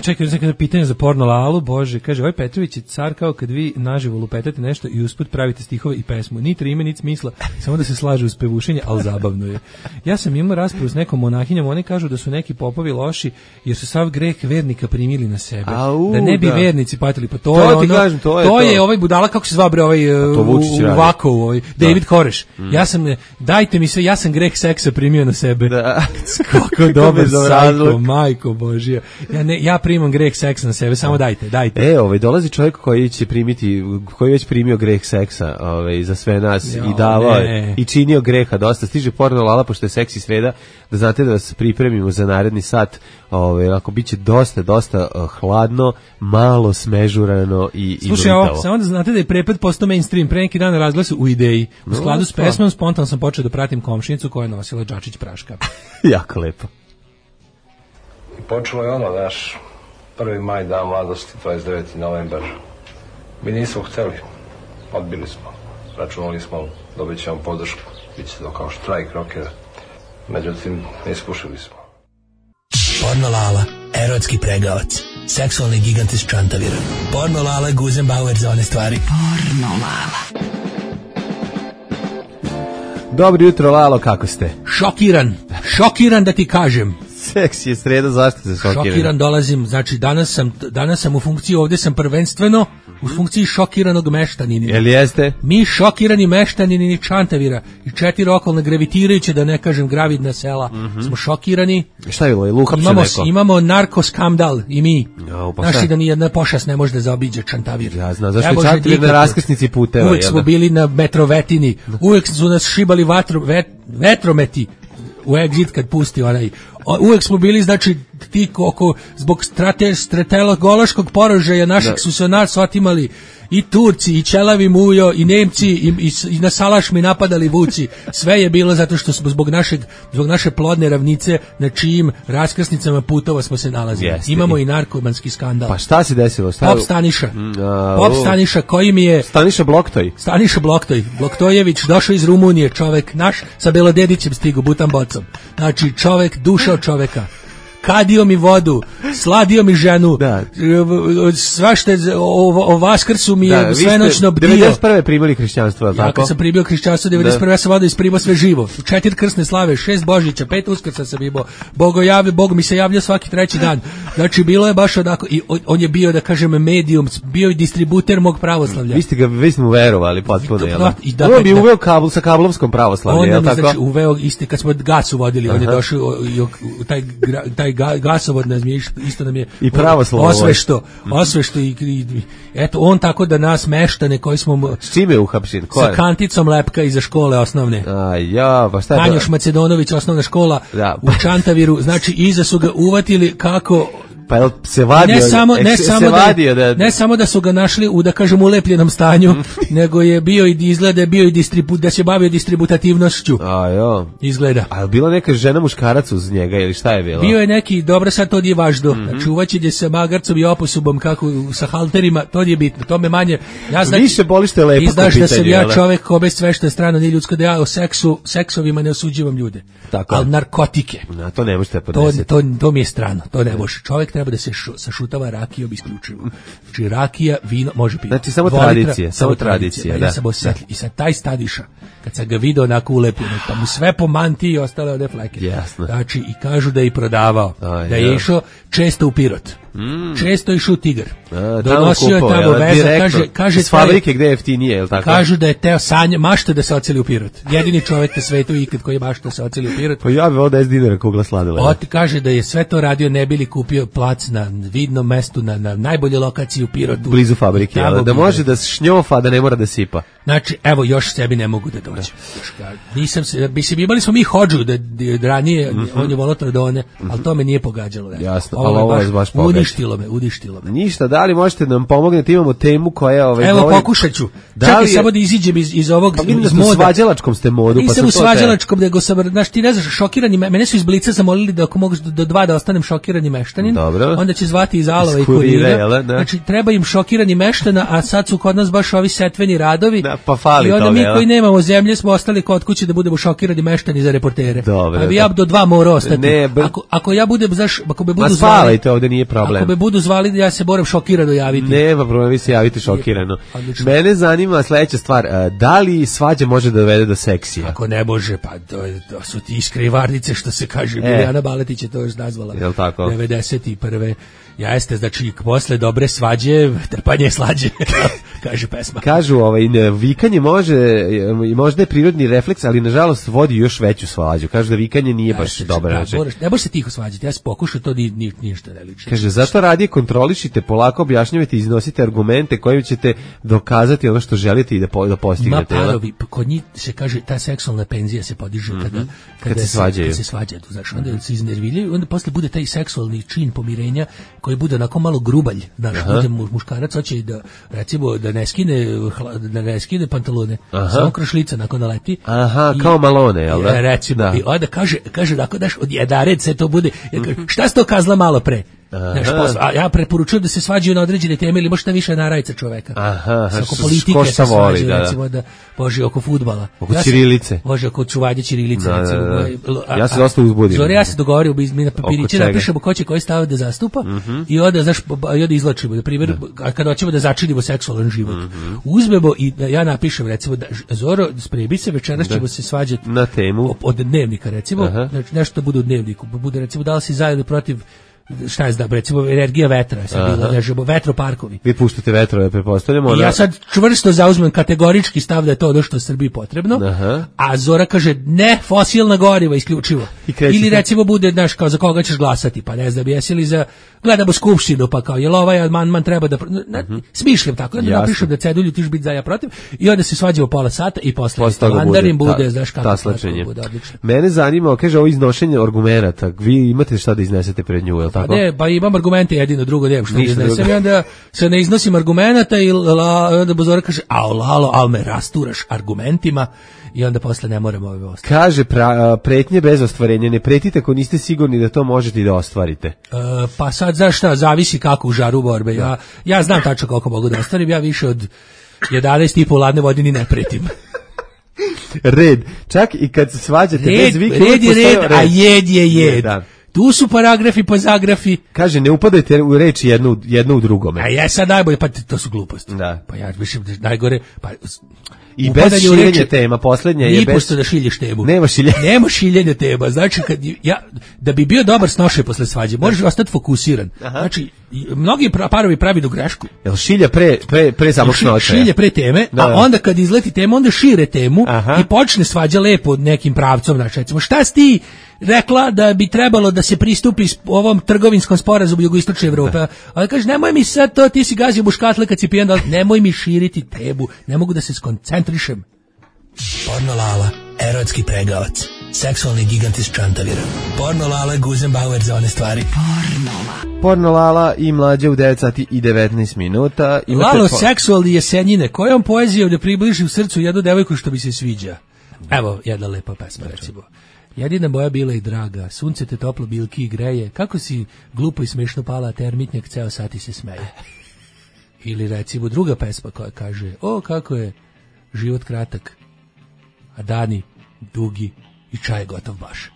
Speaker 6: Čekaj, nekada pitanje za porno Lalu. Bože, kaže, ovaj Petrović je car kao kad vi naživo lupetate nešto i usput pravite stihove i pesmu. Ni trime, ni smisla, samo da se slaže uz pevušenje, ali zabavno je. Ja sam imao raspravu s nekom monahinjom, oni kažu da su neki popovi loši jer su sav greh vernika primili na sebe. Da ne bi vernici patili, pa to je ovaj budala, kako se zva bre ovaj u Vakovu, ovaj David Koreš. Ja sam, dajte mi se, ja sam greh seksa primio na sebe. Kako dobar sajko, majko Božija. Ja primam greh seksa na sebe, samo dajte.
Speaker 5: Dolazi čovjek koji će primiti, koji već primio greh seksa, za sve nas i davao i činio greha dosta. Stiže porno Lala, pošto je seksi sreda, da znate da vas pripremimo za naredni sat. Ako biće dosta hladno, malo smežurano i
Speaker 6: slušaj, samo da znate da je prepad postao mainstream. Pre neki dan razglasu u Ideji. U skladu s pesmom spontano sam počeo da pratim komšinicu koja je nosila džačić praška.
Speaker 5: Jako lepo.
Speaker 15: Počelo je naš 1. maj, dan mladosti, 29. novembar. Mi nismo hteli, odbili smo, računali smo, dobit ćemo podršku, bit će to kao štrajk rokera. Međutim, ne iskušali smo.
Speaker 16: Porno Lala, erotski pregavac, seksualni gigant iz Čantavira. Porno Lala, Guzenbauer za one stvari.
Speaker 2: Porno Lala.
Speaker 5: Dobro jutro, Lalo, kako ste?
Speaker 6: Šokiran da ti kažem.
Speaker 5: Seksi je sreda, zašto se
Speaker 6: šokiran dolazim, znači danas sam u funkciji, ovdje sam prvenstveno u funkciji šokiranog meštanina.
Speaker 5: Jel jeste?
Speaker 6: Mi šokirani meštanini Čantavira i 4 okolne gravitirajuće, da ne kažem gravidna sela, smo šokirani.
Speaker 5: Šta je bilo, uhapšen neko?
Speaker 6: Imamo narkoskandal i mi. Znaš da nijedna pošast ne može da zaobiđe Čantavir.
Speaker 5: Ja znam, zašto je Čantavir na raskrsnici puteva.
Speaker 6: Uvijek smo bili na metrovetini, uvijek su nas šibali vetrometi. u Exit kad pusti onaj. Uvek smo bili, znači, ti oko, zbog strategološkog porožaja našeg su se nas otimali i Turci, i Ćelavi Mujo, i Nemci, i na Salaš mi napadali vuci. Sve je bilo zato što smo zbog naše plodne ravnice na čijim raskrsnicama putova smo se nalazili. Imamo i narkomanski skandal.
Speaker 5: Pa šta se desilo?
Speaker 6: Pop Staniša. Pop Staniša koji mi je...
Speaker 5: Staniša Bloktoj.
Speaker 6: Bloktojević došao iz Rumunije, čovek naš, sa Belodedićem stigu, butan bocom. Znači, čovek, duša od čoveka. Kadio mi vodu, sladio mi ženu, svašte o Vaskrsu mi je svenoćno bdio.
Speaker 5: 91. primili hrišćanstvo, tako?
Speaker 6: Ja kad sam primio hrišćanstvo, 91. ja sam vodio isprimao sve živo. 4 krsne slave, 6 Božića, 5 Uskrsa sam imao. Bog mi se javljao svaki treći dan. Znači, bilo je baš onako, i on je bio, da kažem, medijum, bio i distributer mog pravoslavlja.
Speaker 5: Vi ste mu verovali potpuno, jel? On bi uveo kabel sa kablovskom pravoslavlja, jel tako?
Speaker 6: Znači, uveo isti, kad smo gasu vodili, on je došao, taj gasovod nam je isto nam je
Speaker 5: i pravoslavno
Speaker 6: osvešto i eto on tako da nas meštane koji smo
Speaker 5: s čime uhapšen
Speaker 6: sa kanticom lepka iza škole osnovne.
Speaker 5: Pa šta je
Speaker 6: Tanjoš Macedonović osnovna škola u Čantaviru, znači iza su ga uvatili kako
Speaker 5: pa se vadio,
Speaker 6: ne samo da su ga našli u, da kažem, ulepljenom stanju, nego je bio i izgleda da se bavio distributativnošću. Izgleda.
Speaker 5: A je bila neka žena muškarac uz njega ili šta je bilo?
Speaker 6: Bio je neki, dobro sad to nije važno. Znači uvaćenje sa magarcom i oposubom kako sa halterima, to nije bitno. To me manje. Ja znači,
Speaker 5: više boli što je lepo pitanje.
Speaker 6: Znaš da sam ja čovek kome sve što je strano nije ljudsko, da ja o seksovima ne osuđivam ljude. Ali narkotike.
Speaker 5: To ne možete podnesiti.
Speaker 6: To mi je strano. To ne može. Čovek treba da se sašutava rakijom isključivo. Znači rakija, vino, može piti.
Speaker 5: Znači samo tradicija.
Speaker 6: Ja sam osjetljiv. I sad taj Stadiša, kad sam ga vidio onako ulepljeno, pa mu sve po mantiji i ostale ode fleke.
Speaker 5: Jasno.
Speaker 6: Znači, i kažu da je i prodavao. Da je išao često u Pirot. Često je išao u Tigar. Donosio je tamo veza. Kaže
Speaker 5: s fabrike gde je jeftinije, je li tako?
Speaker 6: Kažu da je teo mašta da se oceli u Pirot. Jedini čovjek na svetu ikad koji je mašta da se oceli u Pirot.
Speaker 5: Pa ja bi ovo 10 dinara kugla sladila.
Speaker 6: Kaže da je sve to radio ne bili kupio plac na vidnom mestu, na najbolje lokaciji u Pirotu.
Speaker 5: Blizu fabrike, da može da šnjofa, da ne mora da sipa.
Speaker 6: Znači, evo, još sebi ne mogu da dođem. Nisam se, imali smo mi hodžu da ranije, on je volao Tordone, ali to me nije pogađalo.
Speaker 5: Jasno, ali ovo je baš pogađalo.
Speaker 6: Uništilo me.
Speaker 5: Ništa, da li možete nam pomognete, imamo temu koja je...
Speaker 6: Evo, pokušat ću. Čekaj, samo da iziđem iz ovog
Speaker 5: moda. U svađalačkom ste modu.
Speaker 6: Nisam u svađalačkom, nego sam, znaš, ti ne znaš, šokirani, mene su iz Blica zamolili da ako mogu do 2 da ostanem šokirani meštanin, onda će zvati iz Alova i Kurira. Znači, treba im šokirani meštana, a sad su kod nas baš ovi setveni radovi. I onda mi koji nemamo zemlje smo ostali kod kuće da budemo šokirani meštani za reportere. A bi ja do 2 mora ostati. Ako ja budem, znaš, ako me budu zvali,
Speaker 5: ovde nije problem.
Speaker 6: Ako me budu zvali, ja se moram šokirano javiti.
Speaker 5: Nema problema, vi se javite šokirano. Mene zanima sledeća stvar, da li svađa može da dovede do seksija?
Speaker 6: Ako ne može, pa to su ti iskrivarnice, što se kaže, Biljana Baletić je to još nazvala.
Speaker 5: Jel tako?
Speaker 6: 91. Jeste, znači, posle dobre svađe, trpanje je slađe, kaže pesma.
Speaker 5: Kažu, vikanje možda je prirodni refleks, ali nažalost vodi još veću svađu. Kažu da vikanje nije baš dobro.
Speaker 6: Ne možeš se tiho svađati, ja sam pokušao, to ništa ne liči.
Speaker 5: Kaže, zato radije kontrolišite, polako objašnjavate, iznosite argumente kojim ćete dokazati ono što želite i da postignete.
Speaker 6: Ma parovi, kod njih se kaže, ta seksualna penzija se podiže kada se svađaju. Znači, onda se iznerviljaju, onda posle bude taj seksualni čin pomirenja koji bude onako malo grubalj, znaš, bude muškarac hoće da, recimo, da ne skine pantalone, samo krošlica nakon naleti.
Speaker 5: Kao Malone, jel da?
Speaker 6: Recimo, i onda kaže onako, daš, od jedared se to bude, šta si to kazla malo pre? Ja preporučujem da se svađaju na određene teme ili možda više narajca čoveka. Oko politike se svađaju, recimo, da bože, oko fudbala.
Speaker 5: Oko ćirilice.
Speaker 6: Bože, oko čuvanja ćirilice, recimo.
Speaker 5: Ja se dosta uzbudim.
Speaker 6: Zore, ja se dogovorio, mi na papiriće napišemo ko će koji stav da zastupa i onda izlačimo, na primjer, kada hoćemo da začinimo seksualan život. Uzmemo i ja napišem, recimo, Zoro, sprebi se, večeras ćemo se svađati
Speaker 5: na temu
Speaker 6: od dnevnika, recimo, nešto bude u dnevniku, bude, recimo, da li si za ili protiv šta je znam, recimo energija vetra, sad bilo nežemo, vetroparkovi.
Speaker 5: Vi puštate vetrove, pretpostavljamo.
Speaker 6: Ja sad čvrsto zauzmem kategorički stav da je to ono što je Srbiji potrebno, a Zora kaže ne, fosilna goriva isključivo. Ili recimo bude, znaš, kao za koga ćeš glasati, pa ne znam, jesi li za, gledamo skupštinu, pa kao, jel ovaj amandman treba da, smišljam tako, onda napišem da cedulju tiš biti za ja protiv, i onda se svađamo pola sata i posle mandarin bude, znaš kako bude odlično.
Speaker 5: Mene zanima, kaže, ovo iznošenje argumenata, vi imate šta da iznesete pred nju, je li tako?
Speaker 6: Ne, pa imam argumente jedino, drugo nemam što iznesem i onda se ne iznosim argumenata i onda Bozora kaže, Lalo, al me rasturaš argumentima i onda posle ne moramo ove ostati.
Speaker 5: Kaže, pretnje bez ostvarenja, ne pretite ako niste sigurni da to možete i da ostvarite.
Speaker 6: Pa sad, znaš šta, zavisi kako u žaru borbe. Ja znam tačno koliko mogu da ostvarim, ja više od 11,5 ladne vode ni ne pretim.
Speaker 5: Red, čak i kad se svađate bez vike,
Speaker 6: red je red, a jed je jed. Da. Tu su paragrafi pa zagrafi.
Speaker 5: Kaže, ne upadajte u reči jedno u drugome.
Speaker 6: A ja sad najbolje, pa to su gluposti.
Speaker 5: Da.
Speaker 6: Pa ja mislim da najgore, pa
Speaker 5: i bez šiljenja tema, poslednja je bez...
Speaker 6: Nipošto da šilješ temu.
Speaker 5: Nema šiljenja.
Speaker 6: Nema šiljenja tema. Znači, da bi bio dobar snošaj posle svađe, možeš ostati fokusiran. Znači, mnogi parovi pravi do grešku.
Speaker 5: Jel šilja pre samog snošaja?
Speaker 6: Šilja pre teme, a onda kad izleti tema, onda šire temu i počne svađa lepo nekim pravcom. Znači, recimo, šta si ti rekla da bi trebalo da se pristupi ovom trgovinskom sporazumu Jugoistočne Evrope? Ali kaže, nemoj mi sad to, ti si gazio buškatle kad si pijan, nemoj mi širiti temu, ne mogu da se skoncentrišem.
Speaker 16: Pornolala, erotski pregavac, seksualni gigant iz Čantavira. Pornolala, Guzenbauer za one stvari.
Speaker 5: Pornolala i Mlađa u 9 sati i 19 minuta.
Speaker 6: Lalo, seksualni jesenjine, kojom poezijom da približi u srcu jednu devojku što bi se sviđa? Evo, jedna lepa pesma, recimo. Jedina moja bila i draga, sunce te toplo bilki i greje, kako si glupo i smešno pala, termitnjak ceo sati se smeje. Ili recimo druga pesma koja kaže, o kako je život kratak, a dani dugi i čaj gotov baš.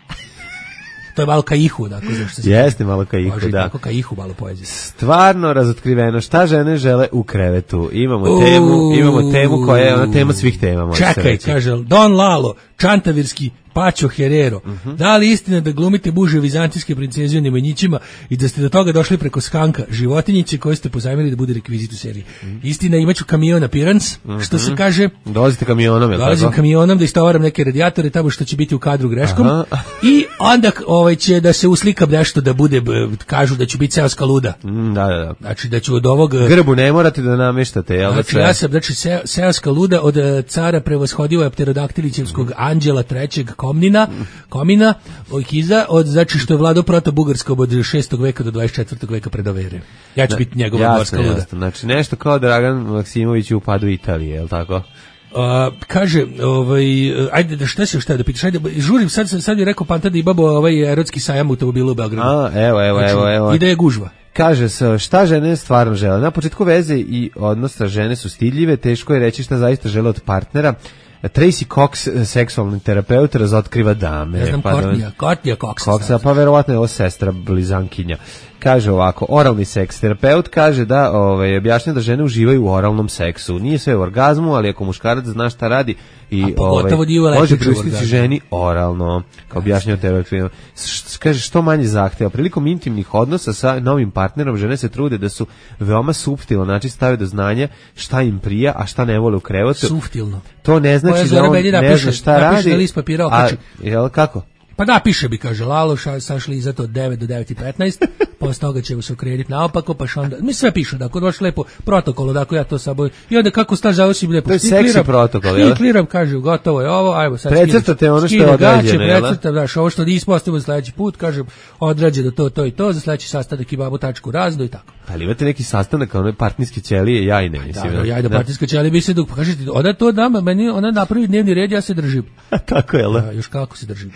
Speaker 6: To je malo kaihu, dakle, zašto se...
Speaker 5: Jeste malo kaihu,
Speaker 6: može
Speaker 5: da.
Speaker 6: Tako kaihu, malo poezije.
Speaker 5: Stvarno razotkriveno, šta žene žele u krevetu. Imamo temu koja je ona tema svih tema.
Speaker 6: Čekaj, kaže, Don Lalo, čantavirski Pačo Herero. Da li istina da glumite muže vizantijske princeze u Nemanjićima i da ste do toga došli preko skanka životinjice koje ste pozajmili da bude rekvizit u seriji? Istina, imaću kamion appearance, što se kaže.
Speaker 5: Dolazite kamionom, je li tako?
Speaker 6: Dolazim kamionom da istovaram neke radijatore tamo što će biti u kadru greškom. I onda će da se uslikam nešto da bude, kažu da ću biti seoska luda.
Speaker 5: Da.
Speaker 6: Znači da ću od ovog...
Speaker 5: Grbu ne morate da nameštate, jel?
Speaker 6: Znači ja sam, seoska luda od cara prevoshodivog pterodaktilićevskog anđela trećeg Komina, Ojkiza, znači što je vladao proto-bugarskom od 6. veka do 24. veka pred ove ere. Ja ću biti njegova morska luda.
Speaker 5: Jasno. Znači nešto kao Dragan Maksimović u padu Italije, je li tako?
Speaker 6: Kaže, ajde, šta si još da pitaš, ajde, žurim, sad bi rekao Panta da imamo erotski sajam automobila u Beogradu.
Speaker 5: Evo.
Speaker 6: I da je gužva.
Speaker 5: Kaže se, šta žene stvarno žele? Na početku veze i odnosa žene su stidljive, teško je reći šta zaista žele od partnera. Tracy Cox, seksualni terapeut, razotkriva dame.
Speaker 6: Ja znam, Courtney Cox.
Speaker 5: Pa verovatno je ovo sestra blizankinja. Kaže ovako, oralni seks terapeut kaže da objašnja da žene uživaju u oralnom seksu. Nije sve u orgazmu, ali ako muškarac zna šta radi i može pristiti ženi oralno, kao objašnjava terapeut. Kaže što manje zahteva. Prilikom intimnih odnosa sa novim partnerom žene se trude da su veoma suptilno, znači stave do znanja šta im prija, a šta ne vole u krevetu.
Speaker 6: Suptilno.
Speaker 5: To ne znači da on ne zna šta radi.
Speaker 6: Na list papira okači.
Speaker 5: Jel kako?
Speaker 6: Pa da, piše bi, kaže, Lalo, sašli iza to od 9 do 9:15, posle toga ćemo se okrenuti naopako, pa onda, mi sve piše, dakle, baš lepo protokolo, dakle, ja to saboj, i onda kako staž završim lepo,
Speaker 5: to je seksi protokol, jel?
Speaker 6: Stikliram, kaže, gotovo je ovo, ajmo sad
Speaker 5: precrtate ono što je određeno, jel?
Speaker 6: Precrtam, daš, ovo što nismo ostavimo sledeći put, kažem, određeno to i to, za sledeći sastanak imamo tačku razno i tako.
Speaker 5: Ali imate neki sastanak, ono partijske ćelije, jajne, mislim.
Speaker 6: Da, jajne partijske ćelije bi se dok, pa kažete, onda to dama, meni, ona napravi dnevni red, ja se držim.
Speaker 5: Tako je,
Speaker 6: da, još kako se držim.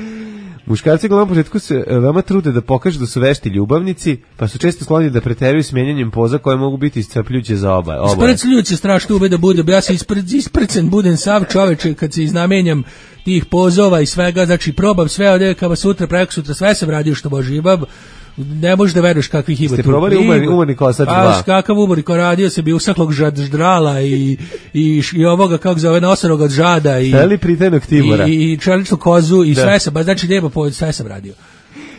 Speaker 5: Muškarci na početku se veoma trude da pokažu da su vešti ljubavnici, pa su često skloni da preteruju s mijenjanjem poza koje mogu biti iscrpljujuće za oboje.
Speaker 6: Iscrpljujuće strašno ube da bude, ja se isprcen budem sav čoveče kad se iznamenjam tih pozova i svega, znači probam sve od Kama Sutra, prekosutra, sve sam radio što može, imam, ne možeš da veruješ kakvih ima tu.
Speaker 5: Ste probali umorni kosač 2?
Speaker 6: Kakav umorni ko radio se bi usaklog ždrala i ovoga, kako zove, nosanog od žada i
Speaker 5: pritajnog Tibora
Speaker 6: i čeličnu kozu i sve sam, znači nema povod, sve sam radio.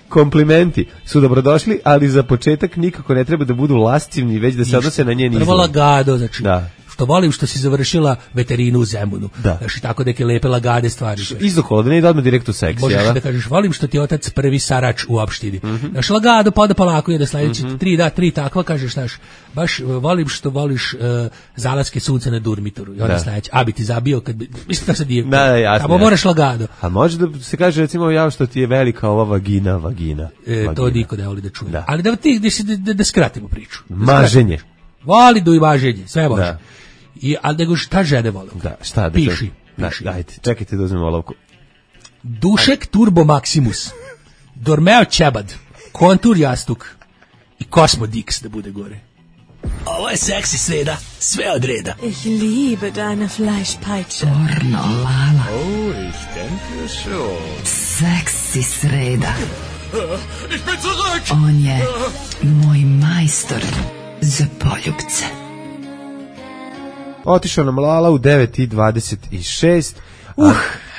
Speaker 5: komplimenti su dobrodošli, ali za početak nikako ne treba da budu lascivni, već da se odnose na njen izgled.
Speaker 6: Prvo lagado, znači.
Speaker 5: Da.
Speaker 6: Što volim što si završila veterinu u Zemunu.
Speaker 5: Da.
Speaker 6: Znači tako neke lepe lagade stvari.
Speaker 5: Izokola, da ne ide odmah direkt u seks.
Speaker 6: Možeš da kažeš, volim što ti je otac prvi sarač u opštini. Znaš, lagado, pa da polako je da sledeći 3 takva, kažeš, znaš, baš volim što voliš zalaske sunca na Durmitoru. I onda sledeći, a bi ti zabio kad bi, mislim da se nije.
Speaker 5: Da, jasno.
Speaker 6: Tamo moraš lagado.
Speaker 5: A može da se kaže, recimo, ja što ti je velika ova vagina.
Speaker 6: To niko ne voli da čuje. Da. Ali da skratimo priču.
Speaker 5: Maženje.
Speaker 6: Voli do i maženje, sve može. Ali nego šta žene vole?
Speaker 5: Da, šta da
Speaker 6: piši.
Speaker 5: Ajde, čekajte da uzmem olovku.
Speaker 6: Dušek Turbo Maximus, Dormeo Čebad, Kontur Jastuk i Cosmo Dix da bude gore.
Speaker 16: Ovo je seksi sreda, sve od reda.
Speaker 17: Ich liebe deine Fleischpeitsche.
Speaker 2: Pornolala.
Speaker 18: Oh, ich denke schon.
Speaker 2: Seksi sreda.
Speaker 18: Ich bin zurück!
Speaker 2: On je moj majstor za poljubce.
Speaker 5: Otišao nam Lala u 9:26.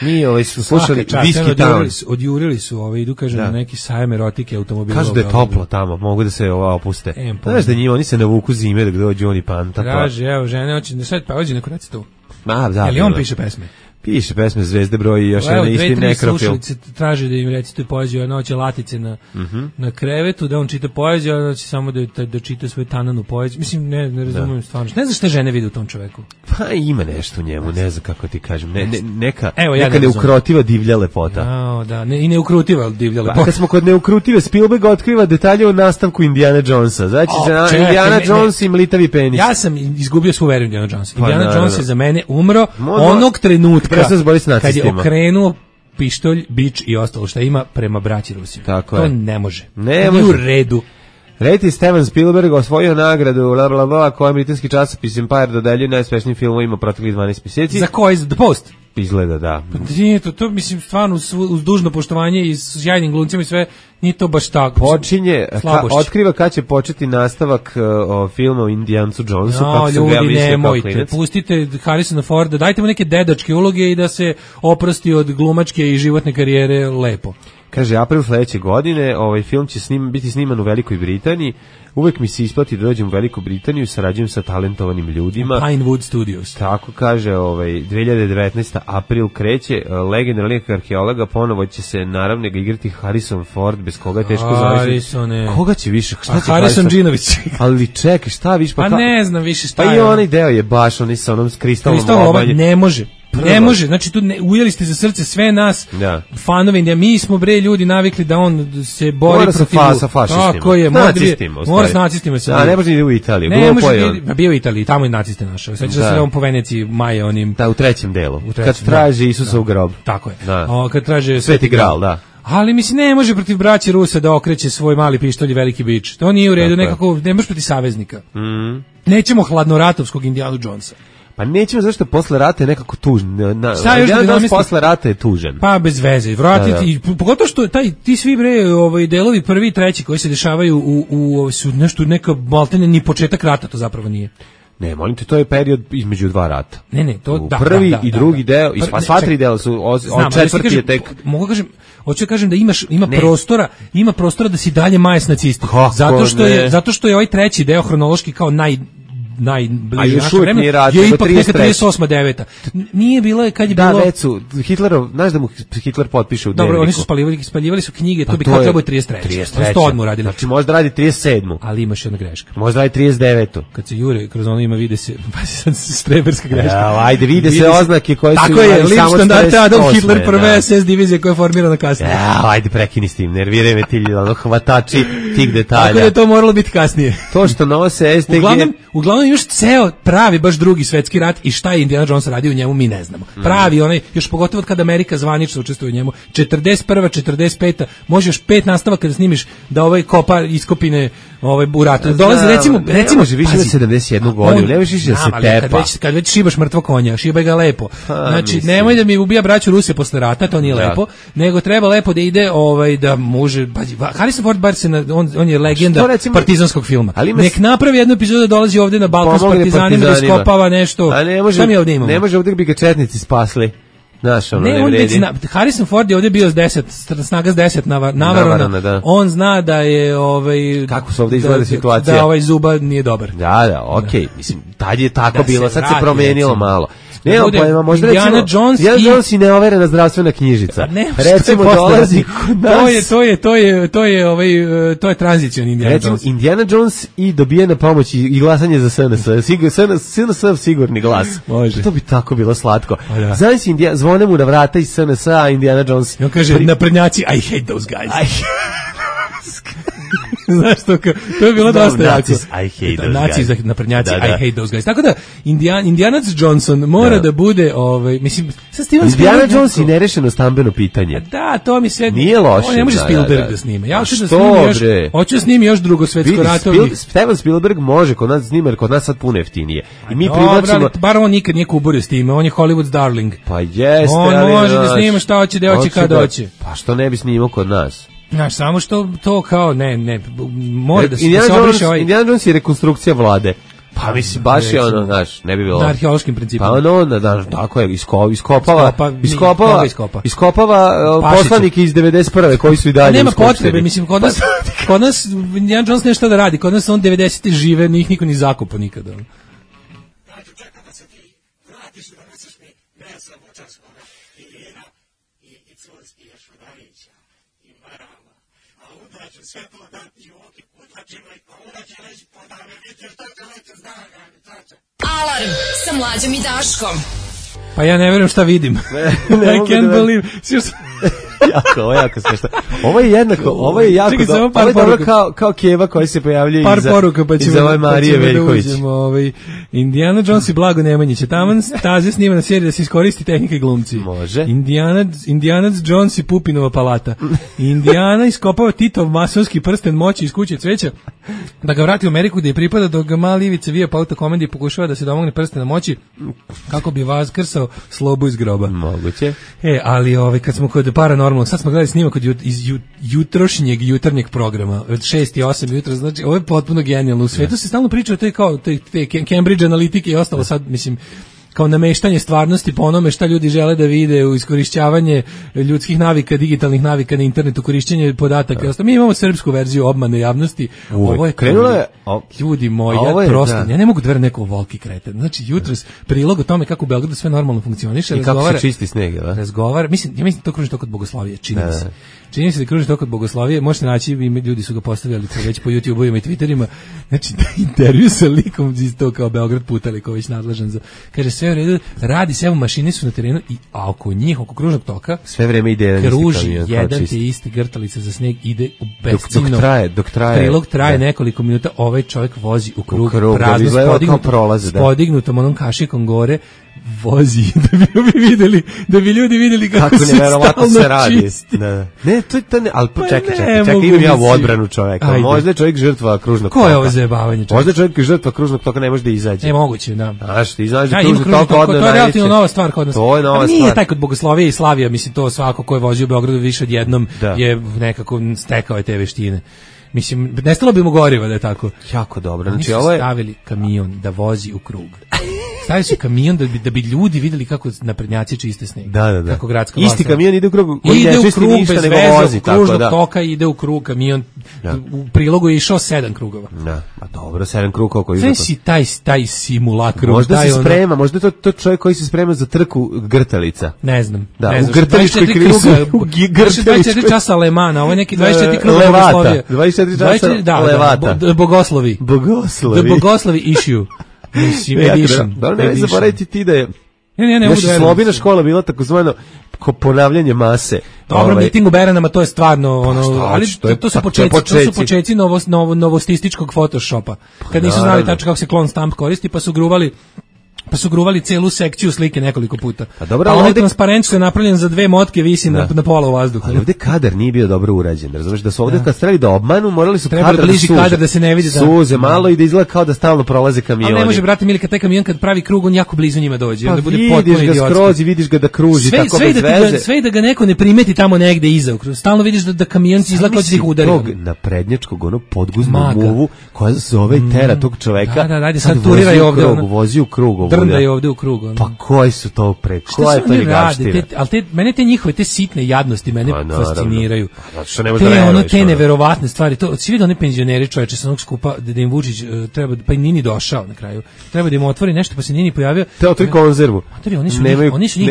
Speaker 5: Mi su slušali Whiskey Town.
Speaker 6: Odjurili su, idu kaže na neki sajam erotike automobila.
Speaker 5: Kažu da je toplo tamo, mogu da se opuste. Znaš da njima, oni se navuku zime da dođu oni panta.
Speaker 6: Kaže, evo, žene, hoće da sad pađi neko reci tu.
Speaker 5: Jel
Speaker 6: on piše pesme?
Speaker 5: Piše pesme Zvezde broj i još jedan isti nekrofil.
Speaker 6: Slušalice traže da im recite poeziju, jedna hoće latice na krevetu, da on čita poeziju, a hoće samo da čita svoju tananu poeziju. Mislim, ne razumijem stvarno. Ne znam šta žene vide u tom čoveku.
Speaker 5: Pa ima nešto u njemu, ne znam kako ti kažem. Neka
Speaker 6: ne
Speaker 5: neukrotiva divlja lepota.
Speaker 6: Da, i neukrutiva divlja lepota.
Speaker 5: Kad smo kod neukrutive, Spielberg otkriva detalje o nastavku Indiana Jonesa. Znači, Indiana Jones i mlitavi penis.
Speaker 6: Ja sam izgubio svu veru Indiana Jonesa. Indiana Jones je za mene umro onog trenutka kad je okrenuo pištolj, bič i ostalo što ima prema braći Rusiju. To ne može. Ne može. U redu.
Speaker 5: Reti Steven Spielberg osvojio nagradu koju britanski časopis Empire dodeljuje najuspešnijim filmovima proteklih 12 mjeseci.
Speaker 6: Za koji? The Post?
Speaker 5: Izgleda, da.
Speaker 6: Nije to mislim, stvarno, uz dužno poštovanje i s sjajnim glumcima i sve, nije to baš tako.
Speaker 5: Otkriva kad će početi nastavak filma o Indijancu Jonesu.
Speaker 6: Ljudi, nemojte, pustite Harrisona Forda, dajte mu neke dedačke uloge i da se oprosti od glumačke i životne karijere lepo.
Speaker 5: Kaže, april sledeće godine, ovaj film će biti sniman u Velikoj Britaniji. Uvek mi se isplati da dođem u Veliku Britaniju i sarađujem sa talentovanim ljudima.
Speaker 6: Pinewood Studios.
Speaker 5: Tako kaže, 2019. april kreće, legendarni arheologa, ponovo će se naravno igrati Harrison Ford, bez koga je teško zavisiti. Koga će više?
Speaker 6: Harrison Džinović.
Speaker 5: Ali čekaj, šta više?
Speaker 6: Pa ne znam više šta je.
Speaker 5: Pa i onaj deo je baš, onaj sa onom kristalnom obalje.
Speaker 6: Ne može. Ne može, znači tu ujeli ste za srce sve nas, fanovi, mi smo ljudi navikli da on se bori protiv
Speaker 5: fašistima.
Speaker 6: Tako je, mora s nacistima se.
Speaker 5: Ne može ni u Italiji.
Speaker 6: Bio u Italiji, tamo je naciste našao. Sveća se on po Veneciji maje onim.
Speaker 5: Da, u trećem delu. Kad traže Isusa u grob.
Speaker 6: Tako je. Kad traže
Speaker 5: Sveti Gral, da.
Speaker 6: Ali mislim, ne može protiv braće Rusa da okreće svoj mali pištolj i veliki bič. To nije u redu, nekako, ne može protiv saveznika. Nećemo hladnoratovskog Indiana Jonesa.
Speaker 5: Pa nećemo, zašto posle rata je nekako tužan. Posle rata je tužan.
Speaker 6: Pa bez veze. Vratiti, pogotovo što ti svi delovi prvi i treći koji se dešavaju su nešto neka maltene ni početak rata, to zapravo nije.
Speaker 5: Ne, molim te, to je period između dva rata.
Speaker 6: Ne, to
Speaker 5: prvi i drugi deo, i sva tri dela su, od četvrti je tek.
Speaker 6: Hoću kažem da ima prostora da si dalje maje s nacistima. Zato što je ovaj treći deo hronološki kao najbliže našem vremenu, je ipak neka 38-9. Nije bilo kad je bilo...
Speaker 5: Da, već su, znaš da mu Hitler potpiše u dnevniku.
Speaker 6: Dobro, oni su spaljivali su knjige, to bi kao trebao 33. Oni to odmah uradili.
Speaker 5: Znači, možda radi 37.
Speaker 6: Ali imaš jedna greška.
Speaker 5: Možda radi 39.
Speaker 6: Kad se jure, kroz ono ima vide se, pa sad streberska greška.
Speaker 5: Ajde, vide se oznake koje su...
Speaker 6: Tako je, Lippstadt, Adolf Hitler, prve SS divizije koja je formirana kasnije.
Speaker 5: Ajde, prekini s tim, nerviraj me ti hvatači tih detalja.
Speaker 6: Tako da je to moralo biti kasnije.
Speaker 5: To što nose STG...
Speaker 6: Uglavnom još ceo pravi baš drugi svetski rat i šta je Indiana Jones radio u njemu mi ne znamo. Pravi onaj, još pogotovo kad Amerika zvanično učestvuje u njemu, 41. 45. može još 5 nastavaka da snimiš da kopa iskopine u ratu. Dolazi recimo
Speaker 5: može više da 71 godinu, ne više da se tepa.
Speaker 6: Kad već šibaš mrtvo konja, šibaj ga lepo. Znači nemoj da mi ubija braću Ruse posle rata, to nije lepo, nego treba lepo da ide da može, Harrison Ford bar on je legenda partizanskog filma. Nek napravi jednu epizodu da dolazi ovde na Balkan s partizanima da iskopava nešto. Šta mi ovdje imamo?
Speaker 5: Ne može ovdje bi ga četnici spasli. Znaš, ono,
Speaker 6: ne, on već zna, Harrison Ford je ovdje bio s 10, snaga s 10 navarona, da. On zna da je
Speaker 5: kako se ovdje izgleda situacija,
Speaker 6: da ovaj Zuba nije dobar.
Speaker 5: Da, okej, mislim, tad je tako
Speaker 6: da
Speaker 5: bilo, sad se
Speaker 6: vrati,
Speaker 5: promenilo malo.
Speaker 6: Ne,
Speaker 5: pa možda
Speaker 6: Indiana Jones
Speaker 5: i neoverena zdravstvena knjižica.
Speaker 6: Recimo
Speaker 5: dolazi kod nas.
Speaker 6: To je tranzicioni Indiana Jones.
Speaker 5: Recimo Indiana Jones i dobijena pomoć i glasanje za SNS. SNS sigurni glas.
Speaker 6: Može.
Speaker 5: To bi tako bilo slatko. Znaš, zvone mu na vrata iz SNS, a Indiana Jones.
Speaker 6: I on kaže, naprednjaci, I hate those guys. Znaš to je bilo dosta jako.
Speaker 5: I hate those
Speaker 6: naci guys. Naprednjaci, I hate those guys. Tako da, Indianac Johnson mora da bude, mislim, sa Steven Spielberg...
Speaker 5: Indiana Jones i nerešeno stambeno pitanje.
Speaker 6: Da, to mi sve...
Speaker 5: Nije loše.
Speaker 6: On ne može Spielberg da snima. Ja hoću da snimi još Drugo svetsko ratovi.
Speaker 5: Steven Spielberg može kod nas snima, jer kod nas sad puno jeftinije. I mi
Speaker 6: privlačimo... Bar on nikad nije kuburio s time, on je Hollywood's darling.
Speaker 5: Pa jeste,
Speaker 6: on može da snima šta hoće, gde hoće, kada hoće.
Speaker 5: Pa što ne bi snimao kod nas?
Speaker 6: Znaš, samo što to kao, ne, mora da se obriše ovaj...
Speaker 5: Indiana Jones je rekonstrukcija vlade. Pa mislim, baš je ono, znaš, ne bi bilo...
Speaker 6: Na arheološkim principima.
Speaker 5: Pa ono, tako je, iskopava poslanike iz 91. koji su i dalje
Speaker 6: nema potrebe, mislim, kod nas Indiana Jones nešto da radi, kod nas on 90. žive, njih niko ni zakupa nikada.
Speaker 2: Alarm sa Mlađom i Daškom.
Speaker 6: Pa ja ne verujem šta vidim. I can't believe.
Speaker 5: Jako smešno. Ovo je jednako, ovo je jako dobro. Ovo je dobro kao Keva koji se pojavljuje iza ove Marije Veljković.
Speaker 6: Indiana Jones i Blago Nemanjić. Taman staze snima na seriji da se iskoristi tehnika i glumci.
Speaker 5: Može.
Speaker 6: Indiana Jones i Pupinova palata. Indiana iskopava Titov masonski prsten moći iz kuće cveća da ga vrati u Ameriku gde je pripada, dok ga mali Ivica vija po autokomandi i pokušava da se domogne prstena moći kako bi vaskrsao Slobu iz groba.
Speaker 5: Moguće.
Speaker 6: Ali kad smo kod paranormalnog, sad smo gledali snimak iz jutrošnjeg jutarnjeg programa od 6 i 8 jutra, znači ovo je potpuno genijalno. U svetu se stalno priča o toj kao te Cambridge analitike i ostalo, sad mislim kao nameštanje stvarnosti po onome šta ljudi žele da vide, u iskorišćavanje ljudskih navika, digitalnih navika na internetu, korišćenje podataka i ostalo. Mi imamo srpsku verziju obmane javnosti. Ovo je
Speaker 5: krenulo je,
Speaker 6: ljudi moji, ja ne mogu da verujem neko volki kreten. Znači jutros prilog o tome kako u Beogradu sve normalno funkcioniše,
Speaker 5: i kako se čisti sneg, da?
Speaker 6: Razgovara, mislim to kruži tok od Bogoslavije, čini mi se. Čini se da kruži tok od Bogoslavije, možete naći, ljudi su ga postavljali već po YouTube-ovima i Twitterima, znači da intervju sa likom iz to kao Beograd Putali, kao već nadležan za, kaže sve u redu, radi se, evo mašine su na terenu i oko njih, oko kružnog toka,
Speaker 5: sve vreme ide
Speaker 6: kruži jedan te isti grtalica za sneg, ide u besciljno.
Speaker 5: Dok traje.
Speaker 6: Prilog traje nekoliko minuta, ovaj čovjek vozi u krug prazno, podignutom onom kašikom gore, vozi da bi ljudi vidjeli kako se stalno čisti.
Speaker 5: Ne, to ne, ali čekaj, imam ja u odbranu čoveka. Možda je čovjek žrtva kružnog toka.
Speaker 6: Ko je ovo zajebavanje čovjeka?
Speaker 5: Možda je čovjek žrtva kružnog toka, ne može da izađe.
Speaker 6: Ne, moguće, da.
Speaker 5: Znaš, ti izađe kružnog toka, odne
Speaker 6: to je relativno nova stvar kod nas.
Speaker 5: To je nova stvar.
Speaker 6: Nije taj kod Bogoslavije i Slavija, mislim, to svako ko je vozio u Beogradu više od jednom je nekako stekao te veštine. Mislim, nestalo bi mu goriva da je tako.
Speaker 5: Jako dobro.
Speaker 6: Znači, ovo je stavili kamion da vozi u krug. Stavili su kamion da bi ljudi videli kako naprednjaci čiste sneg.
Speaker 5: Da.
Speaker 6: Kako gradska vlast.
Speaker 5: Isti kamion ide u krug,
Speaker 6: ide u krug bez veze, kružnog toka ide u krug, kamion u prilogu je išao 7 krugova.
Speaker 5: Da, pa dobro, 7 krugova koji
Speaker 6: izgleda. Sve si taj simulakr.
Speaker 5: Možda se sprema, možda je to čovjek koji se sprema za trku grtalica.
Speaker 6: Ne znam.
Speaker 5: Da, u grtaličkoj krizi.
Speaker 6: 24 časa Lemana, ovo je neki 24 kruga Bogoslavije.
Speaker 5: 24 časa Levata.
Speaker 6: Bogoslovi. The Bogoslovi issue. Mislim, edition.
Speaker 5: Ne zaboraviti ti da je
Speaker 6: ne
Speaker 5: Slobina škola bila takozvano ponavljanje mase.
Speaker 6: Dobro, miting u Beranama, to je stvarno ali to su početci novostističkog Photoshopa. Kad nisu znali tačno kako se clone stamp koristi, pa su gruvali celu sekciju slike nekoliko puta. A ovaj transparent što je napravljen za 2 motke visi na pola u vazduhu.
Speaker 5: Ali ovdje kadar nije bio dobro urađen. Razumiješ da su ovdje kad strali da obmanu, morali su
Speaker 6: kadar da se ne vidi.
Speaker 5: Suze malo i da izgleda kao da stalno prolaze kamioni.
Speaker 6: Ali ne može, brate mili, kad taj kamion kad pravi krug, on jako blizu njima dođe.
Speaker 5: Pa
Speaker 6: onda bude
Speaker 5: vidiš ga skroz i vidiš ga da kruži tako bez veze.
Speaker 6: Sve da ga neko ne primeti tamo negde iza. Stalno vidiš da kamion izgleda kao da ih udari.
Speaker 5: Tog naprednjačkog podguznu muvu koja zove tera tog čoveka.
Speaker 6: Sad turiraj ovdje.
Speaker 5: Vozi u krug.
Speaker 6: brndaju ovde u krug. Ono.
Speaker 5: Pa koji su to koja je to ljigavština?
Speaker 6: Mene te njihove, te sitne jadnosti mene fasciniraju.
Speaker 5: Što ne može da veruješ.
Speaker 6: Te neverovatne stvari. To, svi vidi one penzioneri čoveče sa onog skupa, da im Vučić treba, pa i Nini došao na kraju. Treba da im otvori nešto, pa se Nini pojavio.
Speaker 5: Te otvori konzervu.
Speaker 6: Oni su njih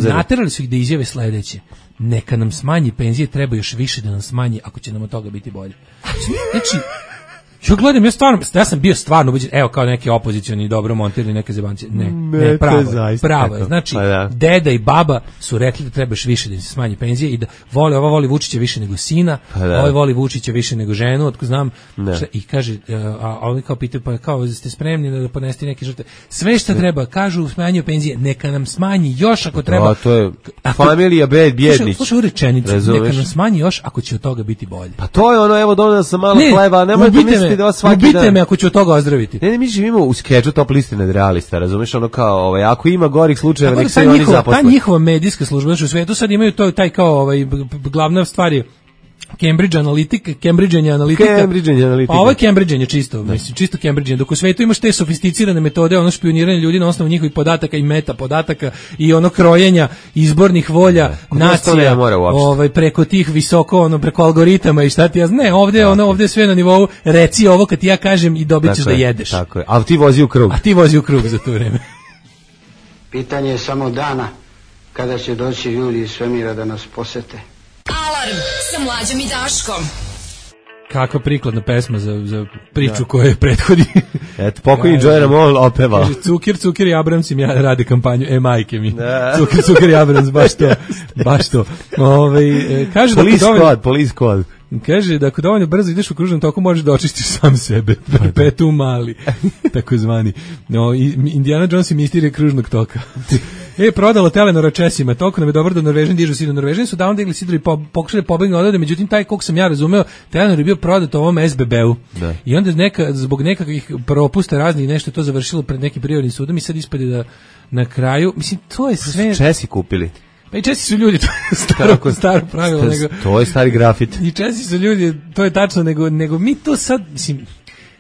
Speaker 6: naterali su ih da izjave sledeće. Neka nam smanji penzije, treba još više da nam smanji ako će nam od toga biti bolje. Znači, ja gledam, ja sam bio stvarno ubeđen, evo kao neki opozicioni dobro montirani neke zebanci. Ne, pravo je. Znači, deda i baba su rekli da treba još više da im se smanji penzije i da ova voli Vučića više nego sina, ovaj voli Vučića više nego ženu, otko znam. I kaže, a oni kao pitaju, pa kao ste spremni da podnesete neke žrtve. Sve što treba, kažu smanjio penzije, neka nam smanji još ako treba.
Speaker 5: To je familija Bjednić.
Speaker 6: Slušaj u rečenicu, neka nam smanji još ako će od toga biti bolje.
Speaker 5: Pa to je ono, evo donao sam malo hleba, nemojte misliti da svaki dan.
Speaker 6: Ubite me ako ću od toga ozdraviti.
Speaker 5: Ne, mi živimo u skeču Top liste nadrealista, razumeš, ono kao, ako ima gorih slučajeva, nek se oni zaposle.
Speaker 6: Ta njihova medijska služba, u svetu sad imaju taj kao, glavna stvar je Cambridge Analytica. Pa ovo je Cambridge čisto, mislim, čisto Cambridge. Dok u svetu imaš te sofisticirane metode, ono špijuniranje ljudi na osnovu njihovih podataka i meta podataka i ono krojenja izbornih volja nacija, preko tih visoko, preko algoritama i šta ti ja znam. Ne, ovdje je sve na nivou, reci ovo kad ti ja kažem i dobit ćeš da jedeš.
Speaker 5: Tako je, a ti vozi u krug.
Speaker 6: Za to vreme.
Speaker 9: Pitanje je samo dana kada će doći ljudi iz svemira da nas posete.
Speaker 2: Alarm sa Mlađom i Daškom.
Speaker 6: Kakva prikladna pesma za priču koja prethodi.
Speaker 5: Eto, pokojni Joy Ramone opevao.
Speaker 6: Kaže, Cukir i Abrams im rade kampanju, majke mi. Cukir i Abrams, baš to. Kaže
Speaker 5: Police Squad.
Speaker 6: Kaže da ako dovoljno brzo ideš u kružnom toku možeš da očistiš sam sebe. Petu mali, takozvani. Indiana Jones i misterije kružnog toka. Prodalo Telenora Česima, toliko nam je dobro da Norvežani dižu sidro. Norvežani su davno digli sidro i pokušali pobegnu odavde, međutim taj, koliko sam ja razumeo, Telenor je bio prodat ovom SBB-u. I onda zbog nekakvih propusta raznih nešto to završilo pred nekim prirodnim sudom i sad ispade da na kraju, mislim, to je sve...
Speaker 5: Česi kupili.
Speaker 6: Pa i Česi su ljudi, to je staro pravilo.
Speaker 5: To je stari grafit.
Speaker 6: I Česi su ljudi, to je tačno, nego mi to sad, mislim...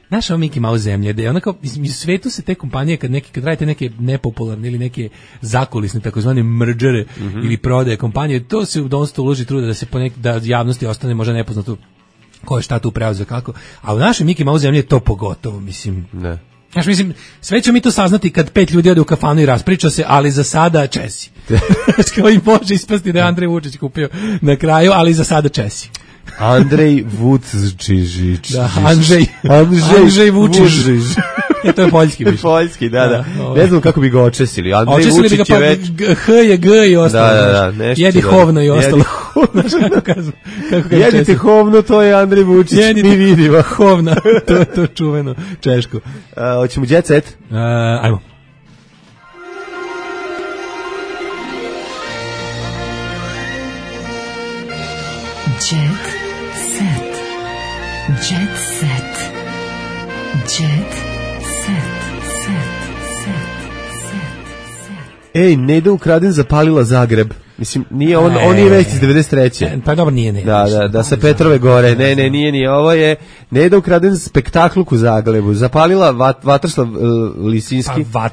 Speaker 6: Naša ovo Mickey Mouse zemlje, da je onako, u svetu se te kompanije, kad radite neke nepopularne ili neke zakulisne, takozvane mergere ili prodaje kompanije, to se dosta uloži truda da se da javnosti ostane možda nepoznato ko je šta tu preuzeo kako, a u našoj Mickey Mouse zemlje je to pogotovo, mislim.
Speaker 5: Ne.
Speaker 6: Znaš, mislim, sve ćemo mi to saznati kad 5 ljudi ode u kafanu i raspriča se, ali za sada Česi. Kao i može ispasti da je Andrej Vučić kupio na kraju, ali za sada Česi.
Speaker 5: Andrej Vučić.
Speaker 6: Da, Andrej Vučić. To je poljski više.
Speaker 5: Poljski, da. Ne znam kako bi ga očesili. Andrej Vučić je već...
Speaker 6: H je G i ostalo.
Speaker 5: Da,
Speaker 6: jedi hovno i ostalo.
Speaker 5: Jedite hovno, to je Andrej Vučić. Mi vidimo.
Speaker 6: Hovna, to je čuveno češko.
Speaker 5: Hoćemo jet set?
Speaker 6: Ajmo.
Speaker 2: Jet set. Jet set. Jet set.
Speaker 5: Ej, Neda Ukraden zapalila Zagreb. Mislim, nije on je već iz 93.
Speaker 6: Pa dobro, nije.
Speaker 5: Da, sa Petrove gore. Ne, nije. Ovo je Neda Ukraden spektakluk u Zagrebu. Zapalila Vatroslav Lisinski.
Speaker 6: Pa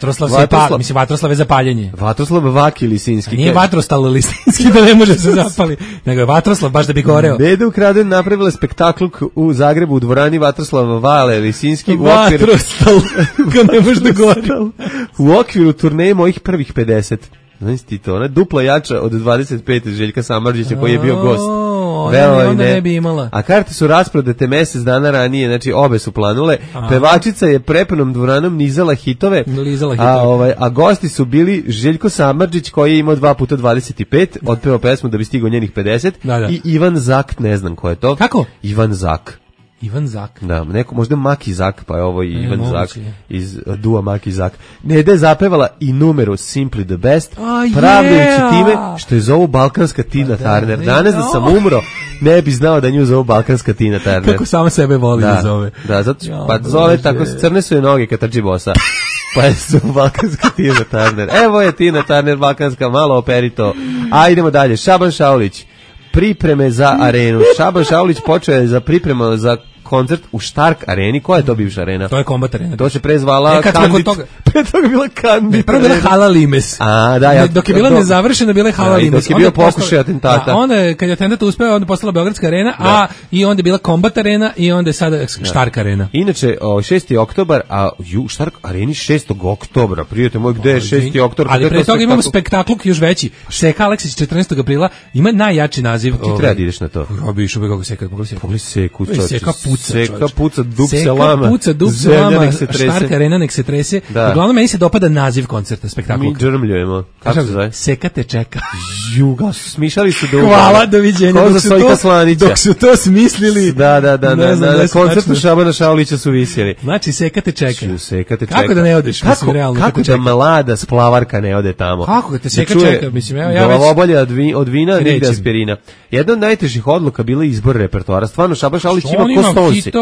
Speaker 6: Vatroslav je zapaljenje.
Speaker 5: Vatroslav Vaki Lisinski.
Speaker 6: Nije Vatrostal Lisinski da ne može se zapali, nego je Vatroslav baš da bi goreo.
Speaker 5: Neda Ukraden napravila spektakluk u Zagrebu u dvorani Vatroslava Vale Lisinski.
Speaker 6: Vatrostal, kad ne može da gore.
Speaker 5: U okviru turneje mojih prvih 50. Znaš ti to, ona je dupla jača od 25 Željka Samardžića koji je bio gost.
Speaker 6: Onda ne bi imala.
Speaker 5: A karte su rasprodate mjesec dana ranije, znači obe su planule. Pevačica je prepunom dvoranom nizala hitove. A gosti su bili Željko Samardžić koji je imao 2 puta 25, otpevao pesmu da bi stigao njenih 50 i Ivan Zak, ne znam ko je to.
Speaker 6: Kako?
Speaker 5: Ivan Zak. Da, neko možda Maki Zak, pa je ovo i Ivan Zak iz Dua Maki Zak. Neda je zapevala i numeru Simply the Best, pravdajući time što je zovu balkanska Tina Turner. Danas da sam umro, ne bi znao da nju zovu balkanska Tina Turner.
Speaker 6: Kako sama sebe voli da zove.
Speaker 5: Da, zato pa zove tako, crne su je noge kad trči bosa. Pa je su balkanska Tina Turner. Evo je Tina Turner balkanska, malo operito. A idemo dalje, Šaban Šaulić. Pripreme za arenu. Šaban Šaulić počeo je za pripremu za koncert u Stark areni. Koja je to bivša arena?
Speaker 6: To je Kombat arena.
Speaker 5: To se prezvala Kandit. Pre toga bila Kandit.
Speaker 6: Prvo bila Hala Limes. Dok je bila nezavršena, bila je Hala Limes.
Speaker 5: Dok je bio pokušaj atentata.
Speaker 6: Onda, kad je atentat uspeo, onda postala Beogradska arena, i onda je bila Kombat arena i onda je sada Stark arena.
Speaker 5: Inače, 6. oktobar, a Stark areni 6. oktobra. Prijatelj moj, gde je 6. oktobar?
Speaker 6: Ali pre toga imamo spektakluk još veći. Seka Aleksić 14. aprila ima najjači naziv.
Speaker 5: Ti treba da ideš na to.
Speaker 6: Robi išao kako Seka.
Speaker 5: Pogledaj Seku, čoče.
Speaker 6: Seka puca,
Speaker 5: dub se lama.
Speaker 6: Stark arena nek se trese. Uglavnom, meni se dopada naziv koncerta, spektakluka.
Speaker 5: Mi džrmljujemo. Kako se zove?
Speaker 6: Seka te čeka.
Speaker 5: Juga, smišali su da
Speaker 6: hvala, doviđenja. Dok su to smislili.
Speaker 5: Da, na koncertu Šabana Šaulića su visjeli.
Speaker 6: Znači, Seka te čeka. Kako da ne odeš?
Speaker 5: Kako da mlada splavarka ne ode tamo?
Speaker 6: Kako te Seka čeka? Mislim, ja već...
Speaker 5: Glavobolja od vina, nigde aspirina. Jedna od najtežih odluka bila izbor repertoara. Stvarno, Šaban Šaulić ima ko Stonsi.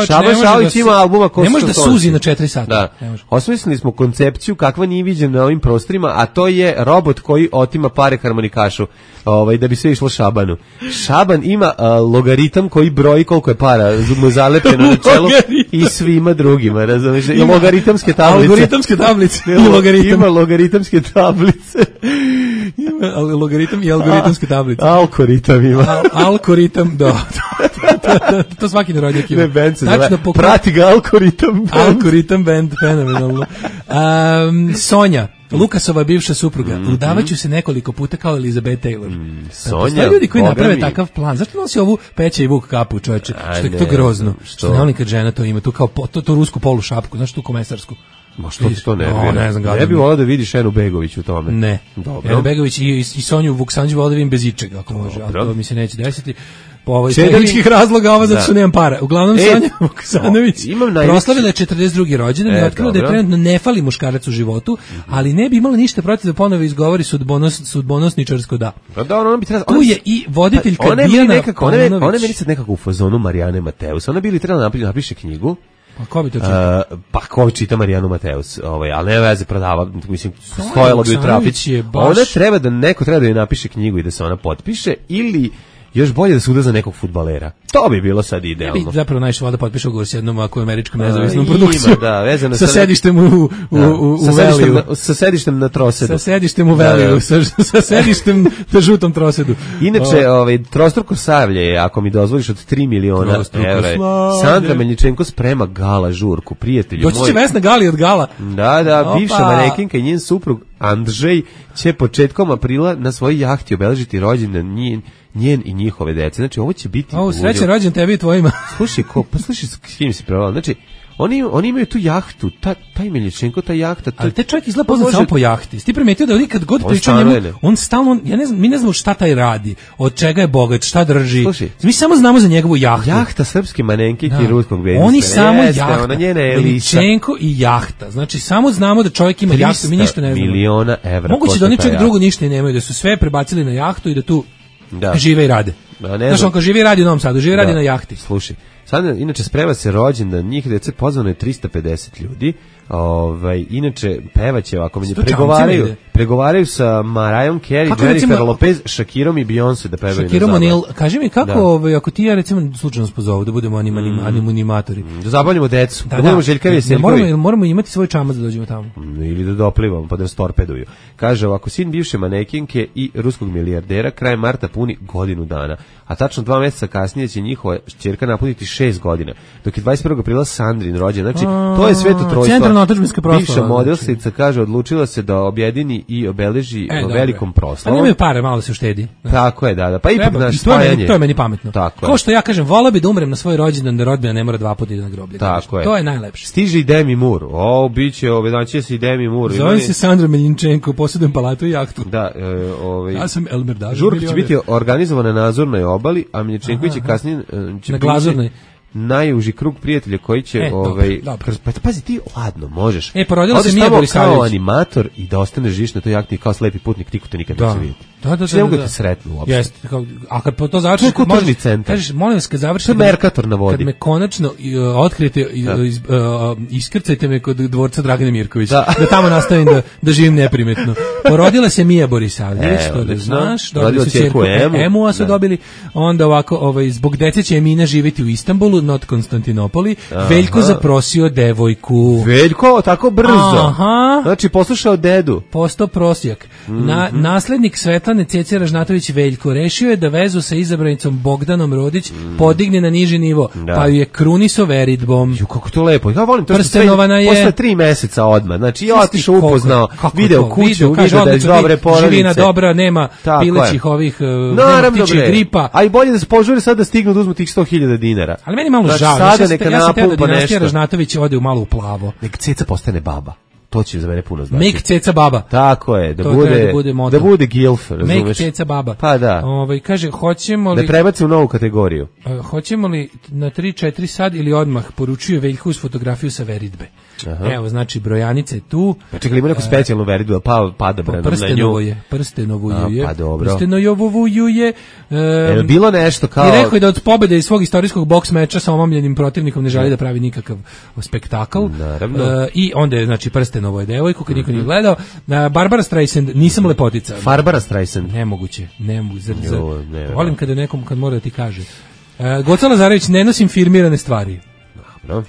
Speaker 5: Šaban Šaulić ima albuma ko Stonsi.
Speaker 6: Ne može da suzi na 4 sata.
Speaker 5: Da. Osmislili smo koncepciju kakva nije viđena na ovim prostorima, a to je robot koji otima pare harmonikašu, da bi sve išlo Šabanu. Šaban ima logaritam koji broji koliko je para mu zalepljeno na čelu i svima drugima, razumiješ? I logaritamske tablice.
Speaker 6: Algoritamske tablice.
Speaker 5: Ima logaritamske tablice.
Speaker 6: Ima logaritam i algoritamske tablice.
Speaker 5: Algoritam ima.
Speaker 6: Algoritam, da. To svaki narodnjak ima.
Speaker 5: Ne, band se zove. Prati ga Algoritam.
Speaker 6: Algoritam band, fenomenalno. Sonja. Lukasova bivša supruga. Udavaću se nekoliko puta kao Elizabeth Taylor.
Speaker 5: Sonja,
Speaker 6: ljudi koji naprave takav plan. Zašto nosi ovu Peća i Vuk kapu, čoveče? Što je to grozno. Što ne volim kad žena to ima, tu kao to rusku polu šapku, znaš, tu komesarsku.
Speaker 5: Ma što ti to ne bi volao da vidiš Enu Begović u tome.
Speaker 6: Ne. Enu Begović i Sonju Vuksanđu volao da vidim bez ičega, ako može. Ali to mi se neće desiti. Po ovoj tehničkih razloga, ova zato što nemam para. Uglavnom, Sonja Vuksanović proslavila je 42. rođendan i otkrila da je trenutno ne fali muškarac u životu, ali ne bi imala ništa protiv da ponovo izgovori sudbonosničarsko da. Tu je i voditeljka Dijana Paunović.
Speaker 5: Ona je meni sad nekako u fazonu Marijane Mateus. Ona bi li trebala napiše knjigu.
Speaker 6: Pa ko bi to čitao?
Speaker 5: Pa ko čita Marijanu Mateus, ali ne veze, prodava, mislim, stojala bi u trafić. Ona neko treba da joj napiše knjigu i da se ona potpiše, ili još bolje da se uda za nekog fudbalera. To bi bilo sad idealno.
Speaker 6: Ja bi zapravo najviše da potpiše ugovor s jednom američkom nezavisnom produkcijom.
Speaker 5: Vezano
Speaker 6: sa sedištem u Veliju.
Speaker 5: Sa sedištem na Trosedu.
Speaker 6: Sa sedištem u Veliju, sa sedištem na žutom Trosedu.
Speaker 5: Inače, trostruko slavlje je, ako mi dozvoliš, od 3 miliona evra. Sandra Meljičenko sprema gala žurku, prijatelju moj.
Speaker 6: Doći će Vesna Gali od gala.
Speaker 5: Da, bivša manekinka i njen suprug Andrzej će početkom aprila na svojoj jahti obeležiti rođendan njen i njihove dece. Znači, ovo će biti...
Speaker 6: srećan rođendan tebi i tvojima.
Speaker 5: Slušaj, s kim si prevala. Znači, oni imaju tu jahtu, taj Meljičenko, ta jahta...
Speaker 6: Ali te čovjek izgleda poznat samo po jahti. Ti primetio da kad god priča njemu, on stalno, mi ne znamo šta taj radi, od čega je bogat, šta drži.
Speaker 5: Slušaj,
Speaker 6: mi samo znamo za njegovu jahtu.
Speaker 5: Jahta srpske manenkinke i ruskog gledista.
Speaker 6: Oni samo jahta, Meljičenko i jahta. Znači, samo znamo da čovjek ima jahtu, mi ništa ne znamo.
Speaker 5: 300 miliona evra.
Speaker 6: Moguće da oni čovjek drugo ništa i nemaju, da su sve prebacili na jahtu i da tu žive i rade. Znaš, on kao živi i radi u Novom Sadu, živi i radi na jahti.
Speaker 5: Slušaj, sad inače sprema se rođendan, njih dece pozvano je 350 ljudi. Inače pevaće ovako, pregovaraju sa Mariah Carey, Jennifer Lopez, Shakirom i Beyoncé da pevaju.
Speaker 6: Shakirom O'Neal, kaži mi kako ako ti ja recimo slučajno spozovu da budemo animatori.
Speaker 5: Da zabavljamo decu, da budemo Željka Veseljkovi.
Speaker 6: Moramo imati svoj čamac da dođemo tamo.
Speaker 5: Ili da doplivamo pa da nas torpeduju. Kaže ovako, sin bivše manekinke i ruskog milijardera krajem marta puni godinu dana, a tačno 2 mjeseca kasnije će njihova ćerka napuniti 6 godina, dok je 21. aprila Sandrin rođen. Znači, to je sveto trojstvo. Bivša modelstica, kaže, odlučila se da objedini i obeleži velikom proslavom.
Speaker 6: Pa nemaju pare, malo se uštedi.
Speaker 5: Tako je, da. Pa ipak naš spajanje.
Speaker 6: To je meni pametno. Ko što ja kažem, volao bi da umrem na svoj rođendan, da rodbina ne mora 2 puta ide na groblje.
Speaker 5: Tako je.
Speaker 6: To je najlepše.
Speaker 5: Stiže i Demi Moore. Biće, znači se i Demi Moore.
Speaker 6: Zovem se Sandra Meljičenko, posjedujem palatu i jahtu.
Speaker 5: Da,
Speaker 6: ja sam Elmer Dažin.
Speaker 5: Žurka će biti organizovana na Azurnoj obali, a Meljičenković će kasnije
Speaker 6: na Glazurnoj.
Speaker 5: Najuži krug prijatelja koji će pa pazi, ti ladno možeš.
Speaker 6: Porodila se Mija Borisavljević
Speaker 5: kao animator i da ostaneš živiš na toj jahti kao slepi putnik, niko te nikad neće vidjeti. Ne mogu te sretnu uopšte.
Speaker 6: Jeste, a kad to završiš, kažeš, molim vas, kad završiš,
Speaker 5: Merkator na vodi.
Speaker 6: Kad me konačno otkrijete, iskrcajte me kod dvorca Dragane Mirković, da tamo nastavim da živim neprimetno. Porodila se Mija Borisavljević, to da znaš, dobili su ćerku Emu, a su dobili, onda ovako, zbog dece će Emina živjeti u Istanbulu, not Konstantinopoli, Veljko zaprosio devojku.
Speaker 5: Veljko, tako brzo. Znači, poslušao dedu.
Speaker 6: Postao prosjak. Naslednik Svetlane Cece Ražnatović Veljko rešio je da vezu sa izabranicom Bogdanom Rodić podigne na niži nivo, pa ju je kruniso veritbom.
Speaker 5: Kako to lepo. Ja volim to
Speaker 6: Prstenovana je
Speaker 5: posle 3 meseca odmah. Znači, ja otišao upoznao, video kuću, video da je dobre porodice.
Speaker 6: Živina dobra, nema pilećih ovih, nema ptičih gripa.
Speaker 5: A i bolje da se požuri sad da stignu da uzmu tih 100.000 dinara.
Speaker 6: Ali meni malo žao. Ja sam teo da dinastija Ražnatović ode u malo u plavo.
Speaker 5: Nek Ceca postane baba. To će za mene puno znači.
Speaker 6: Make Ceca baba.
Speaker 5: Tako je, da bude gilf, razumeš?
Speaker 6: Make Ceca baba.
Speaker 5: Pa da.
Speaker 6: Kaže, hoćemo li...
Speaker 5: Da prebaci u novu kategoriju.
Speaker 6: Hoćemo li na 3-4 sad ili odmah, poručuje Veljko uz fotografiju sa veritbe. Evo, znači, brojanica je tu.
Speaker 5: Pa čekaj, ima neku specijalnu veritbu, pada branom na nju.
Speaker 6: Prstenovoju je.
Speaker 5: Pa dobro.
Speaker 6: Prstenovoju je.
Speaker 5: Bilo nešto kao...
Speaker 6: I rekao je da od pobjede iz svog istorijskog boks meča sa omamljenim protivnikom ne želi da pravi nikakav spektakl.
Speaker 5: Naravno.
Speaker 6: I onda je, znači, Prstenovo je devojku, kad niko nije gledao. Barbara Streisand, nisam lepotica.
Speaker 5: Barbara Streisand.
Speaker 6: Nemoguće. Volim kada nekom, kad mora da ti kaže. Goca Lazarević, ne nosim firmirane stvari.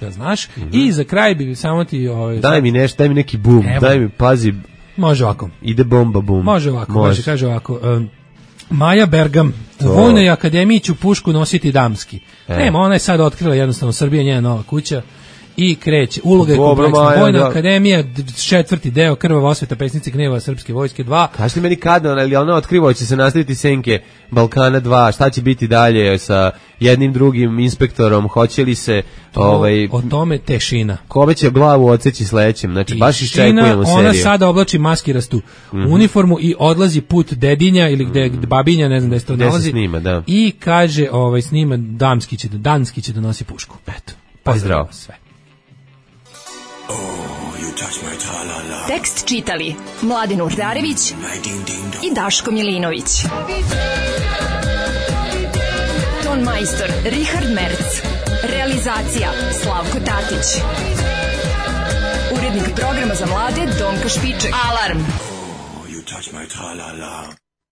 Speaker 6: Ja znaš. I za kraj bi samo ti...
Speaker 5: Daj mi nešto, daj mi neki bum, daj mi, pazi.
Speaker 6: Može ovako.
Speaker 5: Ide bomba bum.
Speaker 6: Može ovako, kaže ovako. Maja Bergam, u Vojnoj akademiji ću pušku nositi damski. Nema, ona je sad otkrila jednostavno, Srbija njena nova kuća. I kreće. Uloga je kompleksna. Vojna akademija, 4. deo, krvava osveta, pesnici gneva srpske vojske 2.
Speaker 5: Kažete meni kada, ali ona otkriva, će se nastaviti senke Balkana 2, šta će biti dalje sa jednim drugim inspektorom, hoće li se...
Speaker 6: O tome tešina.
Speaker 5: Kome će glavu odseći sledećem, znači baš iščekujemo seriju.
Speaker 6: Ona sada oblači maskirastu uniformu i odlazi put dedinja ili gde babinja, ne znam da se to nalazi.
Speaker 5: Snima, da.
Speaker 6: I kaže, snima, danski će da nosi pušku. Eto.
Speaker 5: Pozdrav.
Speaker 6: Sve.
Speaker 2: Tekst čitali Mladen Urdarević i Daško Milinović. Ton majstor Richard Merc. Realizacija Slavko Tatić. Urednik programa za mlade Donka Špiček. Alarm!